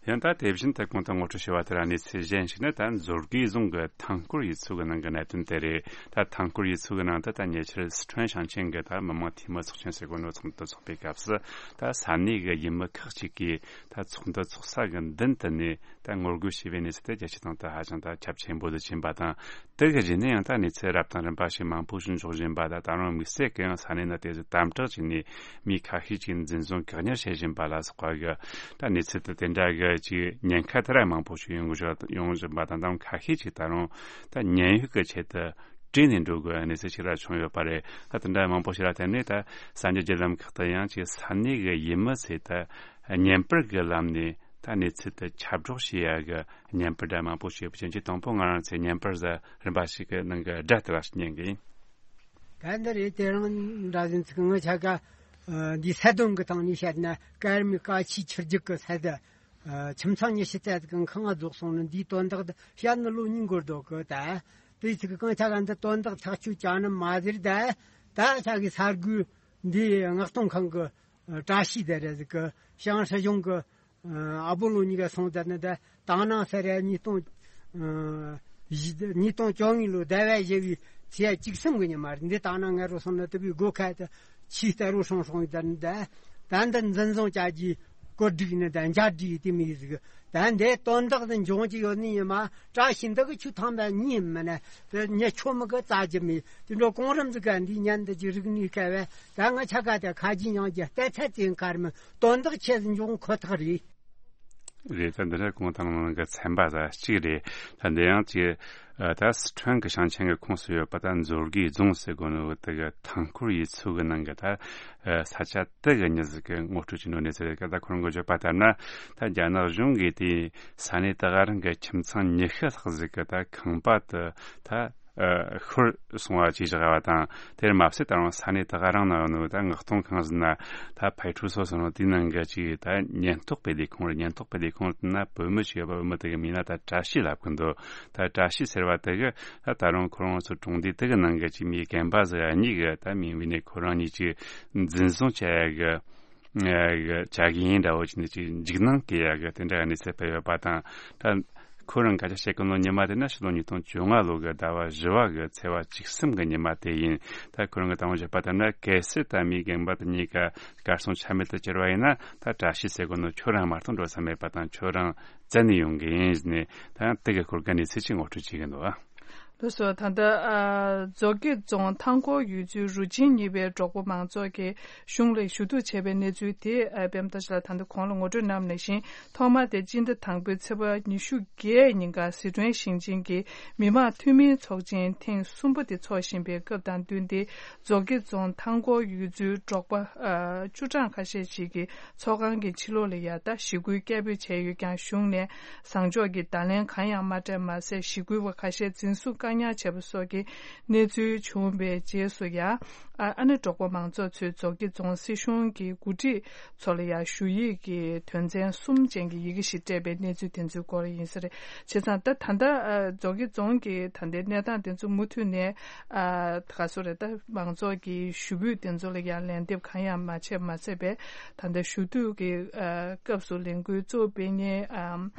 ཡང་ད་དེ་བཞིན་དུ་གོང་དུ་ངོ་སྤྲོད་ཞུས་པ་ལྟར་གནས་ཚུལ་གཞན་ཞིག་ནི། ད་མཛོད་དགེ་རྫོང་གི་ཐང་སྐོར་ཡུལ་ཚོ་གི་ནང་གི་གནད་དོན་དེ་རེད། ད་ཐང་སྐོར་ཡུལ་ཚོ་གི་ནང་དུ་ད་ཉེ་ཆར་སི་ཁྲོན་ཞིང་ཆེན་གྱི་ད་མི་དམངས་འཐུས་མི་ཚོགས་ཆེན་ཟེར་གོ་ནོ་ཚོགས་འདུ་ཚོགས་པའི་སྐབས་སུ། ད་ས་གནས་གི་ཡུལ་མི་ཁག་ཅིག་གིས་ད་ཚོགས་འདུ་ཚོགས་ས་གི་མདུན་དུ་ནས་ད་ངོ་རྒོལ་བྱས་པའི་གནས་ཚུལ་དེ་རྒྱལ་སྤྱིའི་སྟེང་དུ་ཧ་ཅང་ད་ཁྱབ་ཆེན་པོ་དུ་ཕྱིན་པ་དང་། དེ་གི་རྗེས་ནས་ཡང་ད་གནས་ཚུལ་རབ་དང་རིམ་པ་ཞིག་མང་པོ་ཞིག་འབྱོར་བཞིན་པ་དང་། ད་རུང་དམིགས་བསལ་གྱི་ཡང་ས་གནས་ནང་དེ་ཚོ་དམ་དྲག་བྱས་ནས་མི་ཁ་ཤས་ཅིག་འཛིན་བཟུང་བཀག་ཉར་བྱེད་བཞིན་པ་ལ་སོགས་པ་གི་ད་གནས་ཚུལ་དེ་དེ་འདྲ་གི་ཅིག་ཉེན་ཁ་དེ་ར་མང་པོ་ཞིག་ཡོང་གི་ཡོང་བཞིན་པ་དང་། ད་ཁ་ཤས་ཅིག་ད་རུང་ད་ཉེན་གཡོལ་གྱི་ཆེད་དུ་བྲོས་ནས་འགྲོ་དགོས་གནས་ཚུལ་ཞིག་ར་བྱུང་ཡོད་པ་རེད། ད་དེ་འདྲ་མང་པོ་ཞིག་ལ་བརྟེན་ནས་ད་གསར་འགྱུར་བརྒྱུད་ལམ་ཁག་ཏུ་ཡང་ཅིག་ས་གནས་གི་ཡུལ་མི་ཚོས་ད་བརྙན་པར་གི་ལམ་ནས་ད་གནས་ཚུལ་དེ་ཁྱབ་སྒྲོག་བྱེད་ཡ་གི་བརྙན་པར་འདྲ་མང་པོ་ཞིག་ཡོད་པ་ཅན་གྱི། དང་པོ་ང་རང་ཚོས་བརྙན་པར་ཟ་རིམ་པ་ཞིག་གི་ནང་གི་སྒྲ་དེ་ལ་ཉན་གི་ཡིན། ད་འདི་རེད། དེ་རིང་འདྲ་ཟིན་ཚིག་ངོ་ཆ་ག་འདི་ས་དོན་གི་སྟེང་ནས་བཤད་ན། ཀརྨ་བཀའ་ཆོས་ཆུ་རྒྱུད་གི་ས་དེ་ཁྱིམ་ཚང་ཉི་ཤུ་རྩ་ཟིག་གི་ཁང་ང་རྫོགས་སོང་ནི། འདིའི་དོན་དག་དེ་བཤད་ནི་ལོ་གཉིས་འགོར་འདུག་གི། ད་དེ་ཚིག་གང་ཆ་ག་འདི་དོན་དག་ཐག་གཅོད་བྱ་ནི་མ་ཟེར། ད་ད་ཆ་གི་ས་དགོས་འདི་མངགས་གཏོང་ཁང་གི་བཀྲ་ཤིས་དེ་རེད་ཟིག་གི། ཞང་སྲིད་གཞུང་གི་ཨ་བོ་ལོ་གཉིས་ཀ་སོང་ད་ནི། ད་དང་ནང་ས་ར་ཉིས་སྟོང་ཨ་བཞི་ཉིས་སྟོང་བཅོ་ལྔ་ལོ་ཟླ་བ་བཞི་བའི་ཚེས་བཅུ་གསུམ་གི་ཉི་མ་རེད། འདི་དང་ནང་ང་རོ་སོང་ན་དུ་བའི་སྒོ་ཁ་དུ་ཆེས་རྟ་རོ་སྲོང་སྲོང་ཡི་ད་ནི། ད་ད་འདི་འཛིན་བཟུང་བྱ་རྒྱུའི་བཀོད་སྒྲིག་ནི་ད་འཇགས་སྒྲིག་དེ་མི་ཟིག། ད་འདི་དོན་དག་དེ་འབྱུང་གི་ཡོད་ནི་ཡིན་མ། བཀྲ་ཤིས་འདི་གི་ཆུ་ཐང་བ་གཉིས་མིན་ན་དེ་ཉེ་ཆོ་མི་གི་རྩ་རྒྱུ་མེད། དེ་འགྲོ་གོང་རིམ་ཟིག་ག་འདི་ཉན་འདི་ཀྱི་རིག་གནས་སྐལ་བ་ད་ང་ཆ་ག་དེ་ཁ་རྒྱུན་ཡང་རྒྱུ་ལྟ་ཚད་ཅན་ཁར་མི། དོན་དག་ཆེ་ཟིག་འབྱུང་ཁོ་ཐག་རེད། རེད། ད་འདི་འདྲ་གོང་དང་ནང་གི་ཚན་པ་ཟ་གཅིག་རེད། ད་འདི་ཡང་ཅིག་ཨ་ད་སི་ཁྲོན་གྱི་ཞིང་ཆེན་གྱི་ཁོངས་སུ་ཡོད་པ་ད་མཛོད་དགེ་རྫོང་ཟེར་གོ་ནོ་དེ་གི་ཐང་སྐོར་ཡུལ་ཚོ་གི་ནང་གི་ད་ཨ་ས་ཆ་དེ་གི་མྱི་ཟིག་གི་ངོ་སྤྲོད་ཀྱི་ནོ་གནས་ཚུལ་རེད། ད་ཁོ་རང་གི་བརྗོད་པ་ལྟར་ན། ད་རྒྱ་ནག་གཞུང་གིས་དེ་ས་གནས་དེ་ག་རང་གི་ཁྱིམ་ཚང་ཉི་ཤུ་ལྷག་ཟིག་གི་ད་ཁང་པ་དེ་ད། ཨ་ཤོར་སོང་བ་ཅིག་བཞག་པ་དང་། དེར་མ་ཟད་ད་རུང་ས་གནས་དེ་ག་རང་ན་ཡོད་ནོ་ད་མངགས་གཏོང་ཁང་ཟེར་ན་ད་ཕའི་ཁྲུའུ་སོ་ཟེར་ནོ་དེའི་ནང་གི་ཅིག་ད་ཉེན་རྟོག་པའི་ལས་ཁུངས་རེད། ཉེན་རྟོག་པའི་ལས་ཁུངས་ན་བུད་མེད་ཅིག་ཡོད་པ། བུད་མེད་དེ་གི་མིང་ན་ད་བཀྲ་ཤིས་ལབ་གི་འདུག། ད་བཀྲ་ཤིས་ཟེར་བ་དེ་གི་ད་ད་རུང་ཁོ་རང་ཚོ་གྲོང་སྡེ་དེ་གི་ནང་གི་ཅིག་མི་རྒན་པ་ཟེར་ཡ་གཉིས་གི་ད་མིང་བོས་ནས་ཁོ་རང་གཉིས་ཅིག་འཛིན་བཟུང་བྱ་ཡ་གི། ཨ་བྱ་གི་ཡིན་འདྲ་བོ་ཅིག་ནས་ཅིག་འཇིགས་སྣང་སྐྱེ་ཡ་གི་དེ་འདྲ་གནས་ཚུལ་སྤེལ་ཡོད་པ་དང་། ད་ཁོ་རང་སྐད་ཆ་བཤད་གི་ནོ་ཉི་མ་དེ་ན་ཕྱི་ལོ་ཉིས་སྟོང་བཅོ་ལྔ་ལོ་གི་ཟླ་བ་བཞི་བ་གི་ཚེས་པ་བཅུ་གསུམ་གི་ཉི་མ་དེ་ཡིན། ད་ཁོ་རང་གི་ད་དུང་བཤད་པ་ལྟར་ན། གལ་སྲིད་ད་མི་རྒན་པ་དེ་གཉིས་ཀ་གར་སོང་ཆ་མེད་དུ་གྱུར་བ་ཡིན་ན། ད་བཀྲ་ཤིས་ཟེར་གོ་ནོ་ཁྱོད་རང་མ་གཏོགས་འགྲོ་ས་མེད་པ་དང་། ཁྱོད་རང་བཙལ་ནས་ཡོང་གི་ཡིན་ཟེར་ནས། ད་ཡང་དེ་གི་སྐོར་གི་གནས་ཚུལ་ཅིག་ངོ་སྤྲོད་བྱེད་ཀྱི་འདུག། ཨ། ལགས་སོ། ད་ལྟ་ཨ་མཛོ་དགེ་རྫོང་ཐང་སྐོར་ཡུལ་ཚོའི་རུ་ཆེན་གཉིས་པའི་འབྲོག་པ་མང་ཚོགས་ཀྱིས་གཞུང་ལ་ཞུ་གཏུག་བྱས་པའི་གནས་ཚུལ་དེ་ཨ་པད་མ་བཀྲ་ཤིས་ལགས་ད་ལྟ་གོང་ལ་ངོ་སྤྲོད་གནང་བ་ནང་བཞིན། ཐོག་མ་དེ་སྤྱི་ཟླ་དང་པོའི་ཚེས་པ་ཉི་ཤུ་བརྒྱད་ཉིན་ཀ་སི་ཁྲོན་ཞིང་ཆེན་གྱི་མི་དམངས་འཐུས་མིའི་ཚོགས་ཆེན་ཐེངས་གསུམ་པ་དེ་འཚོགས་བཞིན་པའི་སྐབས་དང་བསྟུན་ཏེ། མཛོ་དགེ་རྫོང་ཐང་སྐོར་ཡུལ་ཚོའི་འབྲོག་པ་ཨ་བཅུ་གྲངས་ཁ་ཤས་ཤིག་གིས་ཚོགས་ཁང་གི་ཕྱི་ལོགས་ལ་ཡ་ད་ཞི་རྒོལ་སྐད་འབོད་བྱས་ཡོད་ཀྱང་། གཞུང་ནས་བཟང་ཕྱོགས་ཀྱི་བརྡ་ལན་གང་ཡང་མ་སྤྲད་མ་ཟད། ཞི་རྒོལ་བ་ཁ་ཤས་འཛིན་བཟུང་བཀག་ཉར་བྱས་པ་སོགས་ཀྱི་གནས་ཚུལ་བྱུང་བའི་རྗེས་སུ་ཡ། ཨ་ཨ་ནི་འབྲོག་པ་མང་ཚོགས་ཚོས་མཛོ་དགེ་རྫོང་སྲིད་གཞུང་གི་འགོ་ཁྲིད་ཚོ་ལ་ཡ་ཞུ་ཡིག་གི་དོན་ཚན་གསུམ་ཅན་གྱི་ཡི་གེ་ཞིག་སྤྲད་པའི་གནས་ཚུལ་དེ་ཚོའི་སྐོར་ཡིན་ས་རེད། བྱས་ཙང་ད་ད་ལྟ་ཨ་མཛོ་དགེ་རྫོང་གི་ད་ལྟའི་གནས་སྟངས་དེ་ཚོ་མུ་མཐུད་ནས་ཨ་ག་སོ་རེད། ད་མང་ཚོགས་ཀྱི་ཞུ་འབོད་དེ་ཚོ་ལ་ཡ་ལན་འདེབས་གང་ཡང་མ་བྱས་མ་ཚད་པས། ད་ལྟ་ཞུ་གཏུག་གི་ཨ་སྐབས་སུ་ལས་འགུལ་གཙོ་བོ་སྤེལ་མཁན་ཨ་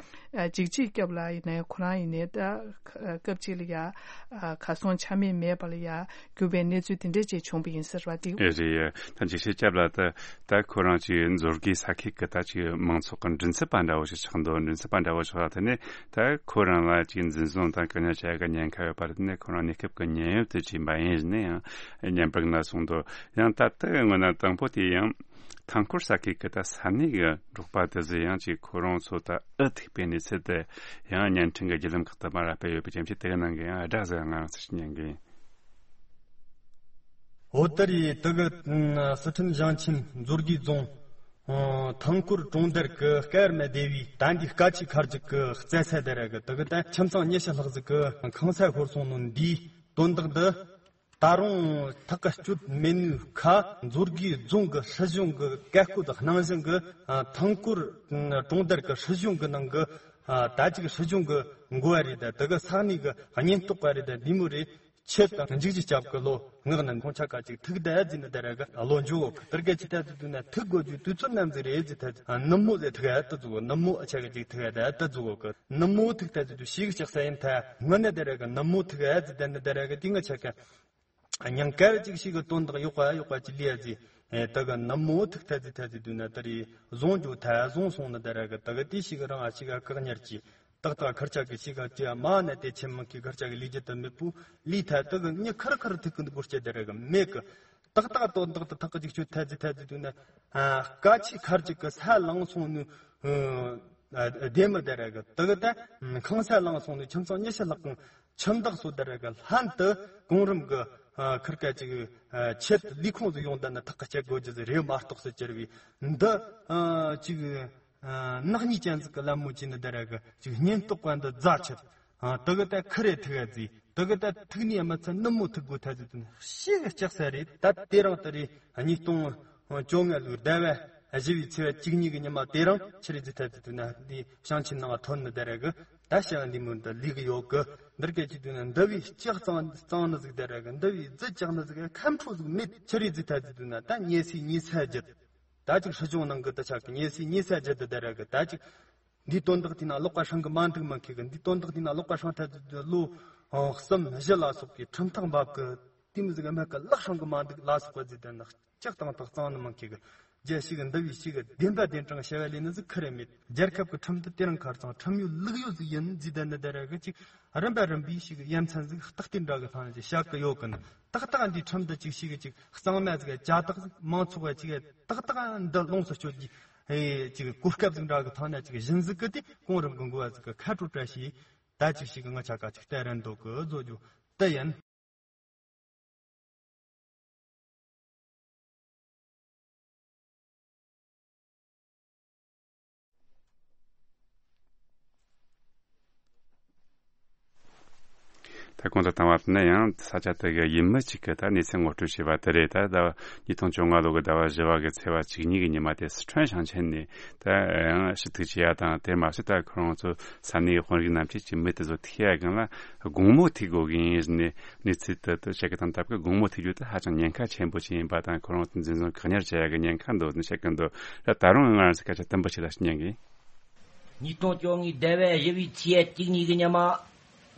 ཨ་འཇིགས་བྱེད་སྐྱབས་ལགས་ཡིན་ནའི་ཁོ་རང་ཡིན་ནའི་ད་ཨ་སྐབས་གཅིག་ལ་ཡ་ཨ་གར་སོང་ཆ་མེད་མེད་པ་ལ་ཡ་གྱུར་པའི་གནས་ཚུལ་དེ་འདྲ་ཅིག་བྱུང་བ་ཡིན་ཟེར་བ་དེ། ཨེ་རེད། ད་འཇིགས་བྱེད་སྐྱབས་ལགས་ད་ད་ཁོ་རང་ཅིག་མཛོ་དགེ་ས་ཁུལ་གི་ད་ཅིག་མང་ཚོགས་ཀྱི་མགྲིན་ཚབ་པ་འདྲ་བོ་ཞིག་ཆགས་འདུག་མགྲིན་ཚབ་པ་འདྲ་བོ་ཆགས་ལ། དེ་ནས་ད་ཁོ་རང་ལ་ཅིག་འཛིན་བཟུང་དང་བཀག་ཉར་བྱ་ཡག་གི་ཉེན་ཁ་ཡོད་པ་རེད། དེ་ནས་ཁོ་རང་གནས་སྐབས་ཀྱི་ཉེན་གཡོལ་དུ་ཕྱིན་པ་ཡིན་ནའི་ཡང་ཉམས་པ་ན་སོང་འདུག་ཡང་ད་ལྟ་སྔོན་ན་དང་པོ་དེ་ཡང་ཐང་སྐོར་ས་ཁུལ་གྱི་ད་ས་གནས་ཀྱི་འབྲོག་པ་དེ་ཚོ་ཡང་ཅིག་ཁོ་རང་ཚོ་ད་ཨུ་ཐུག་པའི་གནས་ཚུལ་དེ་ཡང་བརྙན་འཕྲིན་གྱི་བརྒྱུད་ལམ་ཁག་ཏུ་མར་སྤེལ་ཡོད་པའི་རྐྱེན་གྱིས། དེ་གི་ནང་གི་ཡང་སྒྲ་ཟེར་ང་རང་ཚོ་ཞིག་ཉན་གི་ཡིན། འོ་ད་རེས་དེ་གི་ཨ་སི་ཁྲོན་ཞིང་ཆེན་མཛོ་དགེ་རྫོང་ཨ་ཐང་སྐོར་གྲོང་རྡལ་གྱི་སྐར་མ་སྡེ་བའི་ད་འདི་སྐ་ཆུ་ཁ་རྒྱུག་གི་རྩེད་ས་དེ་ར་གི་དེ་གི་ད་ཁྱིམ་ཚང་ཉི་ཤུ་ལྷག་ཟིག་གི་ཁང་ས་ཤོར་སོང་ནོ་འདིའི་དོན་དག་འདི། ད་རུང་ཐག་གཅོད་མེད་ནོའི་ཁ་མཛོ་དགེ་རྫོང་གི་སྲིད་གཞུང་གི་བཀས་བཀོད་གནང་བཞིན་གི་ཨ་ཐང་སྐོར་གྲོང་རྡལ་གི་སྲིད་གཞུང་གི་ནང་གི་ཨ་ད་ཅིག་སྲིད་གཞུང་གི་འགོ་བ་རེད། ད་དེ་གི་ས་གནས་གི་ཉེན་རྟོག་པ་རེད། ད་འདི་མོ་རེད། ཆེད་དུ་འཇིགས་བྱེད་སྐྱབས་ཀྱི་ལོ་ངག་ནས་ཁོང་ཆ་ཀ་ཅིག་ཐུག་བསྡད་ཟིན་ནི་དེ་ར་གི་ལོ་འཇུག་གི་དེར་ག་ཅི་ཐད་དུ་དུས་ན་ཐུག་དགོས་རྒྱུ་དུས་ཚོད་ནམ་ཟིག་རེད་ཟེར་ཐད་ཨ་ནུབ་མོ་ཟེར་ཐུག་ཨ་ད་ཟུག་ནུབ་མོ་ཨ་ཆ་ག་ཅིག་ཐུག་ཨ་ད་ཨ་ད་ཟུག་གི་ནུབ་མོ་ཐུག་ཐད་དུ་དུས་ཤིག་ཅག་ས་ཡིན་ཐད་སྔོན་ནས་དེ་ར་གི་ནུབ་མོ་ཐུག་ཨ་ཟེར་ད་ནི་དེ་ར་གི་དེ་ང་ཆ་ཀ་ཉིན་དཀར་གཅིག་ཞིག་གི་དོན་དག་ཡོག་པ་ཡོག་པ་ཅི་ལི་ཡ་ཟི། ཨེ་ད་ག་ནམ་མོ་ཐུག་ཐ་ཟི་ཐ་ཟི་དུས་ན་ད་རེས་བཟུང་རྒྱུ་ཐ་བཟུང་སོང་ན་ད་ར་གི་ད་ག་དེ་ཞིག་གི་རང་ཨ་ཞིག་ག་བཀག་ཉར་གྱིས་ཏག་ཏག་ཁར་ཆག་གི་ཞིག་ག་ཅི་ཡ་མ་ན་དེ་ཆེན་མང་གི་ཁར་ཆག་གི་ལི་ཇི་ད་མེད་པུ་ལི་ཐ་ད་ག་ཉི་ཁར་ཁར་ཐུག་གི་འདུག་སྐོར་སྐྱེ་ད་ར་གི་མེད་གི་ཏག་ཏག་དོན་དག་ད་ཐག་གཅིག་ཆུ་ཐ་ཟི་ཐ་ཟི་དུས་ན་ཨ་སྐ་ཆུ་ཁར་ཅིག་གི་ས་ལངས་སོང་ནུ་ཨ་བདེ་མི་ད་ར་གི་ད་ག་ད་ཁང་ས་ལངས་སོང་ནུ་ཁྱིམ་ཚང་ཉི་ཤུ་ལྷག་གང་ཁྱིམ་བདག་སོ་དེ་ར་གི་ལྷན་དུ་གོང་རིམ་གི་ཨ་ཁིར་ཀ་ཅིག་ཨ་ཆེད་ལས་ཁུངས་སུ་ཡོང་བསྡད་ན་ཐག་གཅད་དགོས་རྒྱུ་ཟིག་རེད་མ་གཏོགས་སུ་གྱུར་བའི་འདི་ཨ་ཅིག་ཨ་ནག་ཉེས་ཅན་ཟིག་གི་ལད་མོ་བྱས་ནི་དེ་ར་གི་ཅིག་ཉེན་རྟོག་པ་འདི་རྫ་ཆད་ཨ་དེ་གི་ད་ཁི་རེ་ཐུག་ཨ་ཟིག་དེ་གི་ད་ཐུག་ནི་ཨ་མ་ཚ་ནུབ་མོ་ཐུག་དགོས་ཐ་ཟིག་དུ་ནི་ཤི་གི་ལྕགས་ས་རེད། ད་དེ་རིང་དེ་རེད་ཉིས་སྟོང་བཅོ་ལྔ་ལོའི་ཟླ་བ་བཞི་བའི་ཚེས་པ་བཅུ་གཉིས་གི་ཉི་མ་དེ་རིང་ཆི་རེད་ཟེར་ཐལ་ཟེར་དུས་ན་འདི་ཞིང་ཆེན་ནང་ཐོན་ནི་དེ་ར་གི་ད་ཞིང་འདི་མོ་འདི་ལུག་གི་ཡོད་གི་འདིར་སྐད་ཅིག་དུས་ན་འདི་བའི་ལྕགས་གཙང་གཙང་ནི་ཟིག་དེ་ར་གི་འདི་བའི་རྫི་ལྕགས་ནི་ཟིག་ཁམ་ཕྲུག་ཟིག་མེད་ཆི་རེད་ཟེར་ཐལ་ཟེར་དུས་ན་ད་ཉེ་སའི་ཉེ་ས་བརྒྱད་ད་ཅིག་སྲིད་སྐྱོང་ནང་གི་ད་ཆག་གི་ཉེ་སའི་ཉེ་ས་བརྒྱད་དེ་དེ་ར་གི་ད་ཅིག་འདིའི་དོན་དག་དེ་ན་ཀློག་པ་སྲང་གི་མ་འདུག་མ་ཁེ་གི་འདིའི་དོན་དག་དེ་ན་ཀློག་པ་སྲང་ཐལ་ཟེར་དུས་ལོ་གསུམ་བཞི་ལ་སོགས་པའི་ཁྲིམས་ཐག་འབབ་གི་དེ་མི་ཟིག་མ་གི་ལག་སྲང་གི་མ་འདུག་ལ་སོགས་པ་ཟིག་དེ་ན། ལྕགས་དང་ཐག་གཙང་ནི་མང་ཁེ་གི། རྒྱལ་ཞིག་འདི་བའི་ཞིག་བདེན་པ་བདེན་དྲང་བྱ་བ་ལས་ནི་ཟིག་ཁི་རེ་མེད། རྒྱལ་ཁབ་ཀྱི་ཁྲིམས་འདི་དེ་རིང་ཁར་ཚང་ཁྲིམས་ཡོད་ལུགས་ཡོད་ཟིག་ཡིན་ཟིག་དེ་ནི་དེ་ར་གི་ཅིག་རིམ་པ་རིམ་པའི་ཞིག་ཡ་མཚན་ཟིག་རྟགས་དེ་འདྲ་གི་ཐང་ཅིག་བཤད་གི་ཡོད་གི་ནི། ཏག་ཏག་འདི་ཁྲིམས་འདི་ཅིག་ཞིག་ཅིག་གཙང་མ་ཟིག་ཅ་དག་ཟིག་མང་ཚོགས་བ་ཅིག་ཏག་ཏག་འདི་ལོངས་སུ་སྤྱོད་ཀྱི་ཨེ་ཅིག་གོ་སྐབས་ཟིག་འདྲ་གི་ཐང་ན་ཅིག་གཞི་འཛུགས་གི་དེ་གོང་རིམ་གི་འགོ་བ་ཟིག་གི་ཁ་དྲོ་བཀྲ་ཤིས་ད་ཅིག་ཞིག་ང་ཆ་ཀ་ཅིག་ལྟ་རན་འདུག་གི་བཟོ་རྒྱུ་དེ་ཡིན། ད་གོང་དུ་བཏང་བ་ནི་ཡང་ས་ཆ་དེ་གའི་ཡུལ་མི་གཅིག་གིས་ད་གནས་ཚུལ་ངོ་སྤྲོད་བྱས་པ་དེ་རེད། ད་ཟླ་བ་ཉིས་སྟོང་བཅོ་ལྔ་ལོ་གི་ཟླ་བ་བཞི་བ་གི་ཚེས་པ་བཅུ་གཉིས་གི་ཉི་མ་དེ་སི་ཁྲོན་ཞིང་ཆེན་ནས་ད་ཡང་ཞུ་གཏུག་བྱས་ཡ་དང་། དེ་མ་ཟད་ད་ཁོ་རང་ཚོ་ས་གནས་དཔོན་རིགས་རྣམས་ཀྱིས་ཀྱི་མི་དེ་ཚོ་ཐུག་ཡ་སྒང་ལ་དགོང་མོ་ཐུག་དགོས་ཀྱི་ཡིན་ནས་གནས་ཚུལ་དེ་དུ་བཤད་གི་དང་སྟབས་ཀྱིས་དགོང་མོ་ཐུག་རྒྱུ་དེ་ཧ་ཅང་ཉེན་ཁ་ཆེན་པོ་ཞིག་ཡིན་པ་དང་། ཁོ་རང་ཚོ་འཛིན་བཟུང་བཀག་ཉར་བྱེད་ཡ་གི་ཉེན་ཁ་འདུག་ནས་བཤད་གི་འདུག་ད་ད་རུང་ང་རང་ཚོ་སྐད་ཆ་དུམ་བུ་ཞིག་ལ་ཞུ་ཉན་གི། ཉིས་སྟོང་བཅོ་ལྔའི་ཟླ་བའི་བཞི་བའི་ཚེས་བཅུ་གཉིས་གི་ཉི་མ།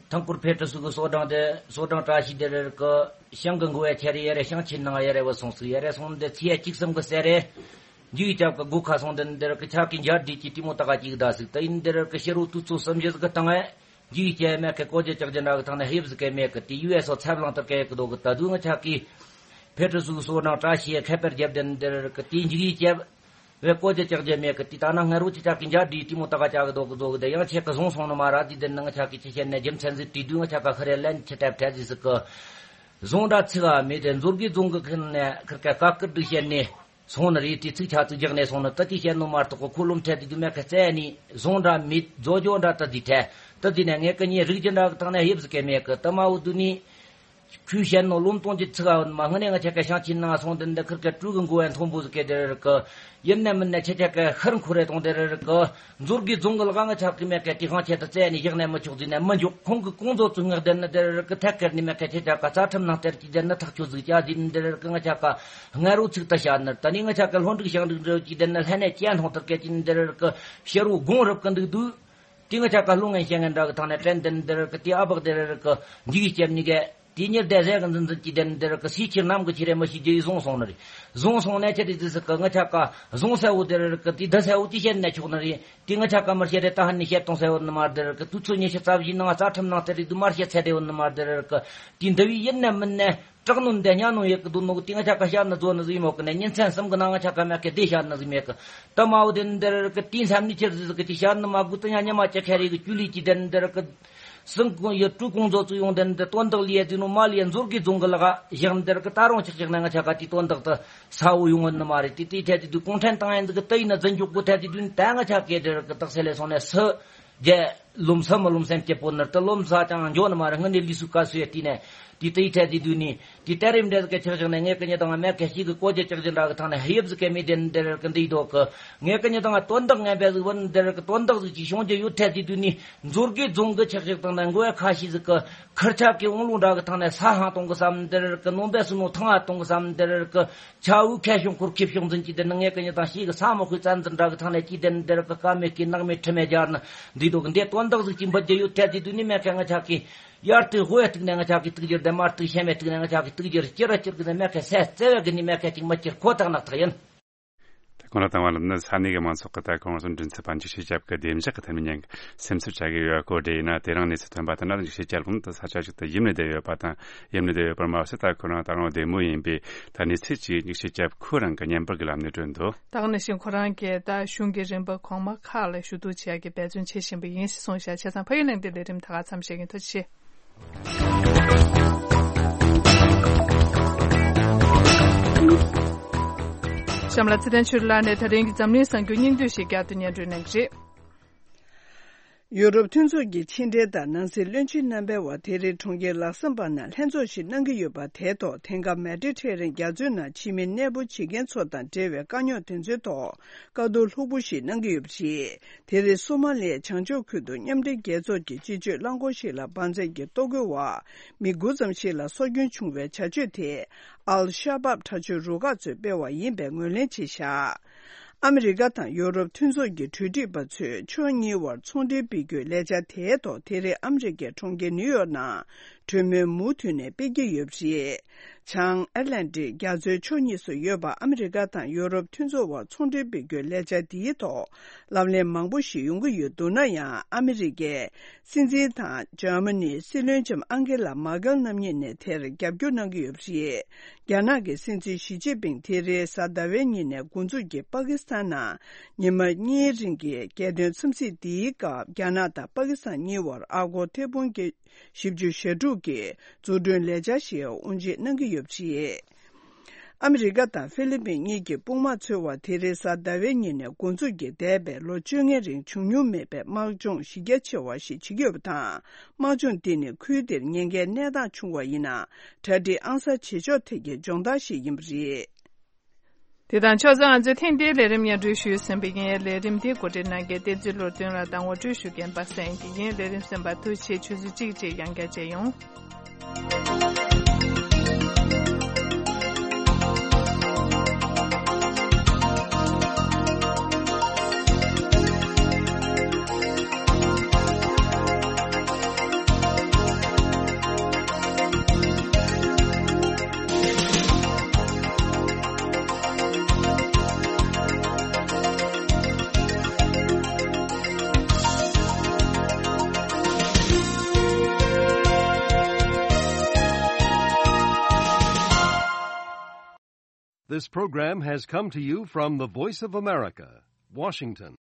ཐང་སྐོར་ཕེ་ཏྲ་སུ་གི་སོ་བྲང་དེ་སོ་བྲང་བཀྲ་ཤིས་དེ་རེར་གི་ཞང་གི་འགོ་བའི་ཁྱེར་ཡ་རེ་ཞང་ཆེན་ནང་ཡ་རེ་བ་སོང་སུ་ཡ་རེ་སོང་དེ་ཚེས་བཅུ་གསུམ་གི་སེ་རེ། འཇུ་ཡི་ཅབ་གི་སྒོ་ཁ་སོང་དེ་འདིར་གི་ཆ་གི་འཇར་དྲིས་ཀྱི་ཏི་མོ་ཏ་ག་ཅིག་ད་སུ་ད་ཡིན་འདིར་གི་ཕྱི་རུ་དུས་ཚོད་གསུམ་བཞི་གི་སྟེང་ཨེ། འཇིགས་སྐྱེ་མེད་ཀི་བཀོད་རྒྱ་ཅག་རྒྱུ་འདྲ་གི་ཐང་ནས་ཧེབ་ཟི་ཀེ་མེད་ཀི་དེ་ཡུ་ཨེ་སོ་ཚབ་ལང་ཏར་ཀེ་ཡག་གི་དོ་གི་ད་དུས་ང་ཆ་གི་ཕེ་ཏྲི་སུ་སོ་ནང་བཀྲ་ཤིས་ཁེ་པར་རྒྱབ་དེ་འདིར་གི་དེ་འཇིགས་སྐྱེ་བའི་བཀོད་རྒྱ་ཅག་རྒྱུ་མེད་ཀི་དེ་ད་ན་ང་རུ་ཅི་ཆ་གི་འཇའ་འདྲི་དེ་མོ་ད་ག་ཅག་གི་དོ་གི་དོ་གི་དེ་ཡང་ཆེ་གི་བཟུང་སོང་ནི་མ་ར་དེ་དེ་ནི་ང་ཆ་གི་ཅི་བཤད་ནས་རྒྱུ་མཚན་ཟིག་དེ་དུས་ང་ཆ་ག་ཁ་རེ་ལན་ཆི་ཐེབས་ཐེ་ཟི་སི་ཀི་བཟུང་འདྲ་ཚིག་ག་མེད་དེ་མཛོར་གི་རྫོང་གི་ཁི་ནས་ཁིར་ཀ་ཀ་ཀིར་འདྲི་བཤད་ནས། སོང་ནི་རེད། དེ་ཚིག་ཆ་ཚིག་རྒྱག་ནས་སོང་ནི་ད་དེ་བཤད་ནོ་མ་གཏོགས་ཁོ་ལོམ་ཁྲལ་དེ་དུས་མེད་ཁ་རྩད་ནི་བཟུང་འདྲ་མི་རྫོ་ཇོ་འདྲ་ད་དེ་ཁྲལ་ད་དེ་ནས་ངས་ཀི་ཉེ་རིགས་ཀྱི་འདྲ་གི་ཐང་ནས་ཧེབ་ཟི་ཀེ་མེད་གི་ད་མ་འུ་དུ་ནི་ཁོས་བཤད་ནོ་ལོམ་གཏོང་གི་ཚིག་ཨ་མ་ངི་ནས་ང་ཆ་ཀ་ཤང་ཆིན་ནང་སོང་དེ་འདི་ཁིར་ཀ་ཀྲུ་གི་མགོ་ཨན་མཐོན་པོ་ཟི་ཀེ་དེ་རེད་གི། ཡིན་ནས་མིན་ནས་ཆ་ཆ་ཀ་ཧར་འཁོར་རེ་གཏོང་དེ་རེད་གི། མཛོར་གི་རྫོང་གི་ལག་ང་ཆ་གི་མེད་ཀ་དེ་ཁང་ཆེ་ད་རྩད་ནི་བཞག་ནས་མི་ཆོག་ཟི་ནས་མི་འཇོག་ཁོང་གི་ཀོང་ཛོ་ཚུ་ངག་དེ་ནི་དེ་རེད་གི། ཐད་ཀར་ནི་མེད་ཀ་ཆ་ཆ་ཀ་རྩ་ཁྲིམས་ནང་དེར་གི་དེ་ནི་ཐག་ཆོད་ཟིག་ཅག་ཟི་ནི་དེ་རེད་གི། ང་ཆ་ཀ་ང་རུ་ཚིག་ད་བཤད་ནི་ད་ནི་ང་ཆ་ཀ་ལྷོ་འབྲུག་ཞང་འབྲུག་འདྲ་གི་དེ་ནི་ལྷན་ནས་ཅན་ཐོང་ཐར་ཀ་ཅི་ནི་དེ་རེད་གི། ཕྱི་རུ་དགོང་རབ་གི་འདུག་འདུག་དེ་ང་ཆ་ཀ་ལྷོ་ངན་ཤེས་ངན་འདྲ་གི་ཐང་ནས་དྲན་དེ་ནི་དེ་རེད་གི། དེ་ཨ་བག་དེ་རེད་གི། འཇིགས་སྐྱེ་ནི་གི། དེ་ཉེར་བདེ་ཟས་གི་འཛིན་འཛིན་གྱི་དེ་ནི་དེ་རེད་གི། སི་ཁྱེར་ནམ་གི་ཁྱེར་རེ་མི་ཤི་རྒྱུ་ཡི་བཟུང་སོང་ནི་རེད། བཟུང་སོང་ནས་ཆེ་དེ་དུས་སི་གི་ང་ཆ་ཀ་བཟུང་ས་འུ་དེ་རེད་གི། དེ་ད་ས་འུ་དེ་བཤད་ནས་ཆོག་ནི་རེད། དེ་ང་ཆ་ཀ་མར་བཤད་རེ་ད་ཧ་ནི་བཤད་གཏོང་ས་འུ་ནི་མར་དེ་རེད་གི། དུས་ཚོད་ཉི་ཤུ་རྩ་བཞི་ནང་རྩ་ཁྲིམས་ནང་དེ་རེད་དུ་མར་བཤད་ཚད་དེ་འུ་ནི་མར་དེ་རེད་གི། དེ་འདི་བའི་ཡིན་ནས་མིན་ནས། སྐྲག་ནོ་འདི་ཉན་ནོ་ཡག་གི་འདུག་ནོ་གི། དེ་ང་ཆ་ཀ་བཤད་ནི་རྫོ་ནི་ཟིག་མོ་གི་ནས་ཉིན་མཚན་གསུམ་གི་ནང་ང་ཆ་ཀ་མེད་གི་དེ་བཤད་ནི་ཟིག་མེད་གི། ད་མ་འོ་དེ་འདིར་གི་དེ་མཚམས་ནི་ཁྱེར་ཟིག་གི་དེ་བཤད་ནི་མ་དགོས། ད་ཉ་ཉ་མ་ཅི་ཁ་རེ་གི་ཅུ་ལི་ཅི་དེ་འདིར་གི། སྲིང་ཀུང་ཡི་ཀྲུ་ཀུང་ཛོ་ཙུ་ཡོང་དེ་འདི་དོན་དག་ལི་ཡ་དེ་ནོ་མ་ལི་ཡ་མཛོར་གི་རྫོང་གི་ལག་བཞག་འདིར་གི། ད་རུང་ཆག་ཆག་ན་ང་ཆ་ཀ་དེ་དོན་དག་ད་ས་འོ་ཡོང་ནི་མ་རེད། དེ་དེ་ཆ་དེ་དུས་གུང་ཁྲན་ཏང་ཡན་ཟིག་གི་ད་ཡིན་ན་འཛིན་འཇུག་གོ་ཐ་དེ་དུས་ད་ང་ཆ་ཀ་དེར་གི་དག་ས་ལས་སོང་ནས་སུ། རྒྱལ། ལོམ་ས་མ་ལོམ་སེམས་སྐྱིད་པོ་ནར་ད་ལོམ་ས་ཅང་འཇོག་ནི་མ་རེད། ང་ནི་ལི་སུ་ཀ་སུ་ཡ་དེ་ནས་དེ་ལྟ་ཡི་ཐད་དེ་དུས་ནི་དེ་ལྟ་རིམ་འདྲ་ཟིག་གི་ཆག་ཆག་ནས་ངས་ཀི་ཉི་དང་མེད་ཀ་ཞིག་གི་བཀོད་རྒྱ་ཆག་ཆག་འདྲ་གི་ཐང་ནས་ཧེབ་ཟིག་གི་མི་དེ་འདིར་གི་འདི་ཡི་དོ་གི། ངས་ཀི་ཉི་དང་དོན་དག་ངན་པ་ཟིག་བུན་འདིར་གི་དོན་དག་ཟིག་ཅིག་བྱུང་རྒྱུ་ཡོད་ཐད་དེ་དུས་ནི་མཛོར་གི་རྫོང་གི་ཆག་ཆག་དང་ནས་མགོ་ཡ་ཁ་ཤས་ཟིག་གི་ཁར་ཆག་གི་འོང་ལུང་འདྲ་གི་ཐང་ནས་ས་ཧང་གཏོང་གི་བསམ་འདིར་གི། ནོམ་པ་སུ་ནོ་ཐང་ང་གཏོང་གི་བསམ་འདིར་གི། ཆ་འུ་ཁ་ཤོང་ཁུར་ཁེབ་ཤོང་འཛིན་གྱི་དེ་ནི་ངས་ཀི་ཉི་དང་ཞིག་གི་ས་མོ་ཁུའི་བཙན་འཛིན་འདྲ་གི་ཐང་ནས་ཀྱི་དེ་ནི་འདིར་གི་ཀ་མེད་ཀི་ནག་མེད་ཁྲི་མེད་རྒྱར་ནི་འདི་དོ་གི། འདི་དོན་དག་ཟིག་ཅིག་འབུད་རྒྱུ་ཡོད་ཐད་དེ་དུས་ནི་མེད་ཀ་ང་ཆ་གི་ཡར་དུ་ཧོ་ཡ་ཐུག་ནས་ང་ཆ་གི་ཐུག་རྒྱུར་དེ་མར་དུ་ཤེས་མེད་ཐུག་ནས་ང་ཆ་གི་ཐུག་རྒྱུར་ཅི་ར་ཅིར་གི་ནི་མེད་ཀ་སེ་བརྩེ་བས་གི་ནི་མེད་ཀ་ཅིག་མ་ཅིར་ཁོ་ཐག་ནག་ཐག་ཡིན། ད་གོང་ལ་བཏང་བ་ལ་ནི་ས་གནས་ཀྱི་མང་ཚོགས་ཀྱི་ད་གོང་གསུམ་མགྲིན་ཚབ་པ་འཇིགས་བྱེད་རྒྱབ་ཀྱི་བདེ་འཇགས་ཀྱི་ཐད་ནས་ཉན་སེམས་འཚབ་བྱ་གི་ཡོད་སྐོར་དྲིས་ཡིན་ན། དེ་རིང་གནས་ཚུལ་ཐོན་པ་ལྟར་ན་འཇིགས་བྱེད་རྒྱབ་ཁོང་དུ་ས་ཆ་ཞིག་ཏུ་ཡིབ་ནས་བསྡད་ཡོད་པ་དང་། ཡིབ་ནས་བསྡད་ཡོད་པར་མ་ཟད་ད་ཁོ་རང་ད་རུང་བདེ་མོ་ཡིན་པས། ད་གནས་ཚུལ་གྱིས་འཇིགས་བྱེད་རྒྱབ་ཁོ་རང་གི་བརྙན་པར་གྱི་ལམ་ནས་བསྐྲུན་འདུག་ད་ག་ནང་བཞིན་ཁོ་རང་གིས་ད་གཞུང་གི་རིམ་པ་གོང་མ་ཁག་ལ་ཞུ་གཏུག་བྱེད་ཡག་གི་འབད་བརྩོན་བྱེད་བཞིན་པ་ཡིན་ཞེས་གསུངས་བཞག་བྱས་ཙང་ཕ་ཡུལ་གླེང་སྟེགས་ལས་རིམ་ད་ག་མཚམས་བཞག་གི་ཡིན། ཐུགས་རྗེ་ཆེ། གཤམ་ལ་ཚེ་བརྟན་ཆོས་སྒྲོན་ལགས་ནས་ད་རིང་གི་འཛམ་གླིང་གསར་འགྱུར་སྙིང་བསྡུས་ཤིག་བསྐྱར་དུ་སྙན་སྒྲོན་གནང་གི་རེད། ཡུ་རོབ་མཐུན་ཚོགས་ཀྱི་ཕྱི་འབྲེལ་དང་ནང་སྲིད་བློན་ཆེན་རྣམ་པའི་དབར་དེ་རིང་གྲོང་ཁྱེར་ལག་སམ་བྷར་ནང་ལྷན་ཚོགས་ཤིག་གནང་གི་ཡོད་པ་དེའི་ཐོག་དེང་སྐབས་མེ་ཌི་ཊེ་རེ་ནི་ཡན་རྒྱ་མཚོའི་ནང་ཕྱི་མི་གནས་སྤོ་བྱེད་མཁན་ཚོ་དང་འབྲེལ་བའི་དཀའ་རྙོག་དེ་ཚོའི་ཐོག་བཀའ་བསྡུར་ལྷུག་པོ་ཞིག་གནང་གི་ཡོད་པ་རེད། དེ་རིང་སོ་མ་ལི་ཡའི་བྱང་ཕྱོགས་ཁུལ་དུ་མཉམ་འབྲེལ་རྒྱལ་ཚོགས་ཀྱི་སྤྱི་སྤྱོད་རླངས་འཁོར་ཞིག་ལ་འབར་རྫས་ཀྱི་གཏོར་རྒོལ་འོག་མི་དགུ་ཙམ་ཞིག་ལ་སྲོག་སྐྱོན་བྱུང་བའི་བྱ་སྤྱོད་དེ་ཨལ་ཤ་བྷབ་དྲག་སྤྱོད་རུ་ཁག་ཚོས་སྤེལ་བ་ཡིན་པའི་ངོས་ལེན་བྱས་བཞག་ཨ་མི་རི་ཀ་དང་ཡོ་རོབ་མཐུན་ཚོགས་ཀྱི་གྲོས་སྒྲིག་པ་ཚོས་ཕྱོགས་གཉིས་དབར་ཚོང་འབྲེལ་སྤེལ་རྒྱུའི་ལས་འཆར་དེའི་ཐོག་དེ་རིང་ཨ་མི་རི་ཀའི་གྲོང་ཁྱེར་ནིའུ་ཡོག་ནང་གྲོས་མོལ་མུ་མཐུད་ནས་སྤེལ་གྱི་ཡོད་པ་རེད། བྱང་ཨེཊ་ལན་ཊིག་རྒྱ་མཚོའི་ཕྱོགས་གཉིས་སུ་ཡོད་པ་ཨ་མི་རི་ཀ་དང་ཡོ་རོབ་མཐུན་ཚོགས་དབར་ཚོང་འབྲེལ་སྤེལ་རྒྱུའི་ལས་འཆར་འདིའི་ཐོག་ལབ་གླེང་མང་པོ་ཞིག་ཡོང་གི་ཡོད་འདུག་ན་ཡང་། ཨ་མི་རི་ཀའི་སྲིད་འཛིན་དང་འཇར་མ་ནིའི་སྲིད་བློན་ལྕམ་ཨང་གེ་ལ་མར་ཀེལ་རྣམ་གཉིས་ནས་དེར་རྒྱབ་སྐྱོར་གནང་གི་ཡོད་པ་རེད། རྒྱ་ནག་གི་སྲིད་འཛིན་ཞི་ཅིན་ཕིང་དེ་རིང་གཟའ་ཟླ་བའི་ཉིན་ནས་འགོ་འཛུགས་ཀྱིས་པ་ཀི་སི་ཐན་ནང་ཉི་མ་གཉིས་རིང་གི་རྒྱལ་དོན་འཚམས་གཟིགས་འདིའི་སྐབས། རྒྱ་ནག་དང་པ་ཀི་སི་ཐན་གཉིས་དབར་ཨ་སྒོར་ཐེར་འབུམ་གྱི་བཞི་བཅུ་ཞེ་དྲུག་གི་འཛུགས་སྐྲུན་ལས་འཆར་ཞིག་དབུ་འབྱེད་གནང་གི་ཡོད་པ་རེད། ཨ་མི་རི་ཀ་དང་ཧྥི་ལི་པིན་གཉིས་ཀྱི་དཔུང་དམག་ཚོའི་དབར་དེ་རིང་གཟའ་ཟླ་བའི་ཉིན་ནས་འགོ་འཛུགས་ཀྱིས་འདས་པའི་ལོ་བཅོ་ལྔའི་རིང་བྱུང་མྱོང་མེད་པའི་དམག་སྦྱོང་གཞི་རྒྱ་ཆེ་བ་ཞིག་བྱེད་ཀྱི་ཡོད་པ་དང་། དམག་སྦྱོང་འདི་ནི་ཁུལ་དེར་ཉེན་ཁའི་གནས་སྟངས་བྱུང་བ་ཡིན་ན་གྲ་སྒྲིག་ཨང་གསར་བྱེད་ཕྱོགས་ཐད་ཀྱི་སྦྱོང་བརྡར་ཞིག་ཡིན་པ་རེད། དེ་དང་ཕྱོགས་མཚུངས་ང་ཚོས་ཐེངས་འདིའི་ལས་རིམ་སྙན་སྒྲོན་ཞུས་ཟིན་པ་ཡིན། ལས་རིམ་འདི་གོ་སྒྲིག་གནང་མཁན་བསྟན་འཛིན་བློ་གྲོས་ལགས་དང་ངོ་སྤྲོད་ཞུ་མཁན་པ་སངས་སྐྱིད་ཡིན། ལས་རིམ་གསན་པར་ཐུགས་རྗེ་ཆེ། ཆུ་ཚོད་གཅིག་རྗེས་ཡང་བསྐྱར་མཇལ་ཡོང་། This program has come to you from the Voice of America, Washington.